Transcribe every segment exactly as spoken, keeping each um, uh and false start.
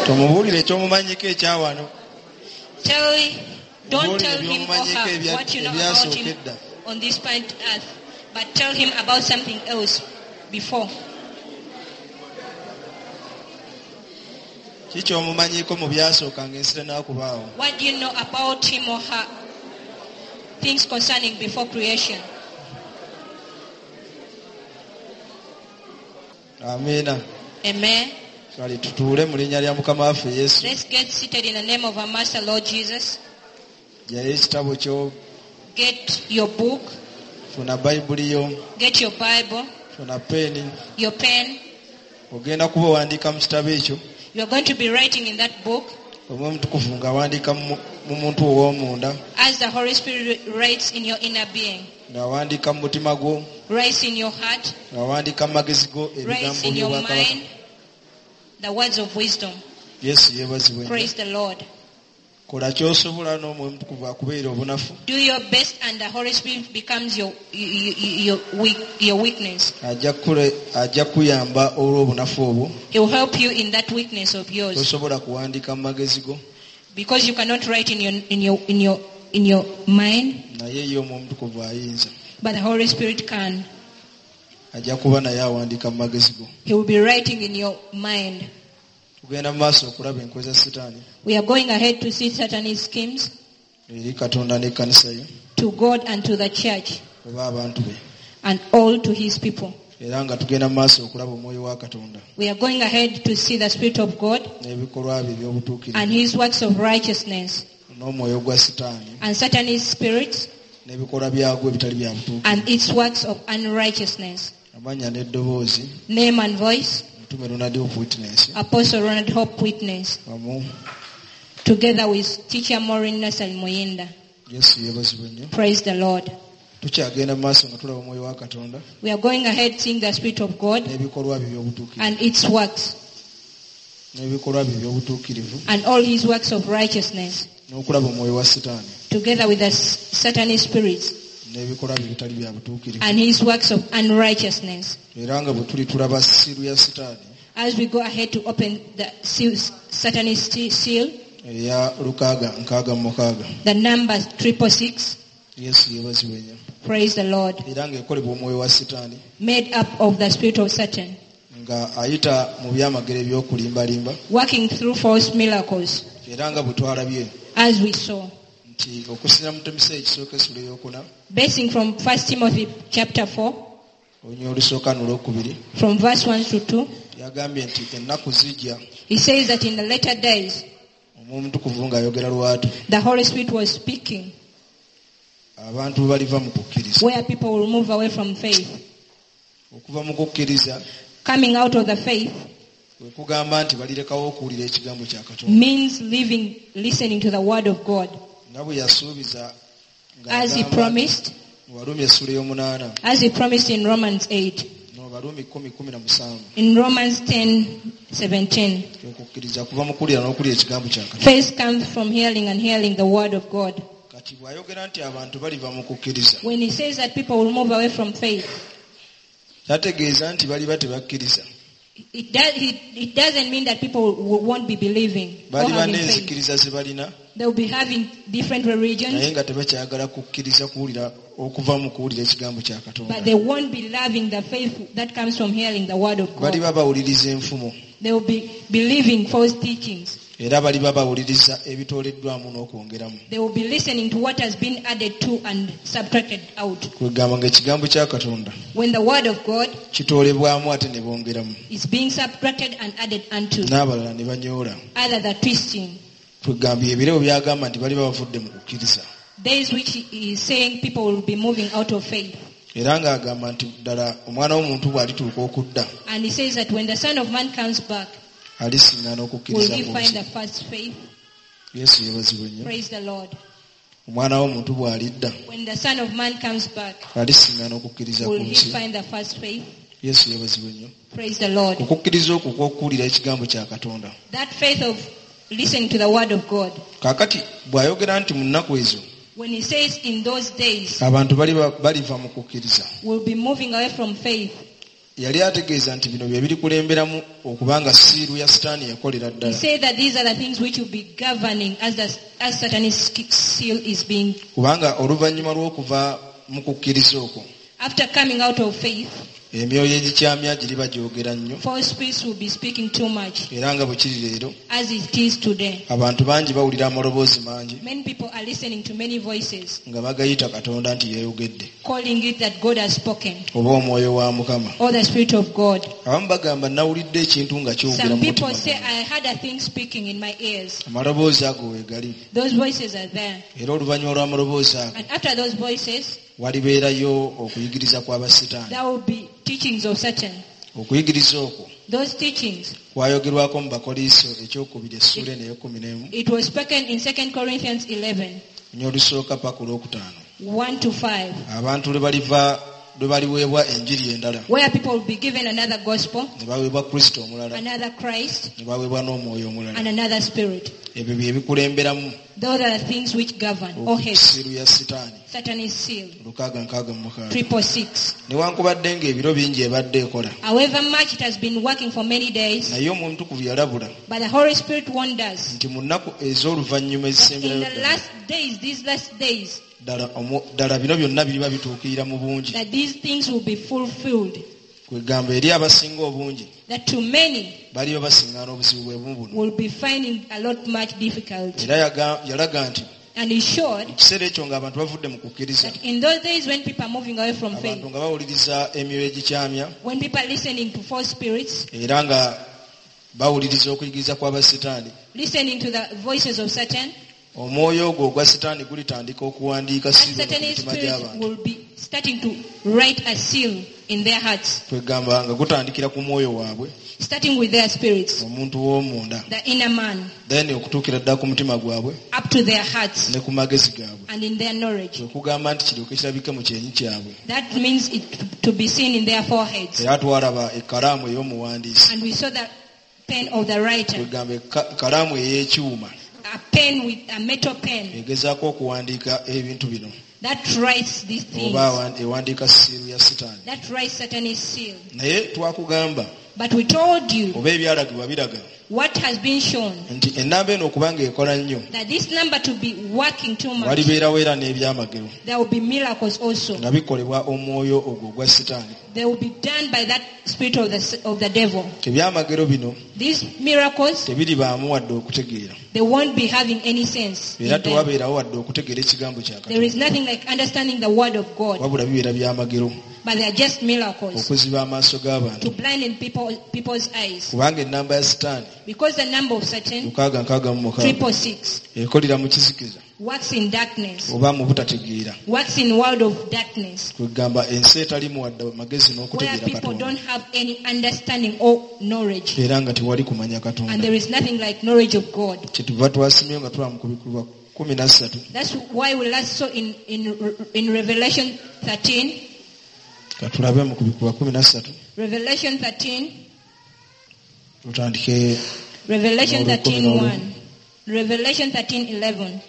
Tomubuulire ekyomumanyiko ekyawano. Tell, don't Mubuulire tell him or by'omumanyiko her ebya- what you know about ebyasooka him edda. on this planet earth, but tell him about something else before. Ki ky'omumanyiko mu byasooka ng'ensi tennakubaawo? What do you know about him or her? Things concerning before creation. Amiina. Amen. Kale tutuule mu linnya lya Mukama waffe Yesu. Let's get seated in the name of our Master Lord Jesus. Ggyayo ekitabo kyo. Get your book. Funa Bayibuli yo. Get your Bible. Funa peeni. Your pen. Ogenda kuba owandiika mu kitabo ekyo. You are going to be writing in that book. Omwoyo Omutukuvu ng'awandiika mu, mu muntu ow'omunda. As the Holy Spirit writes in your inner being. Ng'awandiika mu mutima gwo. Writes in your heart. Ng'awandiika mu magezi go Writes ebigambo in your by'obwakabaka. mind. The words of wisdom. Yesu yeebazibwe nnyo. Praise the Lord. Kola ky'osobola n'Omwoyo Omutukuvu akubeera obunafu. Do your best and the Holy Spirit becomes your, your, your, weak, your weakness. Ajja kukule-, ajja kukuyamba olw'obunafu obwo. He will help you in that weakness of yours. Tosobola kuwandiika mu magezi go. Because you cannot write in your, in your, in your, in your mind. Naye ye Omwoyo Omutukuvu ayinza. But the Holy Spirit can. Ajja kuba naye awandiika mu magezi go. He will be writing in your mind. Tugenda mu maaso okulaba enkwe za Sitaani. We are going ahead to see Satan's schemes. Eri Katonda n'ekkanisa ye. To God and to the church. Oba abantu be. And all to his people. Era nga tugenda mu maaso okulaba omwoyo wa Katonda. We are going ahead to see the Spirit of God. N'ebikolwa bye eby'obutuukirivu. And his works of righteousness. N'omwoyo gwa Sitaani. And Satan's spirit. N'ebikolwa byagwo ebitali bya butuukirivu. And its works of unrighteousness. Amannya n'eddoboozi. Name and voice. Mutume Ronald Hope Witness. Apostle Ronald Hope Witness. Wamu. Together with Teacher Maureen Nasal Muyinda. Yesu yeebazibwe nnyo. Praise the Lord. Tukyagenda mu maaso nga tulaba omwoyo wa Katonda. We are going ahead seeing the Spirit of God. N'ebikolwa bye eby'obutuukirivu. And its works. N'ebikolwa bye eby'obutuukirivu. And all his works of righteousness. N'okulaba omwoyo wa Sitaani. Together with the Satanic spirits. N'ebikolwa bye ebitali bya butuukirivu. And his works of unrighteousness. Era nga bwe tuli tulaba siiru ya Sitaani. As we go ahead to open the seal, Satanic seal. Eya lukaaga nkaaga mu mukaaga. The number triple six. Yesu yeebazibwe nnyo. Praise the Lord. Era ng'ekolebwa omwoyo wa Sitaani. Made up of the spirit of Satan. Nga ayita mu byamagero eby'okulimbalimba. Working through false miracles. Era nga bwe twalabye. As we saw. Nti okusinziira mu Timoseewo ekisooka essula ey'okuna. Basing from First Timothy chapter four. Olunyiriri olusooka n'olwokubiri. From verse one to two. Yagambye nti ennaku zijja. He says that in the later days. Omwoyo Omutukuvu ng'ayogera lwatu. The Holy Spirit was speaking. Abantu baliva mu kukkiriza. Where people will move away from faith. Okuva mu kukkiriza. Coming out of the faith. Kwe kugamba nti balirekawo okuwulira ekigambo kya Katonda. Means leaving, listening to the word of God. Nga bwe yasuubiza nga As he agamba promised. mu Baruumi essula ey'omunaana. As he promised in Romans eight. No, Baruumi kkumi kumi na musanvu. In Romans ten seventeen. Okukkiriza kuva mu kuwulira n'okulya ekigambo kya Katonda. Faith comes from hearing and hearing the word of God. Kati bw'ayogera nti abantu baliva mu kukkiriza. When he says that people will move away from faith. Tategeeza nti baliba tebakkiriza. It, does, it, it doesn't mean that people w-, won't be believing or Baliba having faith. n'enzikiriza ze balina. They will be having different religions. Naye nga tebakyagala kukkiriza kuwulira okuva mu kuwulira ekigambo kya Katonda. But they won't be loving the faith that comes from hearing the word of God. Baliba bawuliriza enfumo. They will be believing false teachings. Era baliba bawuliriza ebitooleddwamu n'okwongeramu. They will be listening to what has been added to and subtracted out. Kwegamba ng'ekigambo kya Katonda When the word of God kitoolebwamu ate ne bongeramu. is being subtracted and added unto. N'abalala ne banyoola. Other than twisting. Kwegamba ebirabo by'agamba nti baliba bavudde mu kukkiriza. Days which he is saying people will be moving out of faith. Era ng'agamba nti ddala omwana w'omuntu bw'alituuka okudda. And he says that when the Son of Man comes back, alisiŋŋaana okukkiriza will he ku find nsi. the first faith? Yesu yeebazibwe nnyo. Praise the Lord. Omwana w'omuntu bw'alidda, When the Son of Man comes back, alisiŋŋaana okukkiriza ku will he nsi. find the first faith? Yesu yeebazibwe nnyo. Praise the Lord. Okukkiriza okwo kw'okuwulira ekigambo kya Katonda. That faith of listening to the word of God. Kaakati bw'ayogera nti mu nnaku ezo, When he says in those days, abantu baliba, baliva mu kukkiriza. we'll be moving away from faith. Yali ategeeza nti bino bye birikulemberamu okubanga siiru ya Sitaani yakolera He ddala. said that these are the things which will be governing as the, as Satan's seal is being. Kubanga oluvannyuma lw'okuva mu kukkiriza okwo, After coming out of faith, emyoyo egikyamya giriba gyogera nnyo. false spirits will be speaking too much, Era nga bwe kiri leero, as it is today. abantu bangi bawulira amaloboozi mangi Many people are listening to many voices, nga bagayita Katonda nti yeeyogedde calling it that God has spoken, oba omwoyo wa Mukama. or the Spirit of God. Abamu bagamba nawulidde ekintu nga kyogera Some mu people mutima say, gwange. I heard a thing speaking in my ears. Amaloboozi ago weegali. Those voices are there. Era oluvannyuma lw'amaloboozi ago And after those voices, walibeerayo okuyigiriza kw'abasitaani. there will be teachings of Satan. Okuyigiriza okwo Those teachings, kwayogerwako mu Bakoliiso ekyokubiri essuula eno ey'ekkumi n'emu it was spoken in Second Corinthians eleven, nnyo olusooka paka olwokutaano. one to five, Abantu lwe baliva lwe baliweebwa enjiri endala where people will be given another gospel, ne baweebwa Kristo omulala another Christ, ne baweebwa n'omwoyo omulala. and another spirit. Ebyo bye bikulemberamu Those are the things which govern or head. okusiru ya Sitaani Satan is sealed. lukaaga nkaaga mu mukaaga. Triple six. Newankubadde ng'ebiro bingi ebadde ekola, However much it has been working for many days, naye Omwoyo Omutukuvu yalabula but the Holy Spirit warned us nti mu nnaku ez'oluvannyuma that in ezisemberayo the ddala last days, these last days, ddala omwo- ddala bino byonna biriba bituukirira mu bungi. that these things will be fulfilled. Kwegamba eri abasinga obungi That to many baliba basiŋŋaana obuzibu bwe bumu buno. will be finding a lot much difficult. Era yaga- yalaga nti And he showed mu kiseera ekyo ng'abantu bavudde mu kukkiriza, that in those days when people are moving away from faith, abantu nga bawuliriza emyoyo egikyamya when people are listening to false spirits, era nga bawuliriza okuyigiriza kw'abasitaani, listening to the voices of Satan, omwoyo ogwo ogwa Sitaani gulitandika okuwandiika that siiru ku Satan's mitima spirit gy'abantu. will be starting to write a seal in their hearts, Kwegamba nga gutandikira ku mwoyo waabwe, starting with their spirits, omuntu w'omunda, the inner man, then okutuukira ddala ku mutima gwabwe up to their hearts ne ku magezi gaabwe. and in their knowledge. Kwe kugamba nti kiryoke kirabike mu kyenyi kyabwe. That means it to be seen in their foreheads. Era twalaba ekkalaamu ey'omuwandiisi, And we saw the pen of the writer, kwegamba ekkalaamu ey'ekyuma a pen with a metal pen egezaako okuwandiika ebintu bino that writes these things, oba awan- ewandiika siiru ya Sitaani. that writes Satan's seal. Naye twakugamba But we told you oba ebyalagibwa biraga what has been shown, nti ennamba eno okuba ng'ekola nnyo that this number to be working too much, walibeerawo era n'ebyamagero there will be miracles also. nga bikolebwa omwoyo ogwo ogwa Sitaani. They will be done by that spirit of the, of the devil. Ebyamagero bino These miracles, tebiribaamu wadde okutegeera they won't be having any sense in era them. tewabeerawo wadde okutegeera ekigambo kya There is Katonda, nothing like understanding the word of God, wabula bibeera byamagero but they are just miracles okuziba amaaso g'abantu to blind people, people's eyes. kubanga ennamba ya Sitaani Because the number of Satan, lukaaga nkaaga mu mukaaga triple six, ekolera mu kizikiza works in darkness, oba mu butategeera, works in world of darkness, kwegamba ensi etalimu wadde magezi where n'okutegeera people Katonda don't have any understanding or knowledge. era nga tewali kumanya And Katonda. there is nothing like knowledge of God. Kyetuva twasimyeyo nga tulaba mu kubikulwa kumi na ssatu That's why we last saw in, in, in Revelation thirteen, katulabe mu kubikulwa kumi na ssatu Revelation thirteen, tutandike Revelation N'olwekumi thirteen n'olumu. one, Revelation thirteen eleven.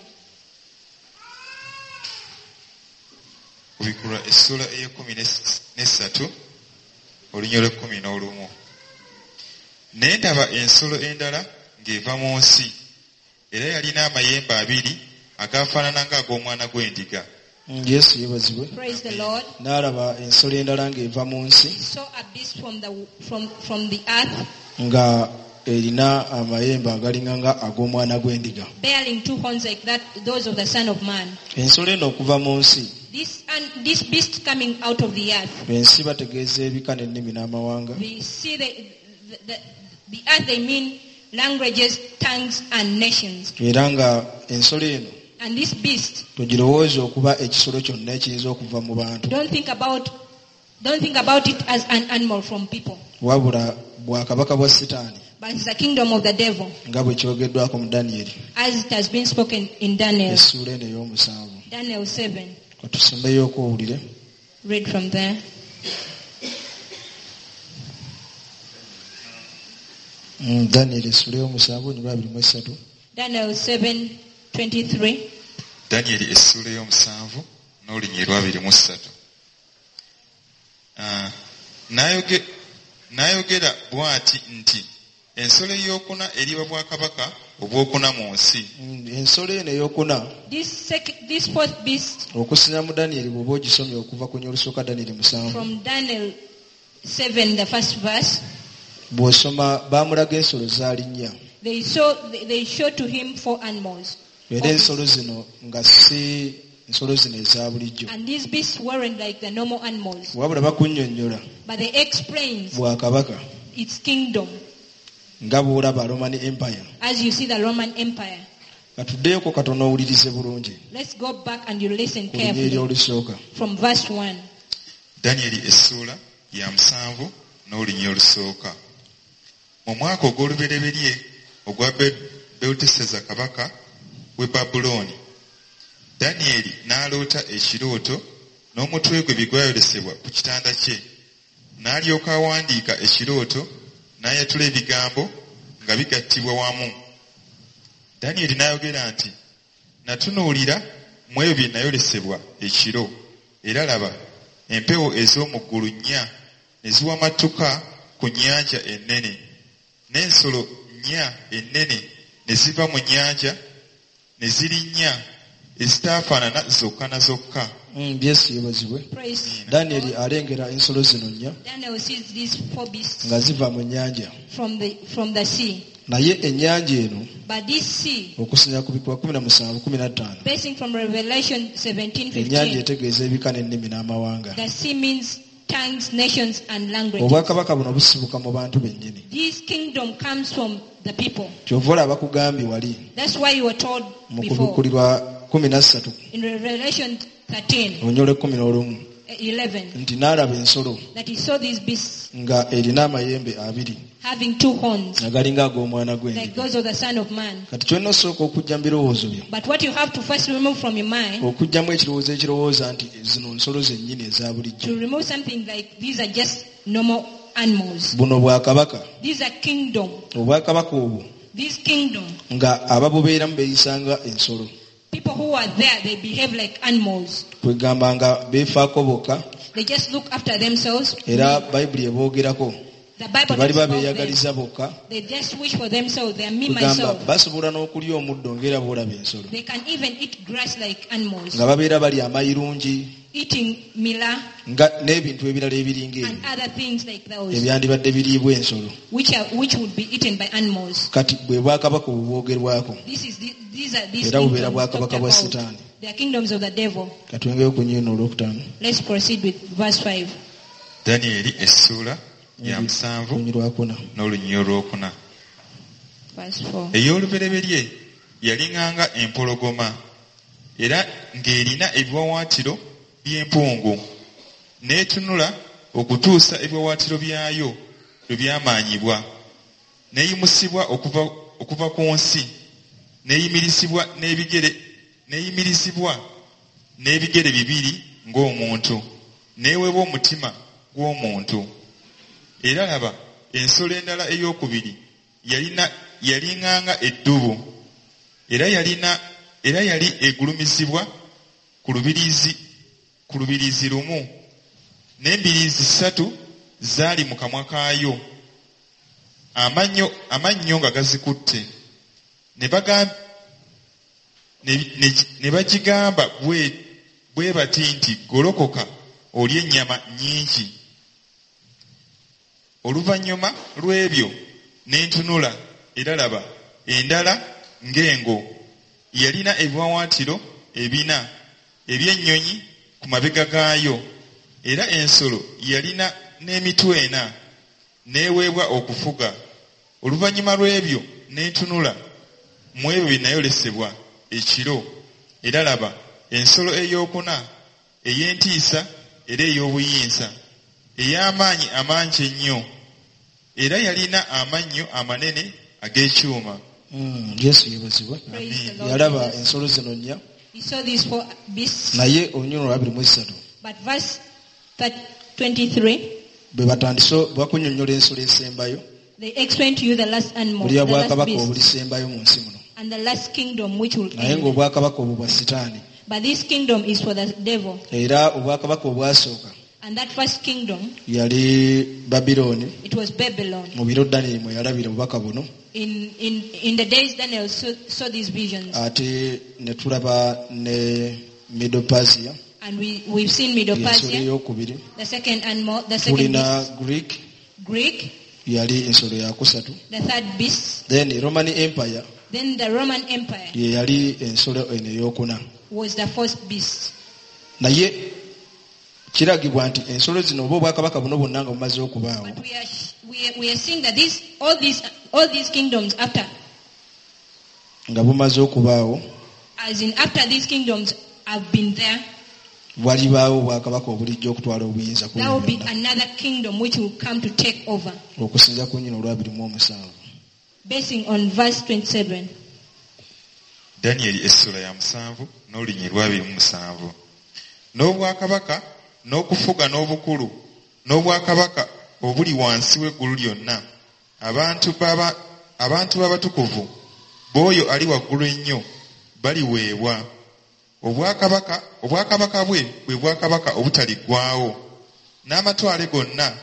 Kubikulwa essuula ey'ekkumi n'essatu olunya olw'ekkumi n'olumu. Ne ndaba ensolo endala ng'eva mu nsi, era yalina amayembe abiri agaafaanana ng'ag'omwana gw'endiga. Yesu yeebazibwe. Praise the Lord. N'alaba ensolo endala ng'eva mu nsi Saw a beast from the, from, from the earth, nga erina amayembe agalinga nga ag'omwana gw'endiga. bearing two horns like that, those of the Son of Man. Ensolo eno okuva mu nsi, This, and this beast coming out of the earth. ensi bategeeza ebika n'ennimi n'amawanga. We see the, the, the, the earth, they mean languages, tongues, and nations. Era nga ensolo eno And this beast, togirowooza okuba ekisolo kyonna ekiyinza okuva mu bantu, don't think about, don't think about it as an animal from people, wabula bwakabaka bwa Sitaani but it's the kingdom of the devil, nga bwe kyogeddwako mu Danyeri as it has been spoken in Daniel. essuula eno ey'omusanvu. Daniel seven. Katusembeyo okuwulire. Read from there. Mm, Danyeri essuula ey'omusanvu olunyiriri abiri mu essatu. Daniel seven twenty-three. Danyeri essuula ey'omusanvu n'olunyiriri abiri mu ssatu. Ah, n'ayoge-, N'ayogera bw'ati nti ensolo ey'okuna eriba bwakabaka obwokuna mu nsi. Mm, ensolo eno eyokuna This, sec- this fourth beast okusinza mu Danyeri bw'oba ogisomye okuva ku nyolusooka Danyeri musanvu from Daniel seven, the first verse, bw'osoma baamulaga ensolo zaali nnya they saw they, they showed to him four animals. era ensolo zino nga si ensolo zino eza bulijjo And these beasts weren't like the normal animals. wabula bakunnyonnyola But they explains bwakabaka its kingdom nga bw'olaba Roman Empire as you see the Roman Empire. katuddeyoko katono owulirize bulungi Let's go back and you listen ku lunyiriri carefully olusooka from verse one. Danyeri essuula ya musanvu n'olunyiriri olusooka. Mu mwaka ogw'olubereberye ogwa Be- Beluteseza kabaka w'e Babulooni, Danyeri n'aloota ekirooto n'omutwe gwe bye gwayolesebwa ku kitanda kye. N'alyoka awandiika ekirooto n'ayatula ebigambo nga bigattibwa wamu. Danyeri n'ayogera nti, Natunuulira mu ebyo bye nayolesebwa ekiro, era laba, empewo ez'omu ggulu nnya ne ziwamatuka ku nnyanja ennene, n'ensolo nnya ennene ne ziva mu nnyanja ne zirinnya ezitaafaanana zokka na zokka. Mm, Yesu yeebazibwe Praise Danyeri alengera ensolo zino nnya Daniel sees these four beasts nga ziva mu nnyanja from the from the sea. naye ennyanja eno But this sea, okusinziira ku bikuba kumi na musanvu kumi na ttaano basing from Revelation seventeen ennyanja fifteen, etegeeza ebika n'ennimi n'amawanga the sea means tongues, nations, and languages. obwakabaka buno busibuka mu bantu bennyini This kingdom comes from the people. kyova olaba bakugambye wali That's why you were told mu before kubikulirwa kumi na ssatu in Revelation thirteen, olunyolo ekkumi n'olumu eleven, nti n'alaba ensolo that he saw these beasts nga erina amayembe abiri having two horns, nga galinga ag'omwana like gw'endiga those of the Son of Man. kati kyolina osooka okuggya mu birowoozo byo But what you have to first remove from your mind, okuggyamu ekirowoozo ekirowooza nti zino nsolo zennyini eza bulijjo to remove something like these are just normal animals. buno bwakabaka These are kingdom. obwakabaka obwo This kingdom, nga ababubeeramu beeyisanga ensolo people who are there, they behave like animals. kwegamba nga beefaako bokka They just look after themselves. era bayibuli eboogerako The Bible tebali talks about them. babeeyagaliza bokka They just wish for themselves. They are me, kwegamba myself. basobola n'okulya omuddo ng'era bw'olaba ensolo They can even eat grass like animals, nga babeera balya amayirungi eating mila nga n'ebintu ebirala ebiringa and ebyo other things like those, ebyandibadde biriibwa ensolo which are which would be eaten by animals. kati bwe bwakabaka obubwogerwako This is the, these are these Era bubeera kingdoms bwakabaka talked bwa about. Sitaani. They are kingdoms of the devil. katwongeyo ku nnyini olwokutaano Let's proceed with verse five. Danyeri essuula ya musanvu olunyiriri lwakuna n'olunyiriri olwokuna. Verse four. Ey'olubereberye yalinganga empologoma era ng'erina ebiwaawaatiro by'empungu n'etunula okutuusa ebiwaawaatiro byayo lwe byamaanyibwa n'eyimusibwa okuva, okuva ku nsi n'eyimirizibwa n'ebigere n'eyimirizibwa n'ebigere bibiri ng'omuntu n'eweebwa omutima gw'omuntu. Era laba ensolo endala ey'okubiri yalina yalinganga eddubu era yalina era yali egulumizibwa ku lubiriizi ku lubiriizi lumu n'embiriizi ssatu zaali mu kamwa kaayo amannyo amannyo nga gazikutte ne bagam- ne- ne- ne bagigamba bwe bwe bati nti golokoka olye ennyama nnyingi. Oluvannyuma lw'ebyo ne ntunula era laba endala ng'engo yalina ebiwaawaatiro ebina eby'ennyonyi ku mabega gaayo era ensolo yalina n'emitwe ena n'eweebwa okufuga. Oluvannyuma lw'ebyo ne ntunula mu ebyo bye nayolesebwa ekiro era laba ensolo ey'okuna ey'entiisa era ey'obuyinza ey'amaanyi amangi ennyo era yalina amannyo amanene ag'ekyuma. Mm, Yesu yeebazibwe Praise the Lord. yalaba ensolo zino nnya He saw these four beasts. naye olunyiriri olwabiri mu esatu But verse twenty-three, bwe batandise bakunnyonnyola ensolo esembayo they explain to you the last animal, bulya the last bwakabaka beast, obulisembayo mu nsi muno and the last kingdom which will naye end. ng'obwakabaka obwo bwa sitaani But this kingdom is for the devil. era obwakabaka obwasooka And that first kingdom, yali Babilooni it was Babylon. Mu biro Danyeri mwe yalabira obubaka buno. In, in, in the days Daniel saw, saw these visions. Ate ne tulaba ne Medo-Persia. And we, we've seen Medo-Persia, eyokubiri. The second animal, the second Tulina beast. Greek. Greek. Yali ensolo yakusatu. The third beast. Then Roman Empire. Then the Roman Empire. Ye yali ensolo eno eyokuna. Was the first beast. Naye kiragibwa nti ensolo zino oba obwakabaka buno bwonna nga bumaze okubaawo. But we are, we are, we are seeing that these, all these, all these kingdoms after. Nga bumaze okubaawo. As in after these kingdoms have been there. Walibaawo obwakabaka obulijja okutwala obuyinza ku There will be byonna. another kingdom which will come to take over. Okusinza ku nnyina olw'abiri mu omusanvu. Basing on verse twenty-seven. Daniel essula ya musanvu n'olunyiriri lw'abiri mu musanvu. N'obwakabaka n'okufuga n'obukulu n'obwakabaka obuli wansi w'eggulu lyonna abantu baba abantu b'abatukuvu b'oyo ali waggulu ennyo baliweebwa. Obwakabaka obwakabaka bwe bwe bwakabaka obutaliggwaawo n'amatwale gonna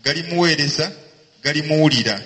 galimuweereza galimuwulira.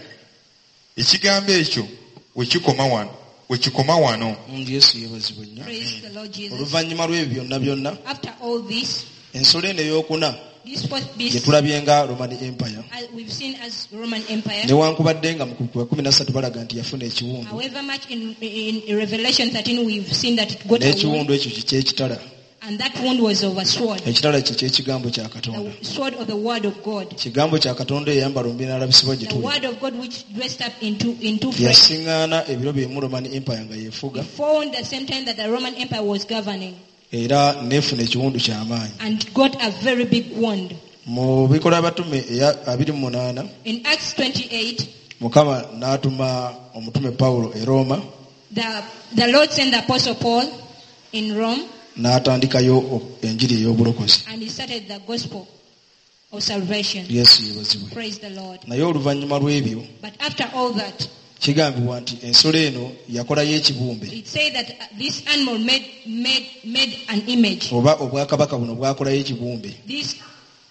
Ekigambo ekyo we kikoma wano, we kikoma wano. Yesu yeebazibwe nnyo. Praise the Lord Jesus. Oluvannyuma lw'ebyo byonna byonna, After all this, ensolo eno ey'okuna this fourth beast, gye tulabye nga Roman Empire. As we've seen as Roman Empire. Newankubadde nga mu kumi na ssatu balaga nti yafuna ekiwundu. However much in, in, in Revelation thirteen we've seen that it got a wound. N'ekiwundu ekyo kye ky'ekitala. And that wound was of a sword. Ekitala kye ky'ekigambo kya Katonda. The sword of the word of God. Kigambo kya Katonda eyambala omubiri n'alabisibwa gye The tuli. word of God which dressed up into, into flesh. Yasiŋŋaana ebiro byemu Roman Empire nga yeefuga. Found the same time that the Roman Empire was governing. Era n'efuna ekiwundu ky'amaanyi. And got a very big wound. Mu bikolwa abatume eya abiri mu munaana, In Acts twenty-eight, Mukama n'atuma omutume Pawulo e Roma. The, the Lord sent the Apostle Paul in Rome. N'atandikayo enjiri ey'obulokozi. And he started the gospel of salvation. Yesu yeebazibwe. Praise the Lord. Naye oluvannyuma lw'ebyo, But after all that, kigambibwa nti ensolo eno yakolayo ekibumbe. It said that this animal made, made, made an image. Oba obwakabaka buno bwakolayo ekibumbe. This,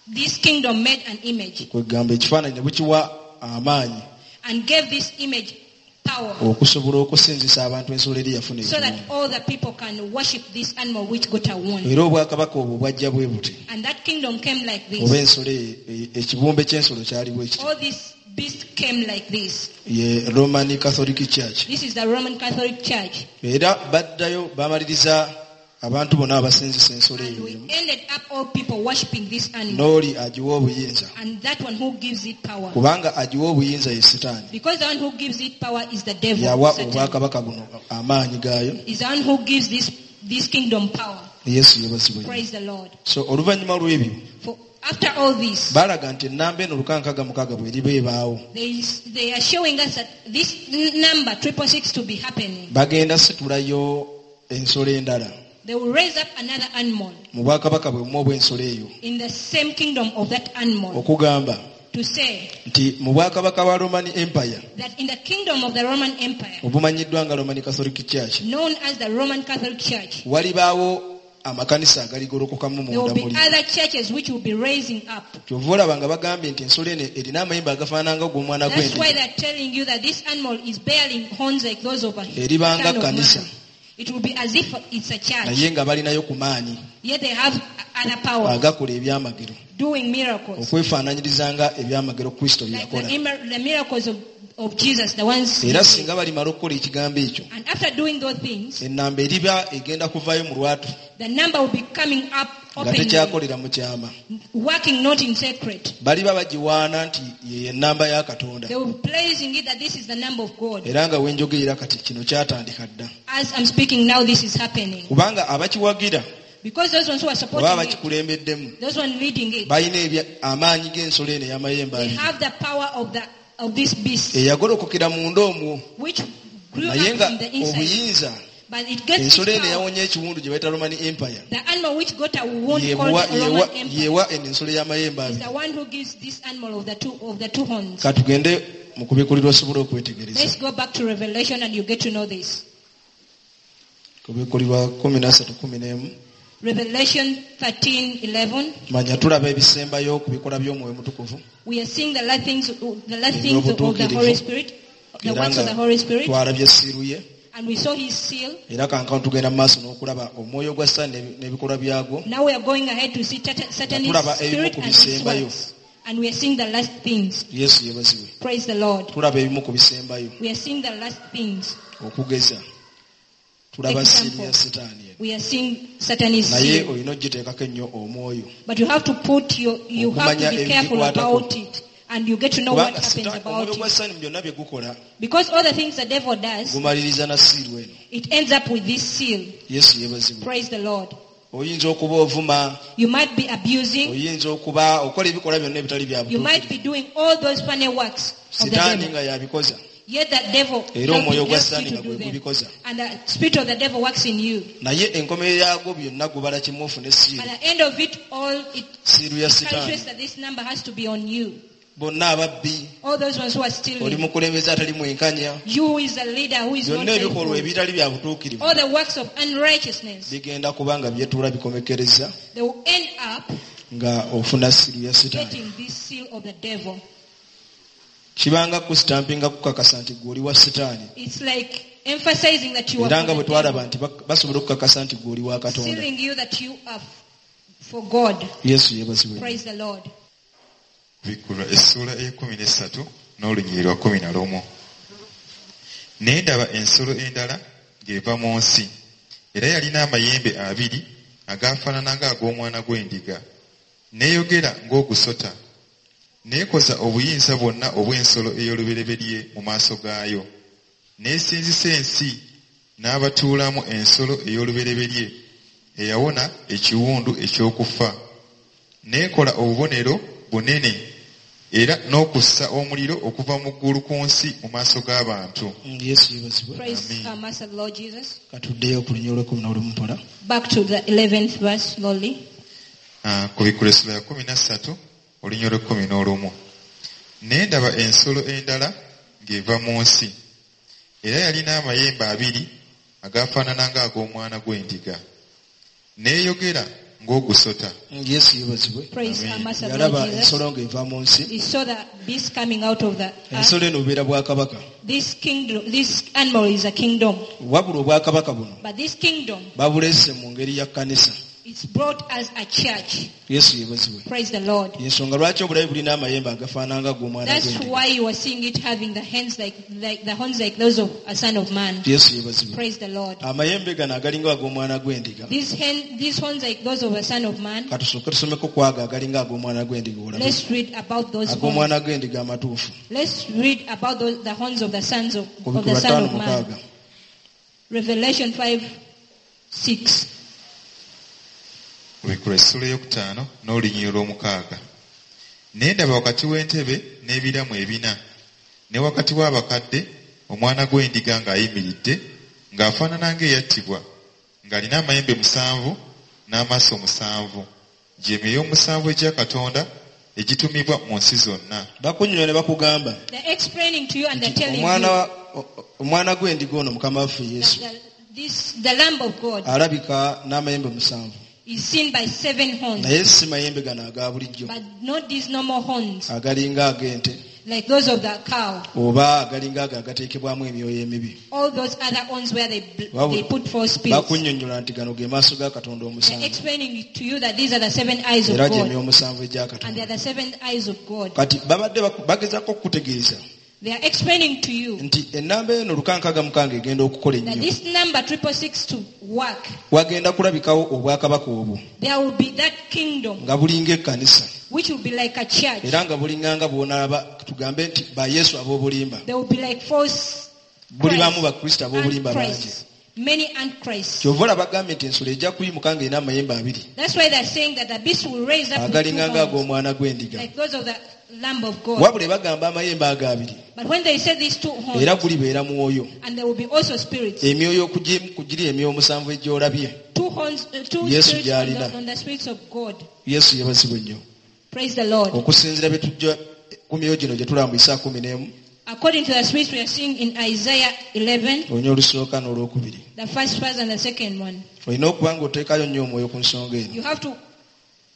this kingdom made an image. Kwegamba ekifaananyi ne bukiwa amaanyi. And gave this image power. Okusobola okusinzisa abantu ensolo eri yafuna So that ekiwundu. all the people can worship this animal which got a wound. Era obwakabaka obwo bwajja bwe buti. And that kingdom came like this. Oba ensolo e-, ekibumbe ky'ensolo kyali bwe kiti. All this beast came like this. Ye Roman Catholic Church. This is the Roman Catholic Church. Era baddayo bamaliriza abantu bonna abasinzisa ensolo And eyo we emu. ended up all people worshiping this animal. N'oli agiwa obuyinza. And that one who gives it power. Kubanga agiwa obuyinza ye Sitaani. Because the one who gives it power is the devil. Yawa Satan. obwakabaka buno amaanyi gaayo. Is the one who gives this, this kingdom power. Yesu yeebazibwe. Praise the Lord. So oluvannyuma lw'ebyo, For after all this, balaga nti ennamba eno lukankaga mukaaga bw'eriba ebaawo. They, they are showing us that this number triple six to be happening. Bagenda situlayo ensolo endala. They will raise up another animal. Mu bwakabaka bwe bumu obw'ensolo eyo. In the same kingdom of that animal. Okugamba To say nti mu bwakabaka bwa Roman Empire, that in the kingdom of the Roman Empire, obumanyiddwa nga Roman Catholic Church, known as the Roman Catholic Church, walibaawo amakanisa agaligolokokamu there will munda be muli. other churches which will be raising up. Kyova olaba nga bagambye nti ensolo eno erina amayembe agafaanana nga ogw'omwana That's why gw'endiga. they are telling you that this animal is bearing horns like those of a Eribanga son of kanisa. man. It will be as if it's a church. Naye nga balinayo ku maanyi. Yet they have other power. Agakola ebyamagero. Doing miracles. Okwefaananyiriza nga ebyamagero Kristo bye Like yakola. the, the miracles of, of Jesus, the ones. Era singa balimala okukola ekigambo ekyo, And after doing those things, ennamba eriba egenda kuvaayo mu lwatu. The number will be coming up Nga openly. tekyakolera mu kyama. Working not in secret. Baliba bagiwaana nti ye ennamba ya Katonda. They will be placing it that this is the number of God. Era nga wenjogerera kati kino kyatandika dda. As I'm speaking now, this is happening. Kubanga abakiwagira, Because those ones who are supporting oba it, abakikulembeddemu, those ones leading it, balina amaanyi g'ensolo eno ey'amayembe they abiri. have the power of the, of this beast, Eyagolokokera munda omwo. which grew Naye up nga from the inside. obuyinza, But it gets its ensolo eno power. eyawonye ekiwundu gye bayita Roman Empire, The animal which got a wound yeewa- called Roman yeewa- Empire yeewa eno ensolo y'amayembe is abiri. the one who gives this animal of the two, of the two horns. Katugende mu kubikkulirwa osobole okwetegereza. Let's go back to Revelation and you get to know this. Kubikkulirwa kumi na ssatu kumi n'emu. Revelation thirteen eleven. Manya tulaba ebisembayo ku bikolwa by'Omwoyo Omutukuvu. We are seeing the last things, the last things of the Holy Spirit, the Era works of nga the Holy Spirit. twalabye siiru ye. And we saw his seal. Era kankano tugenda mu maaso n'okulaba omwoyo gwa Sitaani n'ebi-, n'ebikolwa byagwo. Now we are going ahead to see Satan-, Satan's Tulaba ebimu spirit ku and his bisembayo. works. And we are seeing the last things. Yesu yeebazibwe. Praise the Lord. Tulaba ebimu ku bisembayo. We are seeing the last things. Okugeza, tulaba Example. siiru ya Sitaani eno. We are seeing Satan's Naye seal. olina ogiteekako ennyo omwoyo. But you have to put your, you have to Okumanya be careful ebigikwatako. about it. And you get to know what Kubanga happens Sitaani, about omwoyo gwa it. Sitaani mu byonna bye gukola, Because all the things the devil does, gumaliriza na siiru eno. it ends up with this seal. Yesu yeebazibwe. Praise the Lord. Oyinza okuba ovuma, You might be abusing. oyinza okuba okola ebikolwa byonna ebitali bya You might butuukirivu. be doing all those funny works of the Sitaani devil. nga yabikoza. Yet that devil Era helps omwoyo gwa you Sitaani to nga do gwe them. gubikoza. And the spirit of the devil works in you. Naye enkomerero yaagwo byonna gubala kimu ofune siiru. At the end of it all, it Siiru ya Sitaani. calculates that this number has to be on you. Bonna ababbi, All those ones who are stealing. oli mukulembeze atali mwenkanya. You who is a leader who is not Byonna ebikolwa faithful. ebitali bya butuukirivu All the works of unrighteousness. bigenda kuba nga byetuula bikomekereza They will end up nga ofuna siiru ya Sitaani. getting this seal of the devil. Kibanga kusitampinga kukakasa nti ggwe oli wa Sitaani. It's like emphasizing that you are Era nga for bwe the twalaba devil. nti bak-, basobola okukakasa nti ggwe oli wa Katonda. Sealing you that you are for God. Yesu yeebazibwe. Praise the Lord. Bikkulwa essuula ey'ekkumi n'essatu n'olunyiriri lwa kkumi na lumu. Ne ndaba ensolo endala ng'eva mu nsi, era yalina amayembe abiri agaafaanana ng'ag'omwana gw'endiga, n'eyogera ng'ogusota, n'ekoza obuyinza bwonna obw'ensolo ey'olubereberye mu maaso gaayo, n'esinzisa ensi n'abatuulamu ensolo ey'olubereberye eyawona ekiwundu eky'okufa, n'ekola obubonero bunene era n'okussa omuliro okuva mu ggulu ku nsi mu maaso g'abantu. Mm, Yesu yeebazibwe. Praise Amen. our Master Lord Jesus. Katuddeyo ku lunyiriri lw'ekkumi n'olumu mpola. Back to the eleventh verse slowly. Ah, ku Bikkulwa essula ya kkumi na ssatu, olunyiriri lw'ekkumi n'olumu. Ne ndaba ensolo endala ng'eva mu nsi, era yalina amayembe abiri agaafaanana ng'ag'omwana gw'endiga, n'eyogera ng'ogusota. Mm, Yesu yeebazibwe. Praise Amen. our Master Lord Yalaba Jesus. ensolo ng'eva mu nsi. He saw the beast coming out of the earth. Ensolo eno bubeera bwakabaka. This kingdom, this animal is a kingdom. Wabula obwakabaka buno But this kingdom babuleese mu ngeri ya kkanisa. is brought as a church. Yesu yeebazibwe. Praise the Lord. Ensonga lwaki obulabe bulina amayembe agafaanana nga ag'omwana That's gw'endiga. why you are seeing it having the hands like, like the horns like those of a son of man. Yesu yeebazibwe. Praise the Lord. Amayembe gano agalinga ag'omwana gw'endiga. These hand, these horns like those of a son of man. Katusooke tusomeko ku ago agalinga ag'omwana gw'endiga olabe. Let's read about those horns. Ag'omwana gw'endiga amatuufu. Let's read about those, the horns of the sons of, Ku of the Bikkulwa Son ttaano of Man. mukaaga. Revelation five six. Bikkulwa essuula ey'okutaano n'olunyiriri lw'omukaaga. Ne ndaba wakati w'entebe n'ebiramu ebina, ne wakati w'abakadde omwana gw'endiga ng'ayimiridde, ng'afaanana ng'eyattibwa, ng'alina amayembe musanvu n'amaaso musanvu, gye myoyo omusanvu egya Katonda egitumibwa mu nsi zonna. Bakunnyonnyola ne bakugamba They're explaining to you and they're nti telling omwana you wa-, o-, o-, omwana gw'endiga ono Mukama waffe Yesu that the, this, the Lamb of God alabika n'amayembe musanvu. is seen by seven horns, Naye si mayembe gano aga bulijjo but not these normal horns agalinga ag'ente like those of the cow. oba agalinga ago agateekebwamu emyoyo emibi. All those other horns where they, bl-, Wabula, they put four spirits. Bakunnyonnyola nti gano ge maaso ga Katonda They're omusanvu. explaining to you that these are the seven eyes of Era gye God. myoyo omusanvu egya And they Katonda. are the seven eyes of God. Kati babadde baku-, bagezaako okukutegeeza They are explaining to you nti ennamba eno lukankaga mukaaga egenda okukola that ennyo. this number triple six to work, Wagenda kulabikawo obwakabaka obwo there will be that kingdom nga bulinga ekkanisa. which will be like a church. Era nga bulinganga bw'onaaba tugambe nti ba Yesu ab'obulimba. There will be like false Bulibaamu Christ, Bakristo ab'obulimba bangi. Antichrists, many antichrists. Kyova olaba bagambye nti ensolo ejja kuyimuka ng'erina amayembe abiri. That's why they're saying that the beast will raise up with two Agalinga horns, ng'ag'omwana gw'endiga. like those of the Lamb of God. Wabula bagamba amayembe ago abiri. But when they say these two horns, Era gulibeera mwoyo. and there will be also spirits. Emyoyo okugi-, kugiri emyoyo omusanvu egy'olabye. Two horns, uh, two Yesu spirits on gy'alina. the, on the spirits of God. Yesu yeebazibwe nnyo. Praise the Lord. Okusinziira bye tujja ku myoyo gino gye tulambisa kumi n'emu. According to the spirits we are seeing in Isaiah eleven, olunya olusooka n'olwokubiri. the first verse and the second one. Olina okuba ng'oteekayo nnyo omwoyo ku nsonga eno. You have to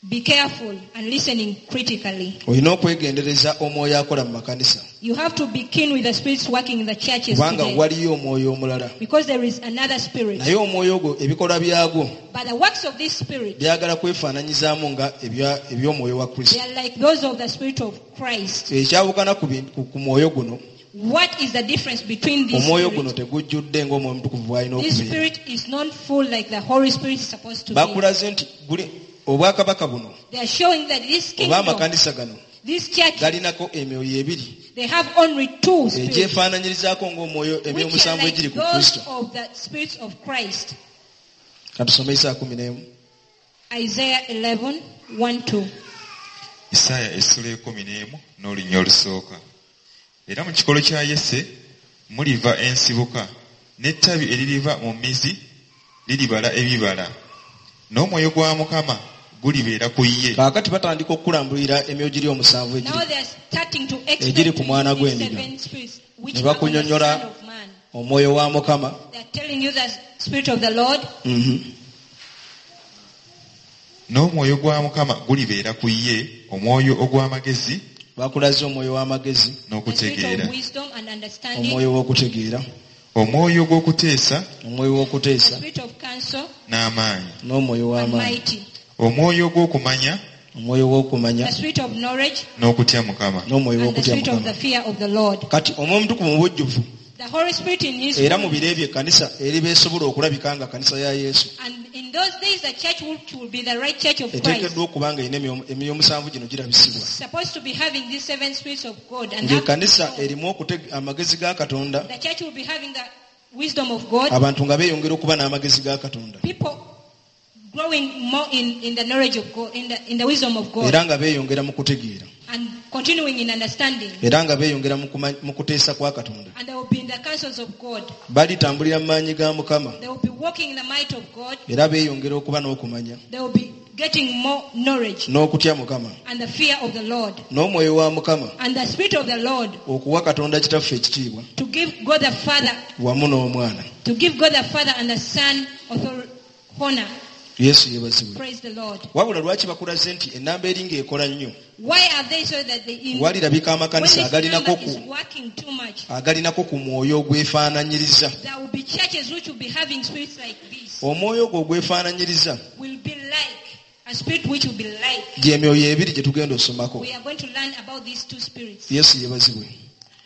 be careful and listening critically. Olina okwegendereza omwoyo akola mu makanisa. You have to be keen with the spirits working in the churches Kubanga today. waliyo omwoyo omulala. Because there is another spirit. Naye omwoyo ogwo ebikolwa byagwo But the works of this spirit, byagala kwefaananyizaamu nga ebya-, eby'omwoyo wa Kristo. they are like those of the spirit of Christ. Ekyawukana ku bintu, ku, ku mwoyo guno, What is the difference between this omwoyo spirit? guno tegujjudde ng'omwoyo omutukuvu bw'alina This okubeera. spirit is not full like the Holy Spirit is supposed to be. Bakulaze nti guli obwakabaka buno They are showing that this oba kingdom, amakanisa gano this church, galinako emyoyo ebiri they have only two spirits, egyefaananyirizaako ng'omwoyo which emyoyo are musanvu like egiri ku those Kristo. of the spirits of Christ. Katusome Isaaya kumi n'emu. Isaiah eleven, one, two. Isaaya essula ekumi n'emu n'olunya olusooka. Era mu kikolo kya Yese muliva ensibuka, n'ettabi eririva mu mmizi liribala ebibala. N'omwoyo gwa Mukama gulibeera ku ye. Kaakati batandika okulambulira emyoyo giri omusanvu egiri Now they are starting to explain egiri ku to mwana you these gw'endiga. seven spirits which Ne are on the bakunyonnyola Son of Man. omwoyo wa Mukama. They are telling you the spirit of the Lord. Mm-hmm. N'omwoyo gwa Mukama gulibeera ku ye, omwoyo ogw'amagezi Bakulaze omwoyo w'amagezi, n'okutegeera. The spirit of wisdom and understanding. Omwoyo w'okutegeera. Omwoyo gw'okuteesa, Omwoyo w'okuteesa. The spirit of counsel, n'amaanyi. N'omwoyo w'amaanyi. and mighty. Omwoyo gw'okumanya, Omwoyo w'okumanya. The spirit of knowledge, n'okutya Mukama. N'omwoyo and the w'okutya spirit of Mukama. the fear of the Lord. Kati omwoyo omutukuvu mu bujjuvu. The Holy Spirit in his Era mu fullness. biro ebyo ekkanisa eriba esobola okulabika nga kkanisa ya Yesu. And in those days the church which will be the right church of Christ. Eteekeddwa okuba nga erina emyoyo, emyoyo omusanvu gino girabisibwa. Supposed to be having these seven spirits of God and have Ng'ekkanisa erimu okutega amagezi ga Katonda. The church will be having the wisdom of God. Abantu nga beeyongera okuba n'amagezi ga Katonda. People growing more in, in the knowledge of God, in the, in the wisdom of God. Era nga beeyongera mu kutegeera. And continuing in understanding. Era nga beeyongera mu kuma-, mu kuteesa kwa Katonda. And they will be in the counsels of God. Balitambulira mu maanyi ga Mukama. They will be walking in the might of God. Era beeyongera okuba n'okumanya. They will be getting more knowledge. N'okutya Mukama. And the fear of the Lord. N'omwoyo wa Mukama. And the spirit of the Lord. Okuwa Katonda Kitaffe ekitiibwa. To give God the Father. Wamu n'Omwana. To give God the Father and the Son authority, honor. Yesu yeebazibwe. Praise the Lord. Wabula lwaki bakulaze nti ennamba eri ng'ekola nnyo? Why are they so that they in, Walirabika amakanisa when this agalinako number ku is working too much, agalinako ku mwoyo ogwefaananyiriza. There will be churches which will be having spirits like this. Omwoyo ogwo ogwefaananyiriza will be like a spirit which will be like. Gy'emyoyo ebiri gye tugenda osomako. We are going to learn about these two spirits. Yesu yeebazibwe.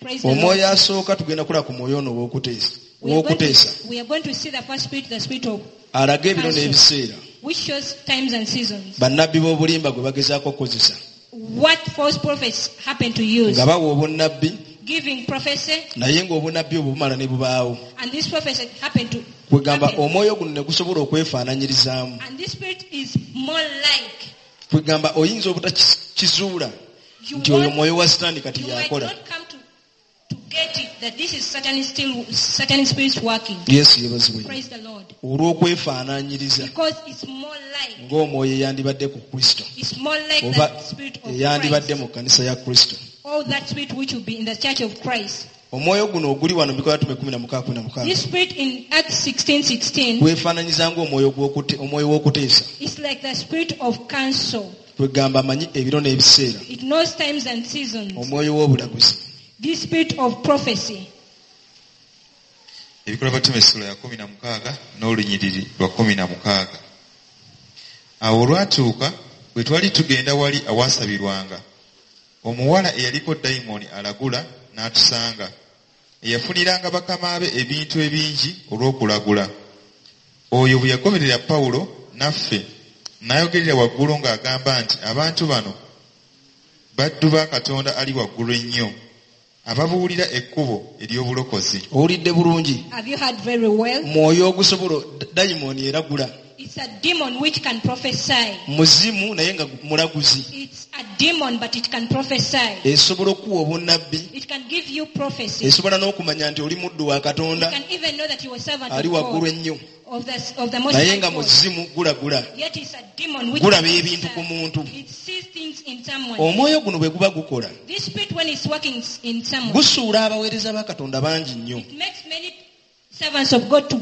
Praise the Lord. Omwoyo asooka tugenda kulaba ku mwoyo ono ow'okuteesa. We are going to, Ow'okuteesa. we are going to see the first spirit, the spirit of Alaga ebiro counsel, n'ebiseera. which shows times and seasons. Bannabbi b'obulimba gwe bagezaako okukozesa. What false prophets happen to use. Nga bawa obunnabbi, Giving prophecy, naye ng'obunnabbi obwo bumala ne bubaawo. And this prophecy happened to Kwegamba happen. omwoyo guno ne gusobola okwefaananyirizaamu. And this spirit is more like. Kwegamba oyinza obutakizuula You nti oyo want mwoyo wa Sitaani kati you might y'akola. not come to, to get it that this is Satan still Satan spirits working. Yesu yeebazibwe. Praise the Lord. Olw'okwefaananyiriza Because it's more like ng'omwoyo eyandibadde ku Kristo. It's more like Oba that spirit of eyandibadde Christ. mu kkanisa ya Kristo. All that spirit which will be in the church of Christ. Omwoyo guno oguli wano mu Bikolwa Bitume kumi na mukaaga kumi na mukaaga. This spirit in Acts sixteen sixteen. Gwefaananyiza ng'omwoyo gw'okute-, omwoyo w'okuteesa. It's like the spirit of counsel. Kwegamba amanyi ebiro n'ebiseera. It knows times and seasons. Omwoyo w'obulaguzi. This spirit of prophecy. Ebikolwa Bitume essula ya kumi na mukaaga n'olunyiriri lwa kumi na mukaaga. Awo olwatuuka bwe twali tugenda wali awaasabirwanga, omuwala eyaliko dayimooni alagula n'atusanga, eyafuniranga bakama be ebintu ebingi olw'okulagula. Oyo bwe yagoberera Pawulo naffe, n'ayogerera waggulu ng'agamba nti abantu bano baddu ba Katonda ali waggulu ennyo, ababuulira ekkubo ery'obulokozi. Owulidde bulungi? Have you heard very well? Mwoyo ogusobola dayimooni eragula. It's a demon which can prophesy. Muzimu naye nga mulaguzi. It's a demon but it can prophesy. Esobola okuwa obunnabbi. It can give you prophecy. Esobola n'okumanya nti oli muddu wa Katonda. You can even know that you are a servant Ali of waggulu God. ennyo. Of the, of the most Naye high nga God. muzimu gulagula. Yet it's a demon which Gulaba can ebintu ku prophesy. muntu. It sees things things in someone. Omwoyo guno bwe guba gukola, This spirit, when it's working in someone, gusuula abaweereza ba Katonda bangi nnyo. it makes many servants of God to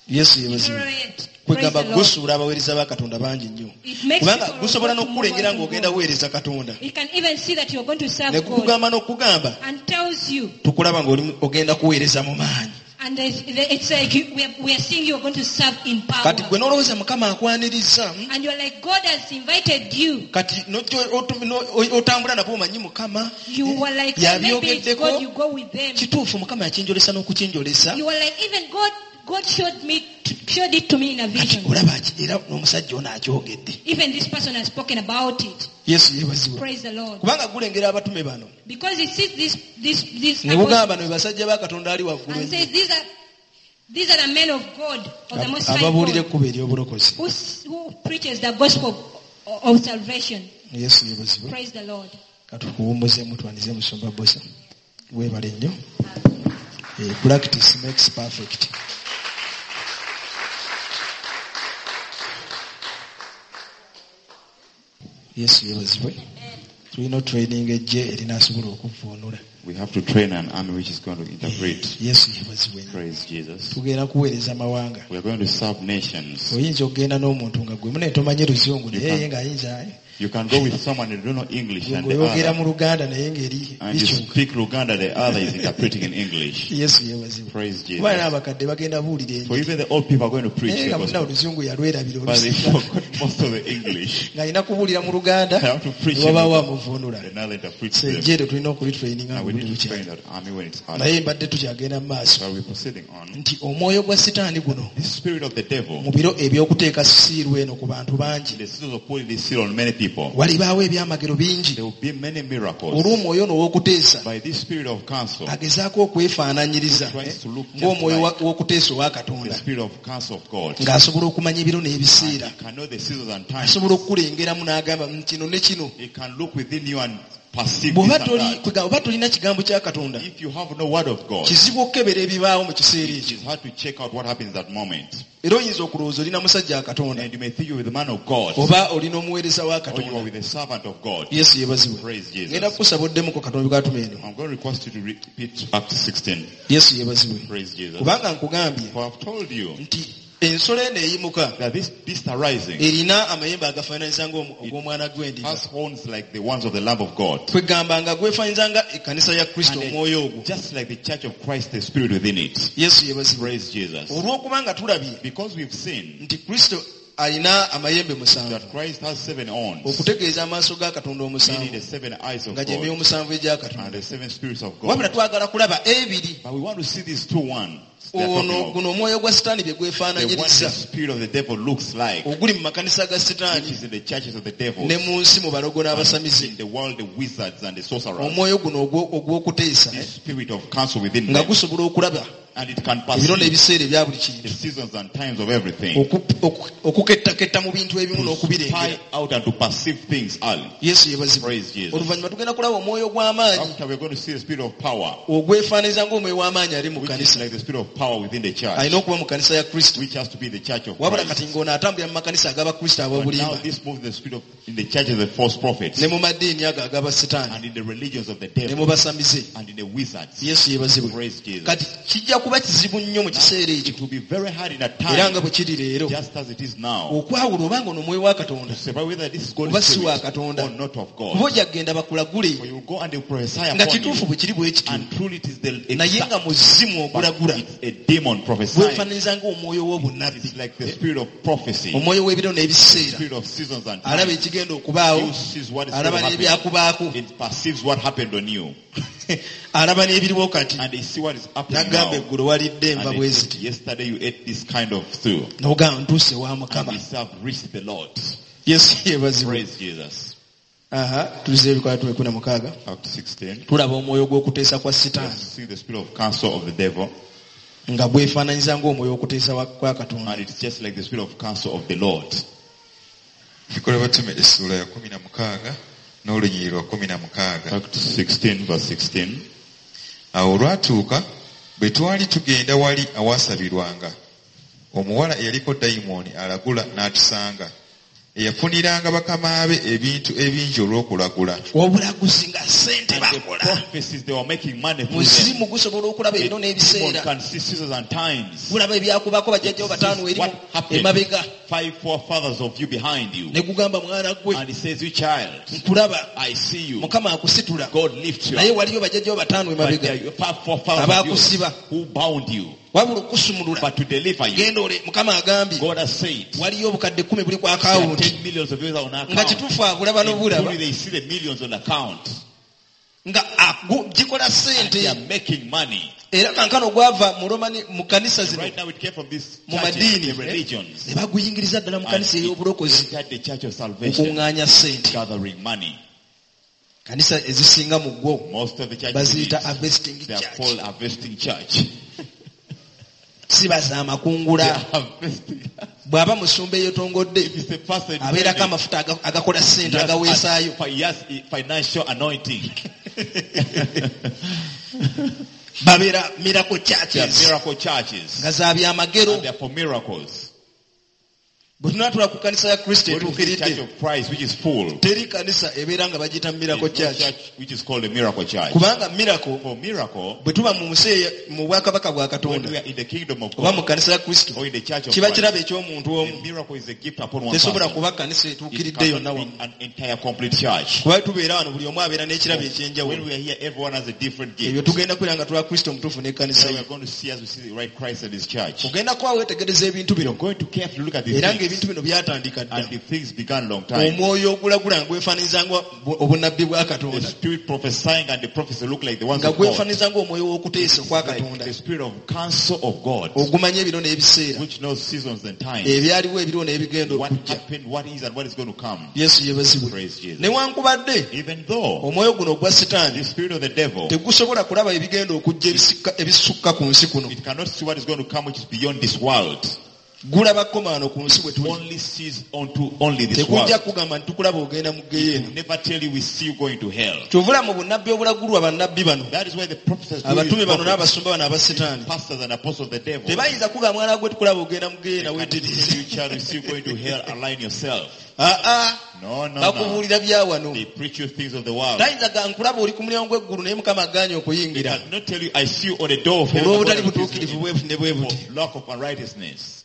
Yesu yeebazibwe. deteriorate. Praise Kwegamba the Lord. gusuula abaweereza ba Katonda bangi nnyo. It makes Kubanga people gusobola of God to move n'okukulengera on to ng'ogenda God. weereza Katonda. It can even see that you're going to serve Ne God gukugamba n'okugamba and tells you. tukulaba ng'oli ogenda kuweereza mu maanyi. And it's, it's like you, we, are, we are seeing you are going to serve in power. Kati gwe n'olowooza Mukama akwaniriza. And you're like, God has invited you. Kati n'ojja otu- no- otambula nabo omanyi Mukama. You were like, maybe it's Yabyogeddeko. God, you go with them. Kituufu Mukama yakinjolesa n'okukinjolesa. You were like, even God, God showed me, showed it to me in a Kati vision. olaba ki- era n'omusajja ono akyogedde. Even this person has spoken about it. Yesu yeebazibwe. Praise the Lord. Kubanga gulengera abatume bano. Because he sees this, this, this Ne bugamba apostle bano be basajja ba Katonda ali waggulu and ennyo. says, these are, these are the men of God, of the Most High Ababuulira God, ekkubo ery'obulokozi. who, who preaches the gospel of, of salvation. Yesu yeebazibwe. Praise the Lord. Katukuwummuzeemu twanize musumba Bosa. Weebale nnyo. Eh, practice makes perfect. Yesu yeebazibwe. Tulina training ejje erinaasobola okuvvuunula. We have to train an army which is going to interpret. Yesu yeebazibwe nnyo. Praise Jesus. Tugenda kuweereza mawanga. We are going to serve nations. Oyinza okugenda n'omuntu nga gwe mune tomanyi luzungu naye ye ng'ayinza You can go with someone who don't know English gwe and the ng'oyogera other, mu Luganda naye ng'eri and you bikyuka. speak Luganda, the other is interpreting in English. Yesu yeebazibwe. Praise Kuba Jesus. n'abakadde bagenda buulira For enjiri. even the old people are going to preach Naye the nga munna gospel. oluzungu yalwerabira But they olusinga. forgot most of the English. Ng'alina kubuulira mu Luganda They have to preach ne in wabaawo Luganda. amuvuunula. Another interprets So them. ejje eryo tulina okulitraininga And we nga need to buli train bukyali. that army when it's out. Naye mbadde tukyagenda mu maaso So we're proceeding on. nti omwoyo gwa Sitaani guno This spirit of the devil, mu biro eby'okuteeka siiru eno ku bantu bangi the seals of putting this seal on many people, walibaawo ebyamagero bingi there will be many miracles. olw'omwoyo ono ow'okuteesa By this spirit of counsel, agezaako okwefaananyiriza tries to look just ng'omwoyo like w'okuteesa owa the Katonda spirit of counsel of God. ng'asobola okumanya ebiro And n'ebiseera he can know the seasons and times. asobola okukulengeramu n'agamba "Mm, kino ne kino He can look within you and perceive bw'oba this and toli that. kwega- oba tolina kigambo kya Katonda If you have no word of God, kizibu okukebera ebibaawo mu kiseera it ekyo is hard to check out what happens at that moment. era oyinza okulowooza olina musajja wa Katonda And you may think you're with the man of God, oba olina omuweereza wa or you are Katonda with the servant of God. Yesu yeebazibwe. Praise Ngenda Jesus. kukusaba oddemuko Katonda bw'atuma eno. I'm going to request you to repeat Acts sixteen. Yesu yeebazibwe. Praise Jesus. Kubanga nkugambye For I've told you nti ensolo eno eyimuka that this beast arising erina amayembe agafaananyiza ng'ogw'omwana gw'endiga. has horns like the ones of the Lamb of God. Kwegamba nga gwefaanyiza nga ekkanisa ya Kristo And omwoyo ogwo. just like the church of Christ, the spirit within it. Yesu yeebazibwe. Praise Jesus. Olw'okubanga tulabye Because we've seen nti Kristo alina amayembe musanvu that Christ has seven horns, okutegeeza amaaso ga Katonda meaning omusanvu the seven eyes of nga gye myoyo God omusanvu egya and Katonda. the seven spirits of Wabula God. twagala kulaba ebiri But we want to see these two ones. they are talking ono of. guno omwoyo gwa Sitaani bye The one the gwefaananyiriza spirit of the devil looks like, oguli mu makanisa ga which Sitaani is in the churches of the devil, ne mu nsi mu balogo n'abasamize. in the world, the wizards and the sorcerers. Omwoyo guno ogwo- ogw'okuteesa This spirit of counsel within nga them, gusobola okulaba and it can ebiro perceive n'ebiseera ebya buli the kintu seasons and times of everything. Oku- oku- okukettaketta mu bintu ebimu To n'okubirengera. spy out and to perceive things early. Yesu yeebazibwe. Praise Jesus. Oluvannyuma tugenda kulaba omwoyo gw'amaanyi After we're going to see the spirit of power, ogwefaananyiriza ng'omwoyo w'amaanyi ali mu which is kanisa like the spirit of power within the church, alina okuba mu kanisa ya Kristo which has to be the church of wabula kati Christ. ng'ono atambulira mu makanisa ag'abakristo But now ab'obulimba this moves the spirit of in the church of the false prophets ne mu madiini ago ag'abasitaani and in the religions of the ne devil mu basamize. and in the wizards. Yesu yeebazibwe. Praise Jesus. Kati kijja kuba kizibu nnyo mu kiseera ekyo It will be very hard in a era nga time, bwe kiri leero just as it is now, okwawula obanga ono omwoyo wa Katonda to separate whether this is God's oba si wa spirit Katonda or not of kuba God. ojja kugenda bakulagule For you will go and they will prophesy nga upon kituufu you, bwe kiri bwe kityo and truly it is the naye exact, nga muzimu but ogulagula it's a demon prophesying. gwefaananyiriza ng'omwoyo w'obunnabbi It's like the spirit of prophecy, omwoyo w'ebiro n'ebiseera spirit of seasons and alaba times. ekigenda okubaawo You sees what is alaba going to happen. n'ebyakubaako It perceives what happened on you, alaba n'ebiriwo kati and they see what is happening n'agamba now. eggulo walidde enva And bwe they ziti say, yesterday you ate this kind of stew, n'ogamba ntuuse wa and Mukama. they say, I've reached the Lord. Yesu yeebazibwe. Praise Jesus. Aha, tuzze ebikola tumi kumi na mukaaga Acts sixteen. tulaba omwoyo gw'okuteesa kwa We Sitaani see the spirit of counsel of the devil, nga gwefaananyiza ng'omwoyo w'okuteesa wa- kwa Katonda. and it's just like the spirit of counsel of the Lord. Ebikola Batume essuula ya kumi na mukaaga n'olunyiriri lwa kumi na mukaaga. Acts sixteen verse sixteen. Awo olwatuuka bwe twali tugenda wali awaasabirwanga, omuwala eyaliko dayimooni alagula n'atusanga, Eyafuniranga bakama be ebintu ebingi olw'okulagula. Obulaguzi nga ssente And the bakola. prophecies, they were making money through them. Muzimu gusobola okulaba The ebiro demon n'ebiseera. can see seasons and times. Gulaba ebyakubako bajjajjawo bataano eri What happened? emabega. Five forefathers of you behind you. Ne gugamba mwana gwe And he says, you child, nkulaba I see you. Mukama akusitula. God lifts you Naye up. waliyo bajjajjawo bataano But emabega there are five forefathers of you abaakusiba. who bound you. Wabula okusumulula. But to deliver you, Genda ole Mukama agambye God has said, waliyo obukadde kkumi buli ku there are akawunti. ten millions of you on Nga account. kituufu abulaba And n'obulaba. truly they see the millions on account. Nga agu- gikola And they ssente. are making money. Era kankano gwava mu Romani mu kanisa zino Right now it came from these mu churches, madiini the religions. ne baguyingiriza ddala mu And kanisa it ey'obulokozi entered the church of salvation, okuŋŋaanya ssente. gathering money. Kanisa ezisinga mu gwo Most of the churches, baziyita harvesting they are church. called harvesting church. Si bazaamakungula. They are harvesting. Bw'aba musumba eyeetongodde If it's a pastor, in abeerako building, amafuta aga- agakola ssente he has agaweesaayo. a- he has a financial anointing. Babeera miracle They are churches miracle churches. nga za byamagero. And they are for miracles. Bwe tunaatula ku kanisa ya Kristo When we see the church etuukiridde of Christ, which is full, teri kanisa ebeera nga bagiyita miracle there's no church. church which is called a miracle church. Kubanga miracle For miracle, bwe tuba mu nsi eya- mu bwakabaka bwa when Katonda we are in the kingdom of oba mu God kanisa ya Kristo or in the church of kiba Christ, kirabo eky'omuntu the omu. miracle is a gift upon one Tesobola person. kuba kanisa It etuukiridde cannot yonna be wamu. an entire complete church. Kuba tubeera wano buli omu abeera n'ekirabo When eky'enjawulo. we are here, everyone has a different Ebyo gift. tugenda kubeera nga tula Kristo omutuufu n'ekkanisa Then we ye. are going to see as we see the right Christ and his church. Ogenda kuba weetegereza ebintu bino We are going to carefully look at these era things. ng'ebintu bino byatandika dda. And the things began long time. Omwoyo ogulagula nga gwefaananyiriza nga obunnabbi bwa The Katonda. spirit prophesying and the prophecy look like the ones Nga of God. gwefaananyiriza ng'omwoyo w'okuteesa okwa Like Katonda. the spirit of counsel of God, Ogumanya ebiro n'ebiseera. which knows seasons and times. Ebyaliwo ebiriwo n'ebigenda What okujja. happened, what is, and what is going to come. Yesu yeebazibwe. Praise Jesus. Newankubadde Even though omwoyo guno ogwa Sitaani the spirit of the devil, tegusobola kulaba ebigenda okujja ebisukka- ebisukka ku nsi kuno. it cannot see what is going to come, which is beyond this world. Gulaba kkomaano ku nsi bwe tuli. Only sees onto only this world. Tekujja kugamba nti tukulaba ogenda mu ggeyeena. Never tell you we see you going to hell. Kyovula mu bunnabbi obulagulwa bannabbi bano That is why the prophets, do abatume these bano prophets, n'abasumba bano aba Sitaani pastors and apostles of the devil, tebayinza kugamba mwana gwe tukulaba ogenda mu they ggeyeena cannot tell weetereeze. you, child, we see you going to hell, align yourself. Aa No, no, no. bakubuulira bya wano. They preach you things of the world. Tayinza ga nkulaba oli ku mulyango gw'eggulu naye Mukama agaanye They okuyingira cannot tell you, I see you on the door of heaven. olw'obutali but God refuses butuukirivu you bwe ne bwe buti. for lack of unrighteousness.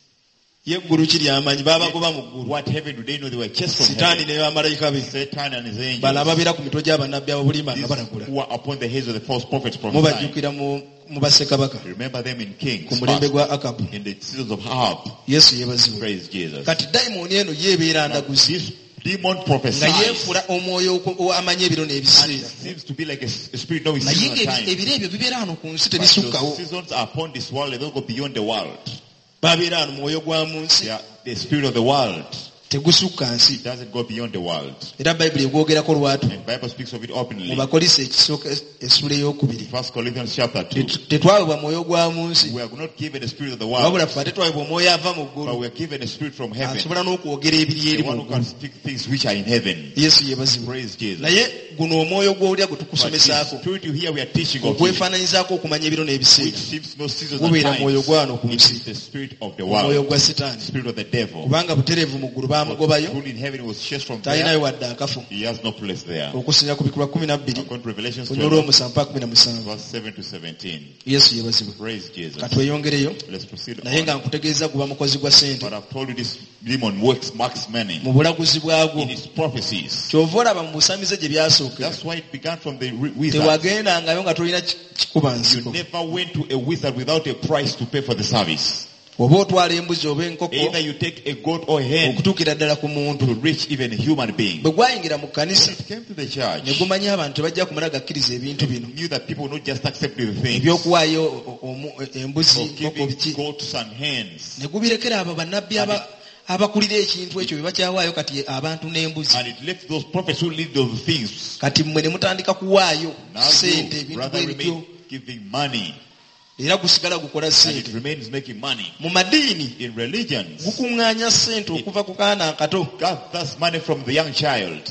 Ye eggulu kiri amanyi baabagoba mu ggulu. What heaven do they know? They were chased from Sitaani heaven. ne bamalayika be Satan and his angels. bano ababeera ku mitwe gy'abannabbi ab'obulimba nga These balagula. who are upon the heads of the false prophets prophesying. Mubajjukira mu mu bassekabaka Remember them in Kings. ku mulembe first, gwa Akabu. In the seasons of Ahab. Yesu yeebazibwe. Praise Jesus. Kati dayimooni eno ye ebeera Now, ndaguzi this demon nga prophesies. yeefula omwoyo oku- amanyi ebiro And it n'ebiseera. seems to be like a, s- a spirit knowing Naye seasons and ng'ebi- times. ebiro ebyo bibeera wano ku nsi But those tebisukkawo. seasons are upon this world. They don't go beyond the world. Babeera wano mwoyo gwa mu nsi They are the spirit of the world. tegusukka nsi. It doesn't go beyond the world. Era Bayibuli egwogerako lwatu And Bible speaks of it mu openly. Bakolinso ekisooka essula ey'okubiri. First Corinthians chapter two. Tetu- Tetwaweebwa mwoyo gwa mu nsi We are not given the spirit of the world, wabula ffe ate twaweebwa omwoyo ava mu but ggulu we are given a spirit from heaven. asobola n'okwogera ebiri eri The one mu who can ggulu. speak things which are in heaven. Yesu yeebazibwe. Praise Jesus. Naye guno omwoyo gw'owulira gwe But the tukusomesaako spirit you hear we are teaching of you, ogwefaananyizaako okumanya ebiro which n'ebiseera seems no seasons and gubeera mwoyo times, gwano ku it nsi is the spirit of the omwoyo world, gwa Sitaani spirit of the devil. kubanga butereevu mu ggulu baamugobayo Truly in heaven he was chased from talinayo there. wadde akafo He has no place there. okusinziira ku bikolwa kumi na bbiri According to Revelations olunya twelve, olw'omusanvu paka kumi na musanvu. verse seven to seventeen. Yesu yeebazibwe. Praise Jesus. Katweyongereyo Let's proceed naye on. nga nkutegeeza guba mukozi gwa ssente But I've told you this demon works, marks many mu bulaguzi bwagwo. in his prophecies. Kyova olaba mu busamize gye byasookera That's why it began from the wi- wizard. tewagendangayo nga tolina ki- kikuba You nsiko. never went to a wizard without a price to pay for the service. Oba otwala embuzi oba enkoko Either you take a goat or a hen okutuukira ddala ku muntu. to reach even a human being. Bwe gwayingira mu kkanisa When it came to the church, ne gumanya abantu tebajja kumala gakkiriza ebintu bino knew that people would not just accept the things ebyokuwaayo o- omu- embuzi of enkoko giving biki goats and hens. ne gubirekera abo bannabbi aba- abakulira ekintu ekyo bye bakyawaayo kati abantu n'embuzi. And it left those prophets who lead those things. Kati mmwe ne mutandika kuwaayo Now ssente you, ebintu brother, bwe bityo remain giving money. era gusigala gukola And it ssente. remains making money. Mu madiini In religions, gukuŋŋaanya ssente okuva ku kaana akato. gathers money from the young child.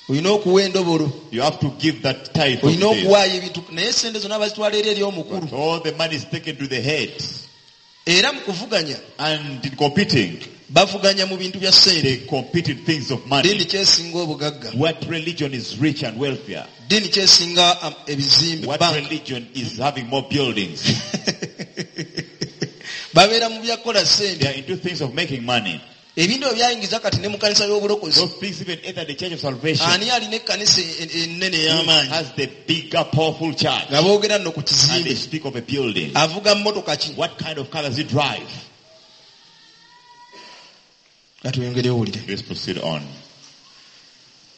Olina okuwa endobolo. You have to give that tithe of Olina this. okuwaayo ebintu naye ssente zonna bazitwala eri eri omukulu. But all the money is taken to the head. Era mu kuvuganya And in competing, Bavuganya mu bintu bya They ssente. compete in things of Ddiini money. ki esinga obugagga? What religion is rich and wealthier? Ddiini ki esinga um, ebizimbe? What Banka. religion is having more buildings? Babeera mu byakukola They ssente. are into things of making money. Ebintu ebyo byayingiza kati ne mu kanisa y'obulokozi. Those things even enter the church of salvation. Ani alina ekkanisa en- ennene Who ey'amaanyi? has the bigger, powerful church? Nga boogera nno ku And they kizimbe. speak of a building. Avuga mmotoka ki? What kind of car does he drive? Ka tweyongere owulire. Let's proceed on.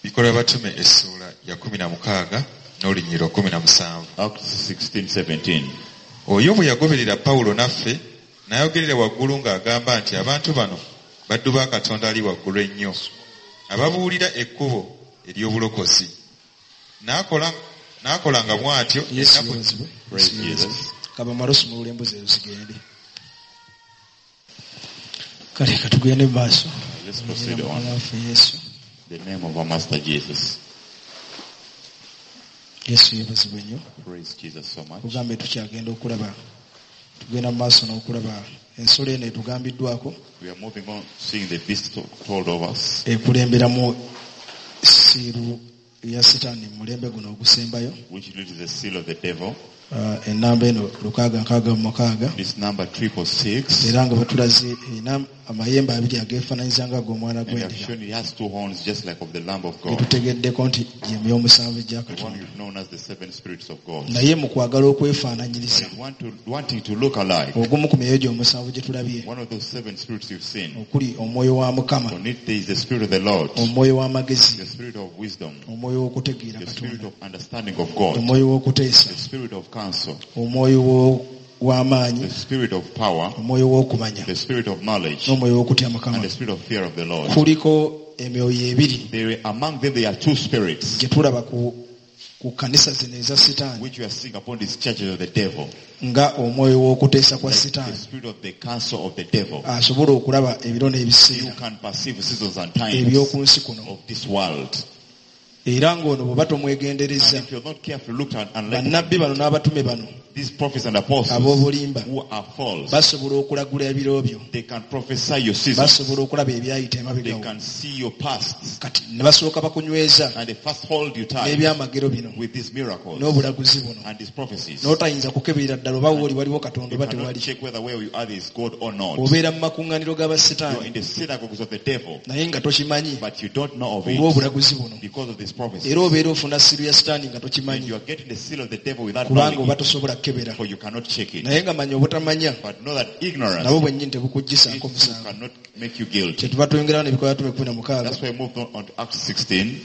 Bikolwa batume essuula ya kumi na mukaaga n'olunyiriro kumi na musanvu. Acts sixteen, seventeen. Oyo bwe yagoberera Pawulo naffe n'ayogerera waggulu ng'agamba nti abantu bano baddu ba Katonda ali waggulu ennyo ababuulira ekkubo ery'obulokozi. N'akola n'akolanga bw'atyo Yesu ennaku yeebazibwe. Praise Yesu yeebazibwe. Jesus. Kabamale osumulula embuzi ezo zigende. Kale katugende mu maaso. Let's proceed on. Mukama waffe Yesu. The name of our Master Jesus. Yesu yeebazibwe nnyo. Praise Jesus so much. Kugambe tukyagenda okulaba tugenda mu maaso n'okulaba ensolo eno etugambiddwako We are moving on, seeing the beast to- told of us, ekulemberamu siiru ya sitaani mu mulembe guno ogusembayo. which leads the seal of the devil. Ah, ennamba eno lukaaga nkaaga mu mukaaga. This number triple six. Era nga batulaze erina amayembe abiri ageefaananyiza nga ag'omwana And they have gw'endiga. shown it has two horns, just like of the Lamb of God. Getutegeddeko nti gye myoyo omusanvu egya The one Katonda. who's known as the seven spirits of God. Naye mu kwagala okwefaananyiriza But want to, wanting to look alike, ogumu ku myoyo gye omusanvu gye tulabye one of those seven spirits you've seen, okuli omwoyo wa Mukama, on it there is the spirit of the Lord, omwoyo w'amagezi, the spirit of wisdom, omwoyo w'okutegeera the spirit Katonda, of understanding of God, omwoyo w'okuteesa, the spirit of counsel, omwoyo wo- w'amaanyi, the spirit of power, omwoyo w'okumanya, the spirit of knowledge, n'omwoyo w'okutya Mukama. and the spirit of fear of the Lord. Kuliko emyoyo ebiri There, among them there are two spirits, gye tulaba ku ku kkanisa zino eza Sitaani which we are seeing upon these churches of the devil. nga omwoyo w'okuteesa kwa Like the Sitaani spirit of the counsel of the devil. asobola okulaba ebiro You n'ebiseera can perceive seasons and times eby'oku nsi kuno. of this world. Era ng'ono bw'oba And tomwegendereza if you're not careful, look at and let bannabbi bano n'abatume bano these prophets and apostles ab'obulimba who are false, basobola okulagula ebiro byo, they can prophesy your seasons. basobola okulaba ebyayita They emabegawo. can see your past. Kati ne basooka bakunyweza And they first hold you tight n'ebyamagero bino with these miracles n'obulaguzi buno and these prophecies. n'otayinza kukeberera ddala oba wooli waliwo Katonda You oba cannot tewali. check whether where you are there is God or not. Obeera mu makuŋŋaaniro You're g'abasitaani in the synagogues of the devil, naye nga tokimanyi but you don't know of it olw'obulaguzi buno. because of these prophecies. Era obeera ofuna siiru ya sitaani nga And tokimanyi you are getting the seal of the devil without kubanga knowing oba it, tosobola kukebera. for you cannot check it. Naye nga manya obutamanya But know that ignorance nabo bwennyini it tebukuggisaako too musango. cannot make you guilty. Kyetuva twongerawo n'ebikolwa by'abatume kumi na mukaaga That's why I moved on, on to Acts sixteen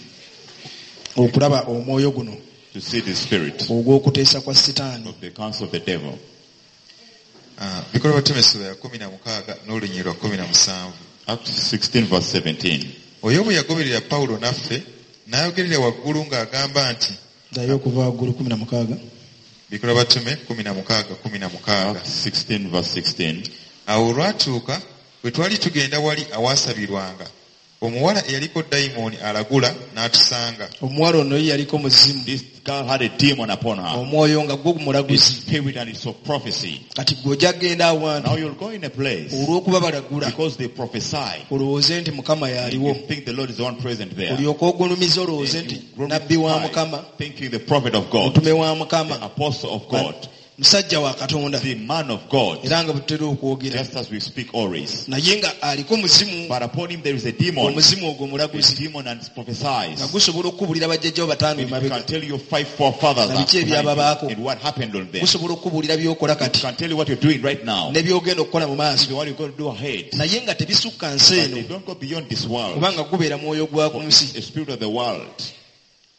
okulaba omwoyo guno to see the spirit ogw'okuteesa kwa sitaani. of the counsel of the devil. Ah, Bikolwa batume essuula ya kumi na mukaaga n'olunyiriro lwa kumi na musanvu. Acts sixteen verse seventeen. Oyo bwe yagoberera Pawulo naffe n'ayogerera waggulu ng'agamba nti Ddayo okuva waggulu kumi na mukaaga. Bikolwa batume kumi na mukaaga kumi na mukaaga. Acts sixteen verse sixteen. Awo olwatuuka bwe twali tugenda wali awaasabirwanga omuwala eyaliko dayimooni alagula n'atusanga. Omuwala ono ye yaliko muzimu. This girl had a demon upon her. Omwoyo nga gwo This mulaguzi. spirit and it's of prophecy. Kati gwe ojja kugenda awantu Now you'll go in a place olw'okuba balagula because they prophesy. olowooze nti Mukama y'aliwo. You think the Lord is the one present there. Olyoke ogulumize olowooze And nti you nabbi wa glorify, Mukama, thinking the prophet of God, mutume wa the Mukama, apostle of God, musajja wa Katonda. the man of God, Era nga bwe tutera okwogera. just as we speak always. Naye nga aliko muzimu, But upon him there is a demon, omuzimu ogwo a mulaguzi demon and nga prophesies. gusobola okukubuulira bajjajjawo bataano It emabega. can tell you five forefathers Na biki are behind ebyababaako. you and what happened on them. Gusobola okukubuulira by'okola It kati can tell you what you're doing right now, ne by'ogenda okukola mu maaso. even what you're going to do ahead. Naye nga tebisukka nsi But they eno don't go beyond this world. kubanga gubeera mwoyo gwa ku nsi. The spirit of the world.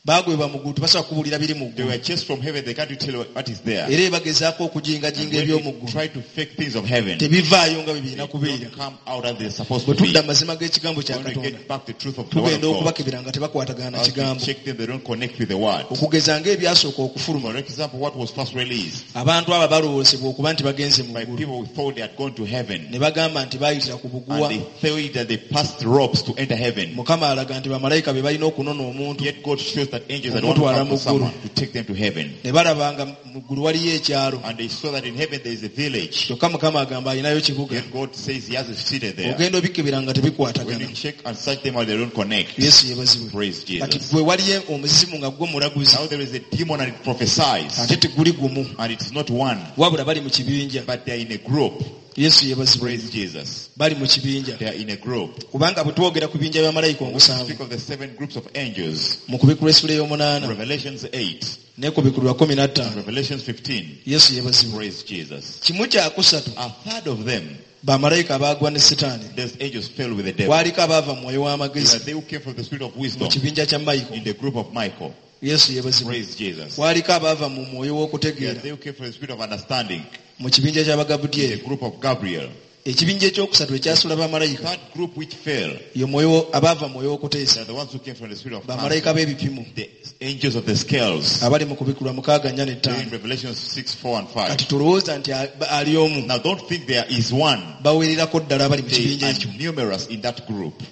Baagwebwa mu ggulu tebasobola kubuulira biri mu They ggulu. were chased from heaven. They can't tell you what is there. Era ebagezaako And okujingajinga when they eby'omu ggulu try to fake things of heaven, they tebivaayo nga bwe birina kubeera. don't come out as they're supposed Bwe to be. tudda amazima g'ekigambo kya When we Katonda get back the truth of the word of tugenda God, okubakebera nga tebakwatagana na as we kigambo. check them, they don't connect with the word. Okugeza ng'ebyasooka okufuluma For example, what was first released abantu abo balowoozebwa okuba nti bagenze mu by ggulu people who thought they had gone to heaven, ne bagamba nti baayitira ku buguwa. and they thought that they passed ropes to enter heaven. Mukama alaga nti bamalayika be balina okunona omuntu Yet God shows that angels had want to Okumutwala come mu for ggulu. someone to take them to heaven. Ne balaba nga mu ggulu waliyo ekyalo. And they saw that in heaven there is a village. Kyokka Mukama agamba alinayo kibuga. Yet God says he has a city there. Ogenda obikebera nga When tebikwatagana. you check and search them out, they don't connect. Yesu yeebazibwe. Praise Kati Jesus. gwe waliyo omuzimu nga gwo mulaguzi. Now there is a demon and it prophesies. Ate teguli gumu. And it's not one, Wabula bali mu kibinja. but they are in a group. Yesu yeebazibwe. Praise Jesus. Bali mu kibinja. They are in a group. Kubanga bwe twogera ku binja bya malayika We omusanvu speak of the seven groups of angels. mu kubikulwa essula ey'omunaana Revelations eight, ne kubikulwa kumi na ttaano. Revelations fifteen. Yesu yeebazibwe. Praise Jesus. Kimu kya kusatu A third of them, bamalayika abaagwa ne Sitaani. those angels fell with the devil. Kwaliko abaava mu mwoyo They are w'amagezi they who came from the spirit of mu wisdom kibinja kya Michael. in the group of Michael. Yesu yeebazibwe. Praise Jesus. Kwaliko abaava mu mwoyo They are w'okutegeera they who came from the spirit of understanding mu kibinja in the ky'Abagabudyeri. group of Gabriel. Ekibinja ekyokusatu ekyasula bamalayika Third group which fell, ye mwoyo abaava mu mwoyo they w'okuteesa are the ones who came from the spirit of bamalayika counsel, b'ebipimo the angels of the scales. abali mu kubikulwa mukaaga nnya They're in n'ettaano. Revelation six, four and five. Kati tolowooza nti ali omu. Now don't think there is one. Bawererako ddala abali mu They kibinja are ekyo. numerous in that group.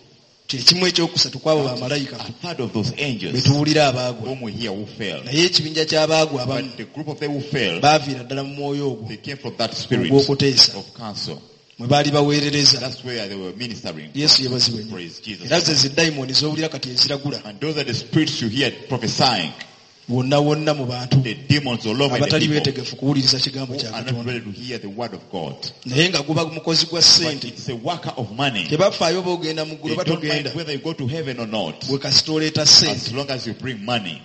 Kyekimu ekyokusatu kw'abo bamalayika A third of those be angels tuwulira abaagwa. whom we hear who fell. Naye ekibinja ky'abaagwa abamu But the group of them who fell, baaviira ddala mu mwoyo ogwo they came from that spirit ogw'okuteesa of counsel. mwe baali baweerereza. That's where they were ministering. Yesu yeebazibwe nnyo. Praise Jesus. Era ze zidayimooni z'owulira kati eziragula And those are the spirits you hear prophesying. wonna wonna mu bantu The demons all over the abatali people beetegefu kuwuliriza kigambo who kya are not Katonda. ready to hear the word of God. Naye nga guba mukozi gwa But ssente. it's a worker of money. Tebafaayo oba ogenda mu ggulu They oba don't mind togenda. whether you go to heaven or not. Gwe kasita oleeta ssente. As long as you bring money.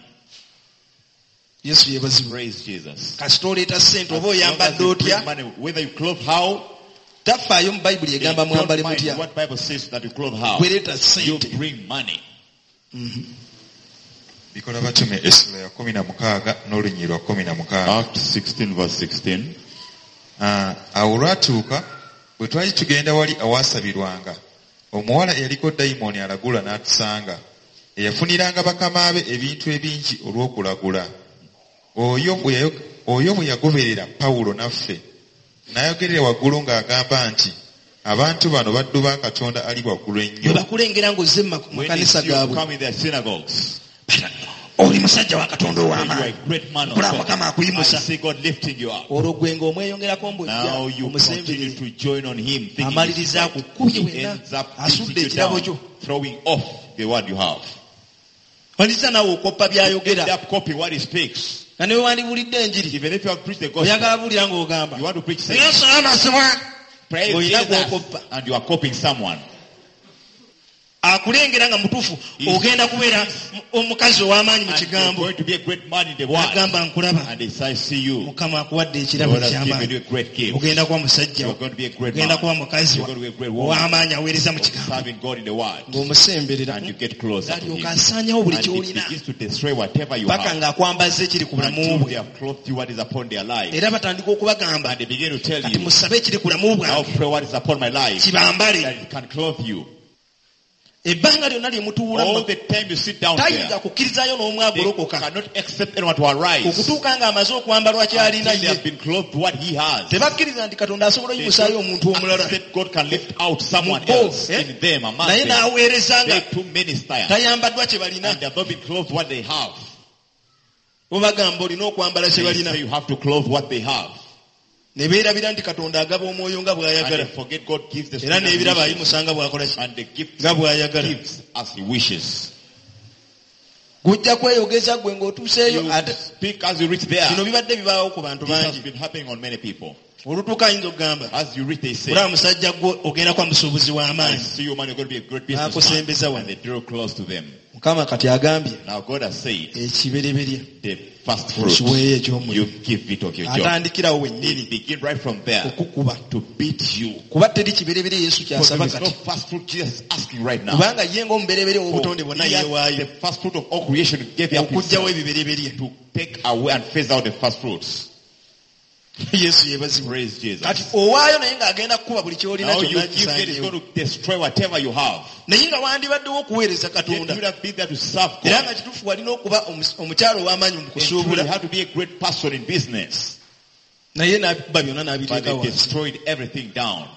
Yesu yeebazibwe. Praise Jesus. Kasita oleeta ssente As oba long as oyambadde you otya bring money, whether you clothe how, tafaayo mu Bayibuli they egamba don't mwambale mind mutya. what Bible says that you clothe how. Gwe leeta You ssente. bring money. Bikola Batume essula ya kumi na mukaaga n'olunyiriri lwa kumi na mukaaga. Acts sixteen verse sixteen. Ah, awo olwatuuka bwe twali tugenda wali awaasabirwanga omuwala eyaliko dayimooni alagula n'atusanga eyafuniranga bakama be ebintu ebingi olw'okulagula. Oyo bwe yayo- oyo bwe yagoberera Pawulo naffe n'ayogerera waggulu ng'agamba nti abantu bano baddu ba Katonda ali waggulu Bwe ennyo. bakulengera ng'ozze mu When they makanisa see you gaabwe. come in their synagogues, Oli musajja wa Katonda you are ow'amaanyi. a great man of Kulaba God. Mukama I akuyimusa. see God lifting you up. Olwo gwe ng'omweyongerako Now mbw'ojja you continue omusemberere. to join on him, thinking Amaliriza he's right. akukubye He wenna, ends up asudde beating you ekirabo down, kyo. throwing off the word you have. Maliriza naawe okoppa End by'ayogera. up copying what he speaks. Nga ne bwe wandiwulidde enjiri, Even if you have preached the gospel, oyagala buwulira ng'ogamba. you want to preach saying, Yesu amazima. praise Ng'olina Jesus, gw'okoppa. and you are copying someone. Akulengera nga mutuufu ogenda kubeera omukazi ow'amaanyi mu And you're kigambo. going to be a great man in the world. Agamba nkulaba. And they say, I see you. Mukama akuwadde ekirabo God has given eky'amaanyi. you a great gift. Ogenda kuba musajja. You're going to be a great Ogenda man. kuba mukazi You're going to be a great woman. ow'amaanyi aweereza mu kigambo. Serving God in the word. Ng'omusemberera. And you get closer to him. Alyoka asaanyawo buli And it ky'olina. begins to destroy whatever you Paka have. ng'akwambaza ekiri ku bulamu Until bwe. they have clothed you what is upon their life. Era batandika okubagamba And they begin to tell kati you, musabe ekiri ku bulamu now bwange pray what is upon my life. kibambale. That it can clothe you. Ebbanga lyonna lye mutuula All the time you sit down tayinza there, kukkirizaayo they n'omwagolokoka cannot accept anyone to arise. okutuuka ng'amaze okwambalwa ky'alina Until they ye. have been clothed what he has. Tebakkiriza nti Katonda asobola They oyimusaayo don't omuntu omulala accept God can lift out someone Mu bo, else eh? in them, among naye them. n'aweereza They nga too minister. tayambaddwa kye balina. And they have not been clothed what they have. Bo bagamba olina okwambala kye They balina. say you have to clothe what they have. Ne beerabira nti Katonda agaba omwoyo nga And bw'ayagala. they forget God gives the Era spirit as he n'ebirabo wishes. ayimusa nga bw'akola ki? And the gift Nga bw'ayagala. gives as he wishes. Gujja kweyogeza gwe ng'otuuseeyo You ate speak as you reach there. bino bibadde bibaawo ku bantu This has bangi. been happening on many people. Olutuuka ayinza okugamba As you reach, they say, olaba musajja gwe ogenda kuba musuubuzi I w'amaanyi. see you, man, you're going to be a great businessman. N'akusembeza wano. And they draw close to them. Mukama kati agambye Now God has said, ekibereberye the first fruit, okiweeyo eky'omulimu. you give it of your job. Atandikirawo They wennyini begin right from there okukuba. to beat you. Kuba teri kibereberye Yesu Because there ky'asaba is no kati. first fruit Jesus is asking right now. Kubanga ye ng'omubereberye For ow'obutonde bwonna he has yeewaayo the first fruit of all creation gave up okuggyawo himself ebibereberye. to take away and phase out the first fruits. Yesu yeebazibwe. Praise Jesus. Kati owaayo naye ng'agenda kukuba buli ky'olina Now you kyonna give it, it's kisaanyeewo. going to destroy whatever you have. Naye nga wandibaddewo okuweereza Yet you Katonda. would have been there to serve Era God. nga kituufu walina okuba omus- omukyala ow'amaanyi mu And truly, you kusuubula. had to be a great person in business. Naye n'abikuba byonna But n'abiteeka they wansi. destroyed everything down.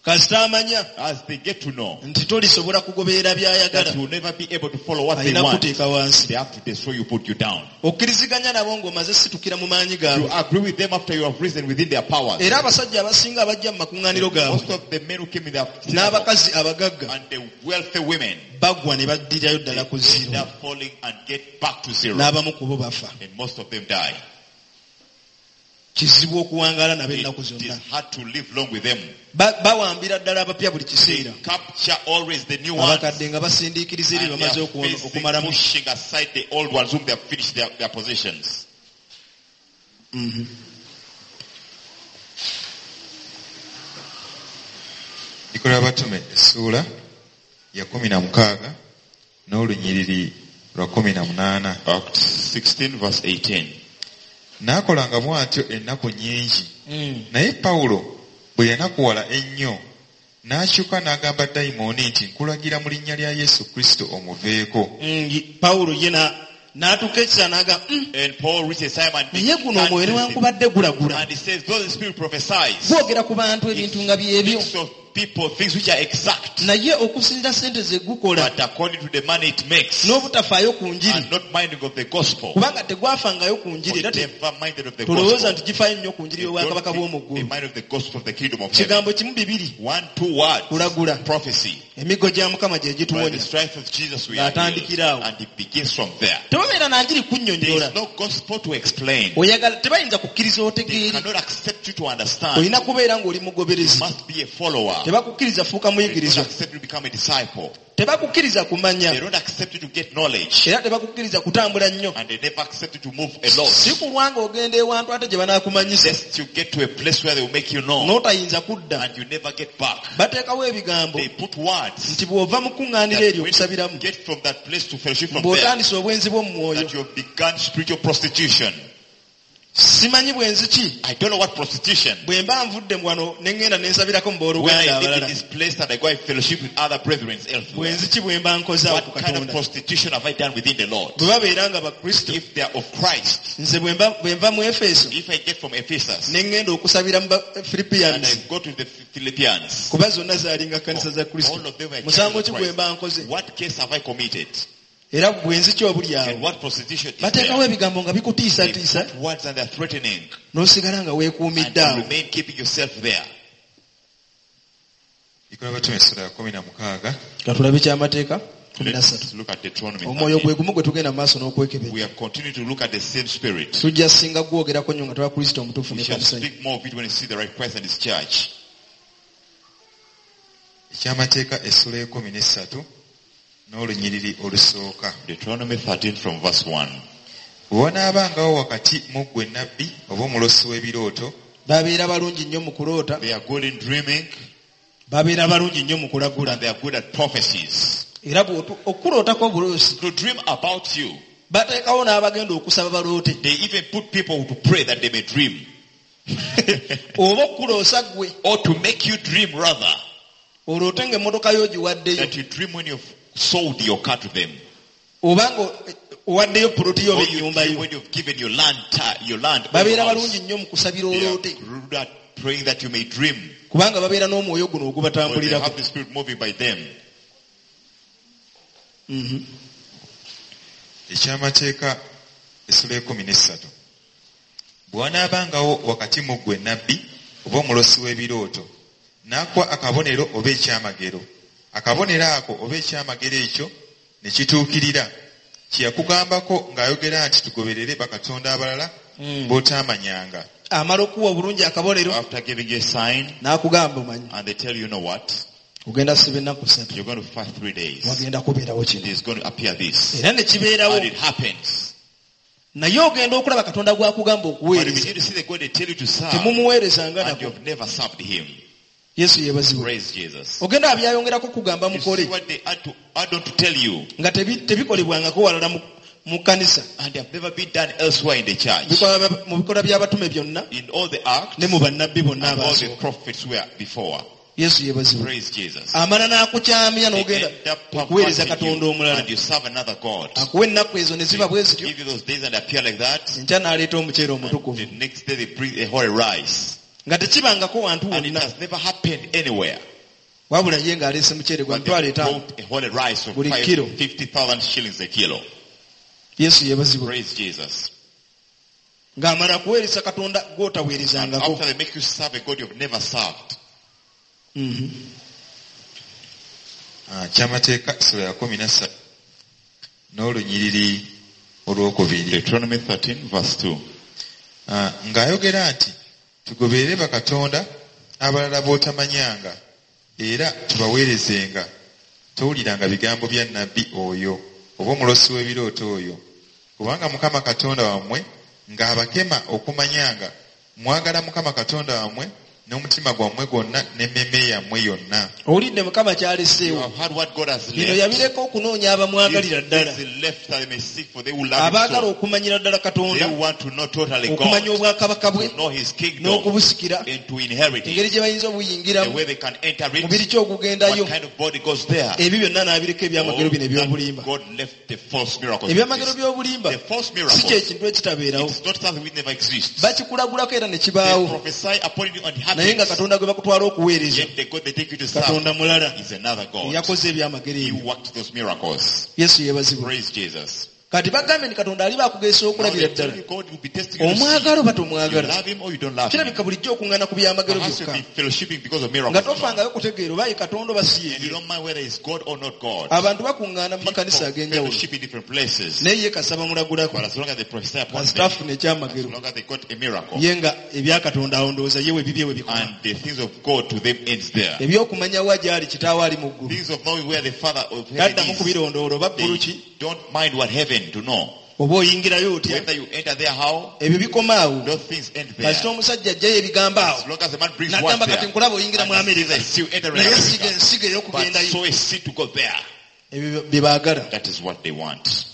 Kasita amanya As they get to know nti tolisobola kugoberera by'ayagala that you will never be able to follow what they alina want, kuteeka wansi. they have to destroy you, put you down. Okkiriziganya nabo ng'omaze situkira mu maanyi You gaabwe. agree with them after you have risen within their powers. Era abasajja abasinga abajja mu makuŋŋaaniro gaabwe Most of the men who came in their synagogue n'abakazi abagagga and the wealthy women, bagwa ne baddirayo ddala ku they end zero. up falling and get back to zero. N'abamu ku bo bafa. And most of them die. Kizibu okuwangaala nabo It ennaku is zonna. hard to live long with them. Ba- bawambira ddala abapya buli kiseera. Capture always the new ones. Abakadde nga basindiikiriza eri And they bamaze are okuwona- facing, okumalamu. pushing aside the old ones whom they have finished their, their positions. Bikolwa Abatume essuula ya kumi na mukaaga n'olunyiriri lwa kumi na munaana. Acts sixteen verse eighteen. N'akolanga bw'atyo ennaku nnyingi. Naye Pawulo bwe yanakuwala ennyo n'akyuka n'agamba dayimooni nti nkulagira mu linnya lya Yesu Kristo omuveeko. Mm, ye- Pawulo ye na- n'atuuka ekisa n'agamba "Mm, And Paul reaches time and naye guno omwoyo newankubadde gulagula and he says, though the spirit prophesies, gwogera ku bantu ebintu nga byebyo speaks of people things which are exact, naye okusinziira ssente ze gukola but according to the money it makes, n'obutafaayo ku njiri and not minding of the gospel, kubanga tegwafangayo ku njiri era or te- never minded of the tolowooza gospel. nti gifaayo nnyo ku njiri They y'obwakabaka don't bw'omu think they ggulu mind of the gospel of the kingdom of heaven. kigambo kimu bibiri One, two words, kulagula prophecy. emiggo gya mukama gye By the gituwonya stripes of Jesus we are healed. Ng'atandikira awo. And it begins from there. tebabeera na njiri There kunnyonnyola is no gospel to explain. oyagala tebayinza kukkiriza They otegeere cannot accept you to understand. olina kubeera ng'oli mugoberezi You must be a follower. tebakukkiriza fuuka They don't muyigirizwa accept you to become a disciple. tebakukkiriza kumanya They don't accept you to get knowledge. era tebakukkiriza kutambula nnyo And they never accept you to move a lot. si kulwa ng'ogenda ewantu ate gye banaakumanyisa Lest you get to a place where they will make you know. n'otayinza kudda And you never get back. bateekawo ebigambo They put words nti bw'ova mu kuŋŋaaniro that eryo when okusabiramu you get from that place to fellowship from there, bw'otandise obwenzi bw'omu mwoyo that you have begun spiritual prostitution. simanyi bwenzi ki I don't know what prostitution. bwe mba nvudde wano ne ŋŋenda ne nsabirako mu When booluganda I live in abalala this place and I go and fellowship with other brethren elsewhere, bwenzi ki bwe mba nkoze awo ku what kind of katonda prostitution have I done within the Lord? bwe babeera nga bakristo If they are of Christ, nze bwe mba- bwe nva mu efeso if I get from Ephesus ne ŋŋenda okusabira mu and Philippians I go to the Philippians, kuba zonna zaalinga kkanisa za kristo all of them were musango churches ki of gwe mba Christ. nkoze What case have I committed? era bwenzi ki obuli And awo what prostitution is bateekawo there? ebigambo nga They bikutiisatiisa put words and they're threatening. n'osigala nga And weekuumidde you awo remain keeping yourself there. Bikolwa Abatume essuula ya kumi na mukaaga katulabe kyamateeka kumi na ssatu Let's look at Deuteronomy omwoyo thirteen. gwe gumu gwe tugenda mu maaso n'okwekebejja We are continuing to look at the same spirit. tujja singa gwogerako nnyo nga tuba kristo omutuufu We ne shall kanisa ye speak more of it when we see the right Christ and his church. ekyamateeka essuula y'ekkumi n'essatu n'olunyiriri olusooka. Deuteronomy thirteen from verse one. Bwe wanaabangawo wakati mu ggwe nnabbi oba omulosi w'ebirooto babeera balungi nnyo mu kuloota They are good in dreaming babeera balungi nnyo mu kulagula and they are good at prophecies. era bw'otu- okulootako obuloosi To dream about you, bateekawo n'abagenda okusaba baloote they even put people to pray that they may dream. oba okuloosa ggwe Or to make you dream rather. oloote ng'emmotoka yo ogiwaddeyo That you dream when you've sold your car to them. oba nga owaddeyo poloti yo oba Or you ennyumba dream yo when you've given your land, ta- your land. or babeera your house. balungi nnyo mu kusabira They are oloote good at praying that you may dream. kubanga babeera n'omwoyo guno Or they ogubatambulirako have the spirit moving by them. Mhm. ekyamateeka essuula y'ekkumi n'essatu. Bwe wanaabangawo wakati mu ggwe nnabbi oba omulosi w'ebirooto n'akuwa akabonero oba ekyamagero akabonero ako oba ekyamagero ekyo ne kituukirira kye yakugambako ng'ayogera nti tugoberere bakatonda abalala b'otaamanyanga. Amala okuwa obulungi akabonero After giving you a sign, n'akugamba omanyi and they tell you, you know what? ogenda siba ennaku ssatu You're going to fast three days. wagenda kubeerawo kino There's going to appear this. era ne kibeerawo And it happens. naye ogenda okulaba katonda gw'akugamba But you okuweereza begin to see the God they tell you to serve, temumuweerezanga and nako you've never served him. yesu yeebazibwe Praise Jesus. ogenda abyayongerako kugamba You see mukole what they add, to, add on to tell you, nga tebi- tebikolebwangako walala mu- mu kkanisa and they have never been done elsewhere in the church. Bikolwa- mu bikolwa by'abatume byonna In all the acts ne mu bannabbi bonna and all the abaasooka prophets were before. yesu yeebazibwe Praise Jesus. amala n'akukyamya They n'ogenda end up okuweereza perverting katonda you, omulala and you serve another God. akuwa ennaku ezo ne ziba bwe zityo Give you those days and appear like that. enkya n'aleeta omuceere omutukuvu The next day they bring a holy rice. nga tekibangako wantu And it wonna has never happened anywhere. Wabula ye ng'aleese muceere gwa But mitwalo they etaano. brought a holy rice of Buli five- kilo. fifty thousand shillings a kilo. Yesu yeebazibwe. Praise Jesus. Ng'amala kuweereza Katonda And gw'otaweerezangako. after they make you serve a God you've never served. Mhm. Ah, kyamateeka sura ya kumi na ssatu n'olunyiriri olwokubiri. Deuteronomy thirteen verse two. Ah, ng'ayogera nti tugoberere bakatonda abalala b'otamanyanga era tubaweerezenga towuliranga bigambo bya nnabbi oyo oba omulosi w'ebirooto oyo kubanga Mukama Katonda wammwe ng'abakema okumanyanga mwagala Mukama Katonda wammwe n'omutima gwammwe gwonna n'emmeeme yammwe yonna. Owulidde Mukama You kyaleseewo. have heard what God has Bino left. yabireka okunoonya abamwagalira ddala. These things he left that they may seek for they will love him Abaagala so. okumanyira ddala They Katonda, want to know totally okumanya God, obwakabaka bwe to know his kingdom n'okubusikira, and to inherit engeri it. gye bayinza The obuyingiramu, way they can enter mubiri it, ki ogugendayo, what kind of body goes there. ebyo byonna n'abireka ebyamagero All bino eby'obulimba. that God left the false miracles. Ebyamagero by'obulimba The false si miracles. kye kintu ekitabeerawo. It's not something which never exists. Bakikulagulako era ne They kibaawo. prophesy upon you and it Naye nga happens. Katonda gwe bakutwala okuweereza, Yet the God they take you to serve Katonda mulala is another God. eyakoze ebyamagero He ebyo. worked those miracles. Yesu yeebazibwe. Praise Jesus. Kati bagambye nti Katonda aliba akugezesa Now okulabira they tell ddala. you God will be testing you to see. Omwagala oba You tomwagala. love him or you don't love him. Kirabika bulijjo okuŋŋaana ku byamagero Perhaps you've byokka. been fellowshipping because of Nga miracles. tofangayo kutegeera oba ye Katonda oba si And you ye. don't mind whether it's God or not God. Abantu bakuŋŋaana mu People makanisa ag'enjawulo. fellowship in different places. Naye ye kasaba mulagulako. But as long as they prophesy upon them, Kasita afuna as ekyamagero. long as they got a miracle, Ye nga ebya Katonda awo ndowooza ye we bibye we bikoma. and the things of God to them ends there. Ebyokumanya wa gy'ali kitaawe ali mu ggulu. Things of knowing where the Father of heaven Taddamu is, kubirondoola oba ggulu they ki don't mind what heaven to know. oba oyingirayo otya. Whether you enter there, how, Ebyo bikoma awo. those things end there. Kasita omusajja ajjayo ebigambo awo. As long as the man brings words N'agamba there, kati nkulaba oyingira mu and he Amerika. says, I see you entering Naye siga America. ensigo But ey'okugendayo. sow a seed to go there. Ebyo bye baagala. That is what they want.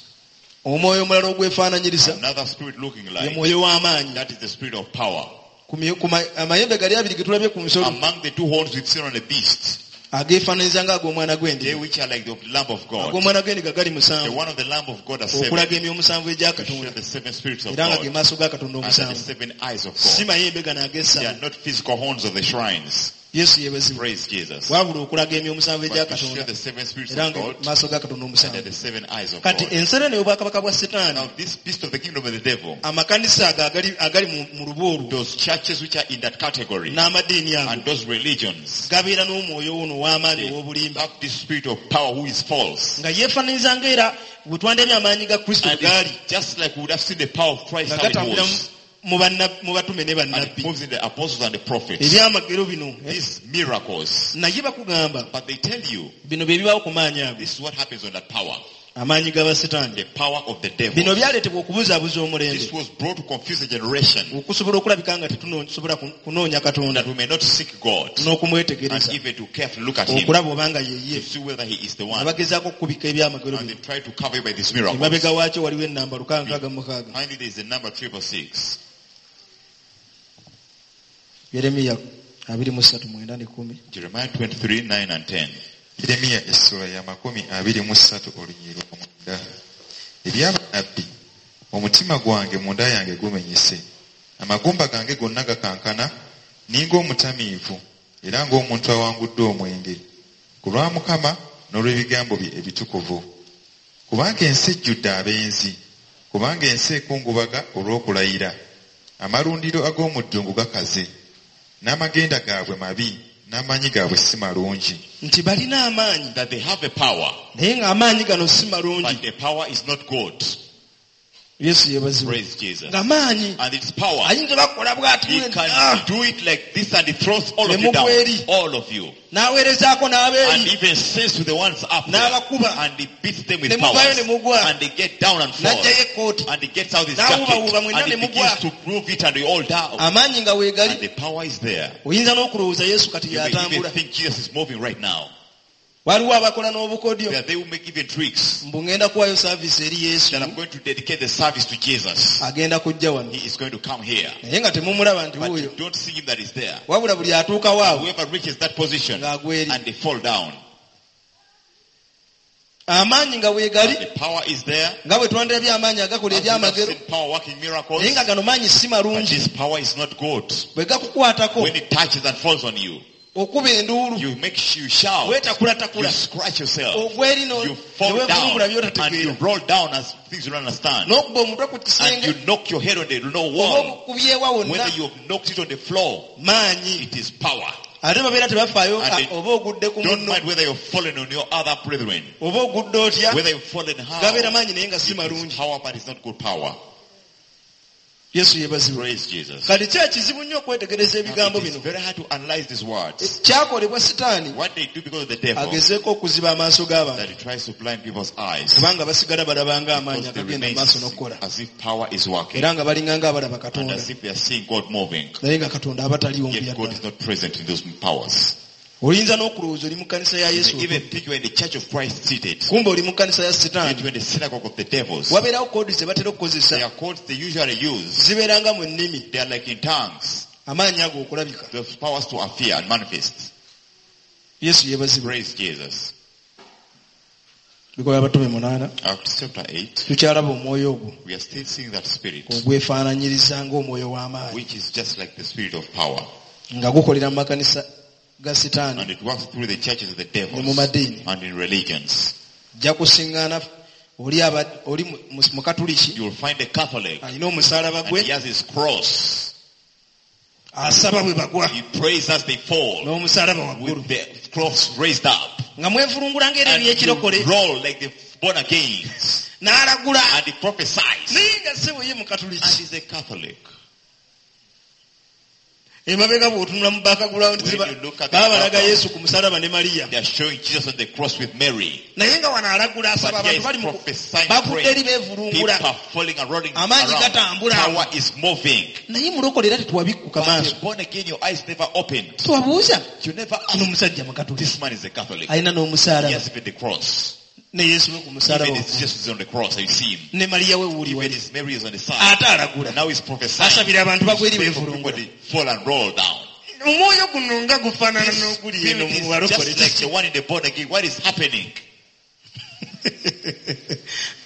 Omwoyo omulala ogwefaananyiriza Another spirit looking ye like, mwoyo w'amaanyi. that is the spirit of power. Ku myo- ku ma- amayembe gali abiri ge tulabye ku nsolo Among the two horns we've seen on the beast, ageefaananyiriza ng'ag'omwana they gw'endiga. which are like the Lamb of God. Ag'omwana gw'endiga gali The musanvu one of the Lamb of God are seven. okulaga emyoyo omusanvu egya To show Katonda the seven spirits of era nga ge God. maaso ga Katonda And the omusanvu. seven eyes of Si God. mayembe gano They ag'essabo. are not physical horns of the shrines. Yesu yeebazibwe. Praise Jesus. Wabula okulaga emyoyo omusanvu egya But to show Katonda the seven spirits era of nga God maaso ga Katonda and they're omusanvu. the seven eyes of Kati God. ensolo eno ey'obwakabaka bwa Setaani Now this beast of the kingdom of the devil, amakanisa ago agali, agali mu, mu lubu olwo those churches which are in that category n'amadiini ago and those religions, gabeera n'omwoyo ono ow'amaanyi they ow'obulimba have this spirit of power who is false. nga yeefaananyiriza ng'era bwe twandabye amaanyi ga Kristo And bwe gaali it's just like we would have seen the power of Christ nga how it gatambulira was. mu banna- mu batume ne And it bannabbi moves in the apostles and the prophets. ebyamagero bino eh, These miracles. naye bakugamba But they tell you, bino bye bibaawo ku maanyi ago this is what happens on that power. amaanyi g'abasitaani The power of the devil. bino byaleetebwa okubuzaabuza omulembe This was brought to confuse the generation okusobola okulabika nga tetusobola kunoonya Katonda that we may not seek God and n'okumwetegereza even to carefully look at him okulaba obanga yeye to see whether he is the one. abagezaako okukubika ebyamagero And bino they try to cover you by these miracles. emabega waakyo waliwo ennamba lukaaga nkaaga mu mukaaga Finally, there is the number triple six. Yeremiya abiri mu ssatu mwenda ne kkumi Jeremiah twenty-three, nine and ten. Yeremiya essula ya makumi abiri mu ssatu olunyiriri lwa mwenda. Ebyabannabbi, omutima gwange munda yange gumenyese, amagumba gange gonna gakankana, ninga omutamiivu era ng'omuntu awanguddwa omwenge, ku lwa Mukama n'olw'ebigambo bye ebitukuvu. Kubanga ensi ejjudde abenzi, kubanga ensi ekungubaga olw'okulayira, amalundiro ag'omu ddungu gakaze, n'amagenda gaabwe mabi, n'amaanyi gaabwe si malungi. Nti balina amaanyi That they have a power, naye ng'amaanyi gano si malungi. but the power is not good. Yesu yeebazibwe. Praise Jesus. Ng'amaanyi And its power, ayinza bakola bw'ati he ah, can do it like this and he throws all of Ne you down. mugwa eri. All of you. N'aweerezaako And n'abeeri even says to the ones up there, N'abakuba. and he beats them with Ne muvaayo powers. ne mugwa. And they get down and fall. N'aggyayo ekkooti And he gets out his N'awuubawuuba jacket. mwenna And he ne mugwa. begins to prove it and we all down. Amaanyi nga weegali And the power is there. oyinza n'okulowooza Yesu kati You may even y'atambula. think Jesus is moving right now. Waliwo abakola n'obukodyo That they will make even tricks. mbu ngenda kuwaayo saaviisi eri Yesu That I'm going to dedicate the service to Jesus. agenda kujja wano He is going to come here. naye nga temumulaba nti But you wuuyo don't see him that is there. wabula buli atuukawo awo Whoever reaches that position ng'agwa eri and they fall down. amaanyi nga weegali The power is there. nga bwe twandirabye amaanyi agakola As we have ebyamagero seen power working miracles. naye nga gano maanyi si But malungi this power is not good. bwe gakukwatako When it touches and falls on you, Okuba enduulu. You make you shout. Weetakulatakula. You scratch yourself. Ogwa eri no- You fall ne down weevulungula and you by'otategeera. roll down as things you don't understand. N'okuba omutwe ku And kisenge you knock your head on the no oba wall. okubyewa wonna Whether you've knocked it on the floor, maanyi. it is power. Ate babeera tebafaayo And they oba ogudde ku Don't munno mind whether you've fallen on your other brethren, oba ogudde otya whether you've fallen how. gabeera maanyi naye nga si It is malungi. power, but it's not good power. Yesu yeebazibwe. Praise Jesus. Kati ki ekizibu nnyo okwetegereza Now, ebigambo it is bino very hard to analyze these words. kyakolebwa sitaani What they do because of the devil, agezeeko okuziba amaaso g'abantu that he tries to blind people's eyes. kubanga basigala balabanga amaanyi Because they akagenda remain mu maaso n'okukola as if power is working era nga balinga ng'abalaba and Katonda as if they are seeing God moving. naye nga Katonda aba taliiwo Yet mu God byaddala. is not present in those powers. Oyinza n'okulowooza oli mu kkanisa ya You Yesu may even think you are in the church of Christ seated. kumbe oli mu kkanisa ya Yet sitaani. you are in the synagogue of the devils. Wabeerawo koodi ze batera okukozesa There are codes they usually use. zibeera nga mu nnimi They are like in tongues. amaanyi ago okulabika. Those powers to appear and manifest. Yesu yeebazibwe. Praise Jesus. Bikolwa Abatume munaana Acts chapter eight. tukyalaba omwoyo ogwo We are still seeing that spirit, ogwefaananyiriza ng'omwoyo w'amaanyi which is just like the spirit of power. nga gukolera mu makanisa ga sitaani And it works through the churches of the ne mu devils madiini. and in religions. Ojja kusiŋŋaana oli aba- oli mu- mu- mukatuliki You will find a Catholic alina omusaalaba and gwe he has his cross. asaba bwe bagwa He prays as they fall n'omusaalaba waggulu with the cross raised up. nga mwevulungula ng'era And you ebyekirokole roll like the born agains. n'alagula And he prophesies. naye nga ssebo ye And mukatuliki. he's a Catholic. Emabega bw'otunula mu background When you look at the baba balaga background, Yesu ku musaalaba ne Mariya They are showing Jesus on the cross with Mary. naye nga wano alagula asaba But here abantu is bali mu prophesying bagudde eri praying. beevulungula People are falling and rolling Amaanyi around. gatambula. Power is moving. naye mulokole era tetwabikkuka But maaso you're born again, your eyes never opened. twabuuza You never ono ask. omusajja mukatuliki This man is a Catholic. alina He n'omusaalaba has even the cross. ne Yesu we ku musaalaba Even waggulu. Jesus is on the cross. You see him. ne Mariya we wuuli Even wali his Mary is on the side. ate alagula Now he's prophesying. asabira abantu bagwa eri Praying for beevulungula people, they fall and roll down. omwoyo guno nga gufaanana This n'oguli eno spirit mu is balokole just like the one in the born again. What is happening?